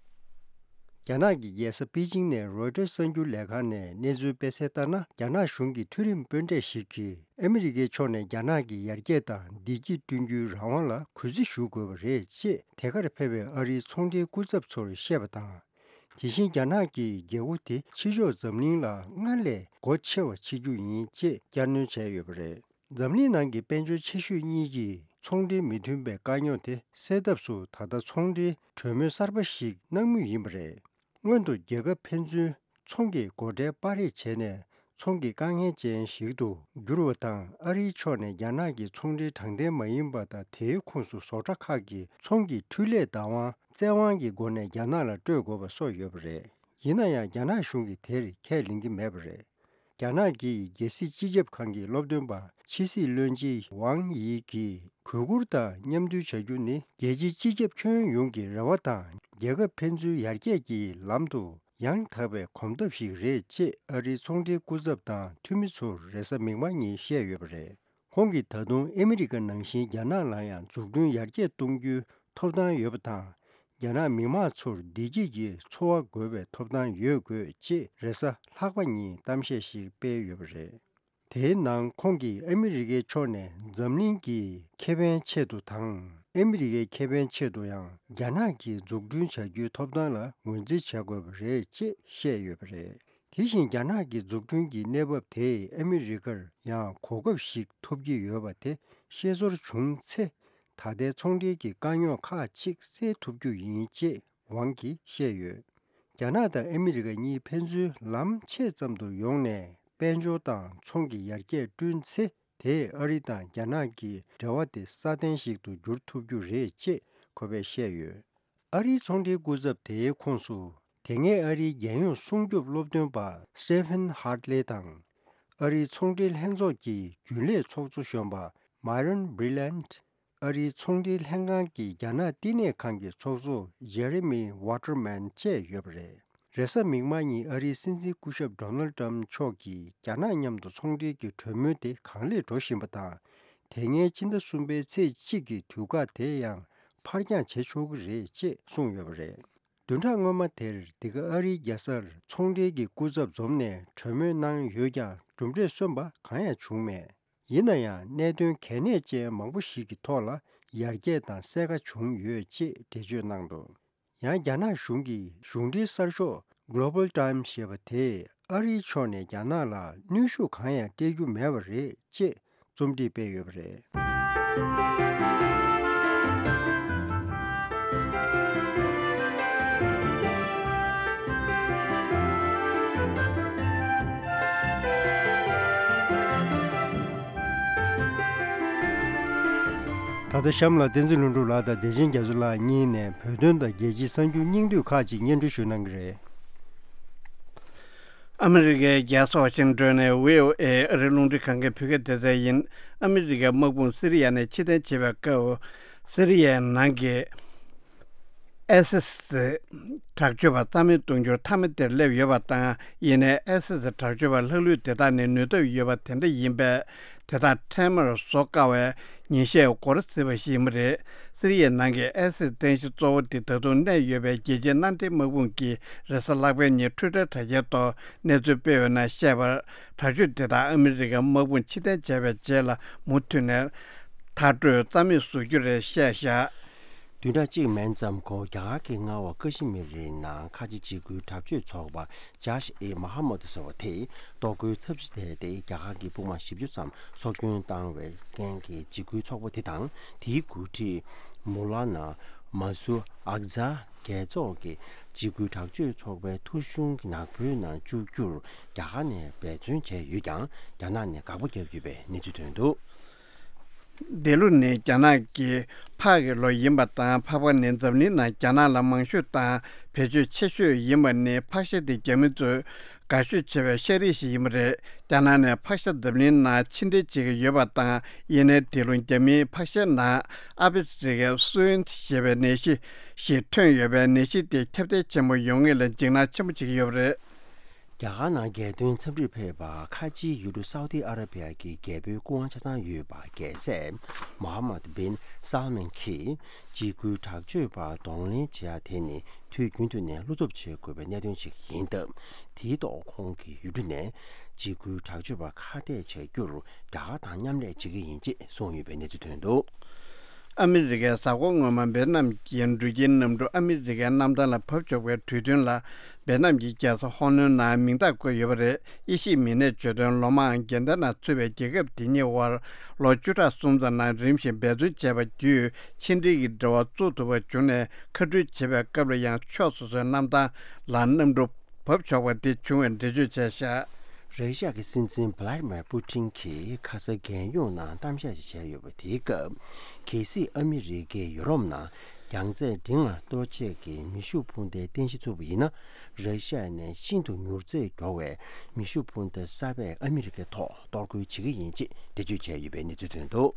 རྒྱ་ནག་གི་རྒྱལ་ས་པེ་ཅིང་ནས་རོའི་ཊར་གསར་འགྱུར་ལས་ཁང་ནས་གནས་ཚུལ་སྤེལ་གསལ་ལྟར་ན། རྒྱ་ནག་གཞུང་གི་མཐོ་རིམ་དཔོན་གྲས་ཤིག་གིས་ཨ་མི་རི་ཀའི་ཕྱོགས་ནས་རྒྱ་ནག་གི་ཡར་རྒྱས་དང་བདེ་སྐྱིད་བསྐྲུན་རྒྱུའི་རང་དབང་ལ་གུས་བརྩི་ཞུ་དགོས་པ་རེད་ཅེས་དེ་གར་ཕེབས་པའི་ཨ་རིའི་ཚོང་འབྲེལ་སྐུ་ཚབ་ཚོར་བཤད་པ་དང་། དེ་བཞིན་རྒྱ་ནག་གི་རྒྱལ་སྒོ་དེ་ཕྱི་ཕྱོགས་འཛམ་གླིང་ལ་སྔར་ལས་སྒོ་ཕྱེ་བ་བྱེད་རྒྱུ་ཡིན་ཅེས་བསྐྱར་སྣོན་བྱས་ཡོད་པ་རེད། འཛམ་གླིང་ནང་གི་དཔལ་འབྱོར་ཆེ་ཤོས་གཉིས་ཀྱིས་ཚོང་འབྲེལ་མི་མཐུན་པའི་དཀའ་རྙོག་དེ་སེལ་ཐབས་སུ་ད་ལྟ་ཚོང་འབྲེལ་གྲོས་མོལ་གསར་པ་ཞིག་གནང་མུས་ཡིན་པ་རེད། སྔོན་དུ་རྒྱལ་ཁབ་ཕན་ཚུན་ཚོང་གི་སྒོ་ཁྲལ་སྤར་རེས་བྱས་ནས་ཚོང་གི་དཀའ་ངལ་ཅན་ཞིག་ཏུ་གྱུར་བ་དང་། ཨ་རིའི་ཕྱོགས་ནས་རྒྱ་ནག་གི་ཚོང་འབྲེལ་དྲང་བདེན་མ་ཡིན་པ་དང་དེའི་ཁོངས་སུ་བཟོ་གྲྭ་ཁག་གི་ཚོང་གི་འཕྲུལ་ལས་བདག་དབང་བཙན་དབང་གི་སྒོ་ནས་རྒྱ་ནག་ལ་སྤྲོད་དགོས་པ་སོགས་ཡོད་པ་རེད། ཡིན་ན་ཡང་རྒྱ་ནག་གཞུང་གིས་དེར་ཁས་ལེན་གྱི་མེད་པ་རེད། རྒྱ་ནག་གི་རྒྱལ་སྲིད་སྤྱི་ཁྱབ་ཁང་གི་སློབ་སྟོན་པ་ཕྱི་སྲིད་བློན་ཆེན་ཝང་དབྱི་གིས་གུས་བཀུར་དང་མཉམ་མཐུན་བྱ་རྒྱུ་ནི་རྒྱལ་སྤྱིའི་སྤྱི་ཁྱབ་ཁྱོན་ཡོངས་ཀྱི་རེ་བ་དང་རྒྱལ་ཁབ་ཕན་ཚུན་ཡར་རྒྱས་ཀྱི་ལམ་དུ་ཡང་དག་པའི་གོམ་སྟབས་ཤིག་རེད་ཅེས་ཨ་རིའི་ཚོང་འབྲེལ་སྐུ་ཚབ་དང་འཐུས་མི་ཚོར་རེས་གཟའ་མིག་དམར་ཉིན་བཤད་ཡོད་པ་རེད། ཁོང་གིས་ད་དུང་ཨ་མི་རི་ཀ་ནང་བཞིན་རྒྱ་ནག་ལ་ཡང་འཛུགས་སྐྲུན་ཡར་རྒྱས་གཏོང་རྒྱུའི་ཐོབ་ཐང་ཡོད་པ་དང་། རྒྱ་ནག་མི་དམངས་ཚོར་བདེ་སྐྱིད་ཀྱི་འཚོ་བ་དགོས་པའི་ཐོབ་ཐང་ཡོད་དགོས་ཅེས་རེས་གཟའ་ལྷག་པ་ཉིན་གཏམ་བཤད་ཞིག་སྤེལ་ཡོད་པ་རེད། དེའི་ནང་ཁོང་གིས་ཨ་མི་རི་ཀའི་ཕྱོགས་ནས་འཛམ་གླིང་གི་ཁེ་ཕན་ཆེད་དུ་དང་། ཨ་མི་རི་ཀའི་ཁེ་ཕན་ཆེད་དུ་ཡང་རྒྱ་ནག་གིས་འཛུགས་སྐྲུན་བྱ་རྒྱུའི་ཐོབ་ཐང་ལ་ངོས་འཛིན་བྱ་དགོས་པ་རེད་ཅེས་བཤད་ཡོད་པ་རེད། དེ་བཞིན་རྒྱ་ནག་གི་འཛུགས་སྐྲུན་གྱི་གནས་བབ་དེས་ཨ་མི་རི་ཀར་ཡང་གོ་སྐབས་ཤིག་ཐོབ་ཀྱི་ཡོད་པ་དེ་ཤེས་ཚོར་བྱུང་ཚེ། ད་ལྟའི་ཚོང་འབྲེལ་གྱི་དཀའ་རྙོག་ཁག་ཅིག་སེལ་ཐུབ་རྒྱུ་ཡིན་ཅེས་ཝང་གིས་བཤད་ཡོད། རྒྱ་ནག་དང་ཨ་མི་རི་ཀ་གཉིས་ཕན་ཚུན་ལམ་ཕྱེད་ཙམ་དུ་ཡོང་ནས་དཔལ་འབྱོར་དང་ཚོང་གི་ཡར་རྒྱས་བསྐྲུན་ཚེ། དེས་ཨ་རི་དང་རྒྱ་ནག་གི་འབྲེལ་བ་དེ་སྲ་བརྟན་ཞིག་ཏུ་འགྱུར་ཐུབ་རྒྱུ་རེད་ཅེས་ཁོ་པས་བཤད་ཡོད། ཨ་རིའི་ཚོང་འབྲེལ་སྐུ་ཚབ་དེའི་ཁོངས་སུ། དེ་སྔའི་ཨ་རིའི་རྒྱལ་ཡོངས་སྲུང་སྐྱོབ་སློབ་སྟོན་པ་Stephen Hartley དང་། ཨ་རིའི་ཚོང་འབྲེལ་ལྷན་ཚོགས་ཀྱི་རྒྱུན་ལས་ཚོགས་གཙོ་གཞོན་པ་Myron Briland། ཨ་རིའི་ཚོང་འབྲེལ་ལྷན་ཁང་གི་རྒྱ་ནག་བསྟི་གནས་ཁང་གི་ཚོགས་གཙོ་Jeremy Waterman བཅས་ཡོད་པ་རེད། རེས་གཟའ་མིག་དམར་ཉིན་ཨ་རིའི་སྲིད་འཛིན་སྐུ་ཞབས་Donald Trump མཆོག་གིས་རྒྱ་ནག་མཉམ་དུ་ཚོང་འབྲེལ་གྱི་གྲོས་མོལ་དེ་གང་ལེགས་འགྲོ་བཞིན་པ་དང་། དེ་སྔའི་ཕྱི་ཟླ་གསུམ་པའི་ཚེས་གཅིག་གི་དུས་བཀག་དེ་ཡང་ཕར་འགྱངས་བྱེད་ཆོག་གི་རེད་ཅེས་གསུངས་ཡོད་པ་རེད། བདུན་ཕྲག་སྔོན་མ་དེར་འདི་ག་ཨ་རིའི་རྒྱལ་སར་ཚོང་འབྲེལ་གྱི་སྐུ་ཚབ་འཛོམས་ནས་གྲོས་མོལ་གནང་ཡོད་ཀྱང་གྲུབ་འབྲས་སོན་པ་གང་ཡང་བྱུང་མེད། ཡིན་ན་ཡང་གནད་དོན་གལ་གནད་ཅན་མང་པོ་ཞིག་གི་ཐོག་ལ་ཡར་རྒྱས་དང་གསལ་ཁ་བྱུང་ཡོད་ཅེས་འགྲེལ་བརྗོད་གནང་འདུག་ཡང་རྒྱ་ནག་གཞུང་གི་གཞུང་འབྲེལ་གསར་ཤོག་Global Times ཞེས་པ་དེས་ཨ་རིའི་ཕྱོགས་ནས་རྒྱ་ནག་ལ་གནོན་ཤུགས་གང་ཡང་སྤྲད་རྒྱུ་མེད་པ་རེད་ཅེས་རྩོམ་སྒྲིག་སྤེལ་ཡོད་པ་རེད། ད་ལྟ་གཤམ་ལ་བསྟན་འཛིན་ལྷུན་གྲུབ་ལགས་དང་བདེ་ཆེན་རྒྱ་མཚོ་ལགས་གཉིས་ནས་བོད་དོན་དང་རྒྱལ་སྤྱིའི་གསར་འགྱུར་སྙིང་བསྡུས་ཁག་ཅིག་སྙན་སྒྲོན་ཞུ་གནང་གི་རེད། ཨ་མི་རི་ཀའི་རྒྱལ་ས་ཝ་ཤིང་ཏོན་ནས་བྷི་ཨོ་ཨེ་ཨ་རིའི་རླུང་འཕྲིན་ཁང་གི་བོད་སྐད་སྡེ་ཚན་ཡིན། ཨ་མི་རི་ཀའི་དམག་དཔུང་སི་རི་ཡ་ནས་ཕྱིར་འཐེན་བྱེད་པའི་སྐབས། སི་རི་ཡའི་ནང་གི་ཨའི་སི་སི་དྲག་སྤྱོད་པ་རྩ་མེད་གཏོང་རྒྱུར་མཐའ་མ་དེར་སླེབས་ཡོད་པ་དང་། ཡིན་ནའི་ཨའི་སི་སི་དྲག་སྤྱོད་པ་ལྷག་ལུས་དེ་དག་ནི་ནུས་སྟོབས་ཡོད་པ་དེ་འདྲ་ཡིན་པས། དེ་དག་འཕྲལ་མར་བཟོ་དཀའ་བའི་ཉེས་ཤད་འགོར་སྲིད་པ་ཞིག་ཡིན་པ་རེད། སི་རི་ཡའི་ནང་གི་ཨའི་སི་རྟེན་གཞི་གཙོ་བོ་དེ་ད་དུང་གནས་ཡོད་པའི་རྒྱལ་སྤྱིའི་མནའ་འབྲེལ་དམག་དཔུང་གིས་རེས་གཟའ་ལྷག་པའི་ཉིན་ཊུའི་ཊར་དྲ་རྒྱའི་ཐོག་གནས་ཚུལ་སྤེལ་ཡོད་ན་བཤད་པར། དྲག་སྤྱོད་དེ་དག་ཨ་མི་རི་ཀའི་དམག་དཔུང་ཕྱིར་འཐེན་བྱས་པའི་རྗེས་ལ་མུ་མཐུད་ནས་མཐར་སྐྲོད་རྩ་མེད་བཟོ་རྒྱུ་རེད་བཤད་བཞག་བདུན་ཕྲག་གཅིག་མན་ཙམ་འགོར། རྒྱ་གར་གྱི་མངའ་འོག་ཀ་ཤི་མིར་རི་ནང་ཁ་ཆེ་འཇིགས་སྐུལ་དྲག་སྤྱོད་ཚོགས་པ་ཇཱཤ་ཨེ་མ་ཧ་མད་ཟེར་བ་དེས་གཏོར་རྒོལ་ཚབས་ཆེ་ཐེབས་ཏེ་རྒྱ་གར་གྱི་དཔུང་དམག་བཞི་བཅུ་ཙམ་སྲོག་སྐྱོན་བཏང་བའི་རྐྱེན་གྱིས། འཇིགས་སྐུལ་ཚོགས་པ་དེ་དང་དེའི་འགོ་ཁྲིད་མོ་ལ་ན་མ་སུ་ཨག་ཛ་རྒྱལ་ཚོགས་ཀྱི་འཇིགས་སྐུལ་དྲག་སྤྱོད་ཚོགས་པའི་ཐོ་གཞུང་གི་ནག་པོའི་ནང་བཅུག་རྒྱུར་རྒྱ་གར་ནས་འབད་བརྩོན་བྱས་ཡོད་ཀྱང་། རྒྱ་ནག་ནས་དགག་པ་བརྒྱབ་ཡོད་པའི་གནས་ཚུལ་ཐོན་འདུག་འདི་ལོ་ནི་རྒྱ་ནག་གི་ཕག་གི་ལོ་ཡིན་པ་དང་། ཕག་པ་ནི་འཛམ་གླིང་ནང་རྒྱ་ནག་ལ་མང་ཤོས་དང་བེད་སྤྱོད་ཆེ་ཤོས་ཡིན་པ་ནི། ཕག་ཤ་དེ་རྒྱ་མི་ཚོས་དགའ་ཤོས་བྱེད་པའི་ཤ་རིགས་ཤིག་ཡིན་པ་རེད། རྒྱ་ནག་ནས་ཕག་ཤ་འཛམ་གླིང་ནང་ཕྱིར་འདྲེན་བྱེད་ཀྱི་ཡོད་པ་དང་། ཡིན་ནའི་འདི་ལོ་རྒྱ་མིའི་ཕག་ཤའི་ནང་ཨ་ཕི་རི་ཀའི་སུའིན་ཞེས་པའི་ནད་གཞི་ཞིག་ཐོན་ཡོད་པས། ནད་གཞི་དེ་ཁྱབ་གདལ་ཆེན་པོ་ཡོང་ངེས་ལ་འཇིགས་སྣང་ཆེན་པོ་བྱེད་ཀྱི་ཡོད་པ་རེད། རྒྱ་གར་ནང་རྒྱལ་དོན་འཚམས་འདྲིར་ཕེབས་པ་ཁ་ཆེའི་ཡུལ་གྲུ་སའུ་ཏི་ཨ་ར་བི་ཡ་གི་རྒྱལ་པོའི་སྐུ་དབང་ཆ་ཚང་ཡོད་པ་རྒྱལ་སྲས་མོ་ཧ་མད་བིན་སལ་མན་གྱིས། འཇིགས་སྐུལ་དྲག་སྤྱོད་པར་གདོང་ལེན་བྱེད་ཡ་དེ་ནི་དུས་རྒྱུན་དུ་ནས་བློ་སྟོབས་བྱེད་དགོས་པའི་གནད་དོན་ཞིག་ཡིན་སྟབས། དེའི་ཐོག་ཁོང་གི་ཡུལ་གྲུ་ནས་འཇིགས་སྐུལ་དྲག་སྤྱོད་པ་ཁ་གཏད་བྱ་རྒྱུར་རྒྱ་གར་དང་མཉམ་ལས་བྱེད་ཀྱི་ཡིན་ཅེས་གསུངས་ཡོད་པའི་གནས་ཚུལ་ཐོན་འདུག་ཨ་མི་རི་ཀའི་གཟའ་འཁོར་སྔོན་མ་ཝེ་ནམ་གྱི་འགྲུལ་སྐྱེལ་གནམ་གྲུ་ཨ་མི་རི་ཀའི་གནམ་ཐང་ལ་བབས་ཆོག་པའི་གྲོས་མཐུན་ལ་ཝེ་ནམ་གྱི་རྒྱལ་ས་ཧོ་ནོའི་ནང་མིང་རྟགས་བཀོད་ཡོད་པ་རེད། དབྱེ་ཞིབ་མི་སྣས་བརྗོད་དོན། ལོ་མང་འགལ་ཟླའི་ནང་ཚུད་པའི་རྒྱལ་ཁབ་དེ་གཉིས་དབར་ལོ་བཅུ་ཕྲག་གསུམ་ཙམ་ནང་རིམ་བཞིན་འབད་བརྩོན་བྱས་པ་བརྒྱུད་ཕྱི་འབྲེལ་གྱི་འབྲེལ་བ་བཙུགས་ཐུབ་པ་བྱུང་ནས། མཁའ་འགྲུལ་བྱེད་པའི་སྐབས་ལ་ཡང་ཕྱོགས་སོ་སོའི་གནམ་ཐང་ལ་གནམ་གྲུ་བབས་ཆོག་པ་དེ་བྱུང་བའི་འགྲེལ་བརྗོད་བྱས་བཞག་ར་ཤི་ཡ་གི་སྲིད་འཛིན་བྷ་ལ་ཏི་མེར་པུ་ཏིན་གྱིས་ཁ་ས་རྒྱལ་ཡོངས་ནང་གཏམ་བཤད་ཅིག་བྱས་ཡོད་པ་དེའི་སྐབས། གལ་སྲིད་ཨ་མི་རི་ཀས་ཡུ་རོབ་ནང་རྒྱང་ཚད་འབྲིང་ལ་གཏོར་བྱེད་ཀྱི་མེ་ཤུགས་འཕུར་མདའི་རྟེན་གཞི་བཙུགས་པ་ཡིན་ན། ར་ཤི་ཡ་ནས་ཤིན་ཏུ་མྱུར་ཚད་མགྱོགས་པའི་མེ་ཤུགས་འཕུར་མདའ་གསར་པས་ཨ་མི་རི་ཀའི་ཐོག་གཏོར་རྒོལ་བྱེད་ཀྱི་ཡིན་ཅེས་འགྲེལ་བརྗོད་བྱས་ཡོད་པའི་གནས་ཚུལ་ཐོན་འདུག་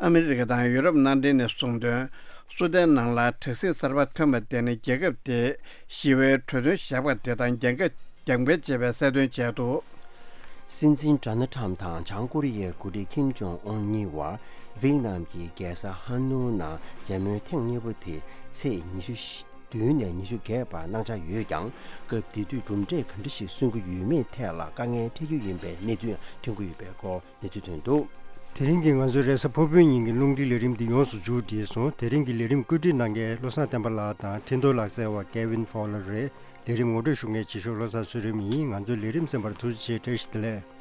ཨ་མི་རི་ཀ་དང་ཡུ་རོབ་མནའ་འབྲེལ་ནས་གསུངས་དོན། སུ་དན་ནང་ལ་དྲག་ཟིང་གསར་པ་ཐོན་པ་དེ་ནི་རྒྱལ་ཁབ་དེས་ཞི་བའི་གྲོས་མཐུན་བཞག་པ་དེ་དང་འགལ་འགལ་འགལ་བྱས་པའི་གསལ་སྟོན་བྱས་འདུག་སྲིད་འཛིན་ཌོ་ནལ་ཁྲམ་དང་བྱང་ཀོ་རི་ཡའི་འགོ་ཁྲིད་ཁིམ་ཇོང་ཨུན་གཉིས་བར་ཝེ་ནམ་གྱི་རྒྱལ་ས་ཧ་ནོའི་ནང་མཇལ་མོལ་ཐེངས་གཉིས་པ་དེ་ཚེས་ཉི་ཤུ་བདུན་ནས་ཉི་ཤུ་བརྒྱད་བར་གནང་འཆར་ཡོད་ཀྱང་། སྐབས་དེ་དུས་གྲུབ་འབྲས་ག་འདྲ་ཞིག་སོན་གྱི་ཡོད་མེད་ཐད་ལ་དཀའ་ངལ་འཕྲད་རྒྱུ་ཡིན་པའི་གནས་ཚུལ་ཐོན་གྱི་ཡོད་པའི་སྐོར་གནས་ཚུལ་ཐོན་འདུག་དེ་རིང་གི་ང་ཚོའི་རེས་གཟའ་ཕུར་བུའི་ཉིན་གྱི་རླུང་འཕྲིན་ལས་རིམ་འདི་ཡོངས་སུ་མཇུག་བསྒྲིལ་སོང་། དེ་རིང་གི་ལས་རིམ་བཀོད་སྒྲིག་གནང་མཁན་བློ་བཟང་བསྟན་པ་ལགས་དང་འཕྲིན་གཏོང་ལག་རྩལ་བ་ཀེ་ཝིན་ཕོ་ལར་རེད། ལས་རིམ་ངོ་སྤྲོད་ཞུ་མཁན་རྗེ་ཤོས་བློ་བཟང་ཚུལ་ཁྲིམས་ཡིན། ང་ཚོའི་ལས་རིམ་གསན་པར་ཐུགས་རྗེ་ཆེ། བཀྲ་ཤིས་བདེ་ལེགས།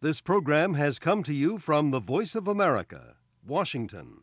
This program has come to you from the Voice of America, Washington.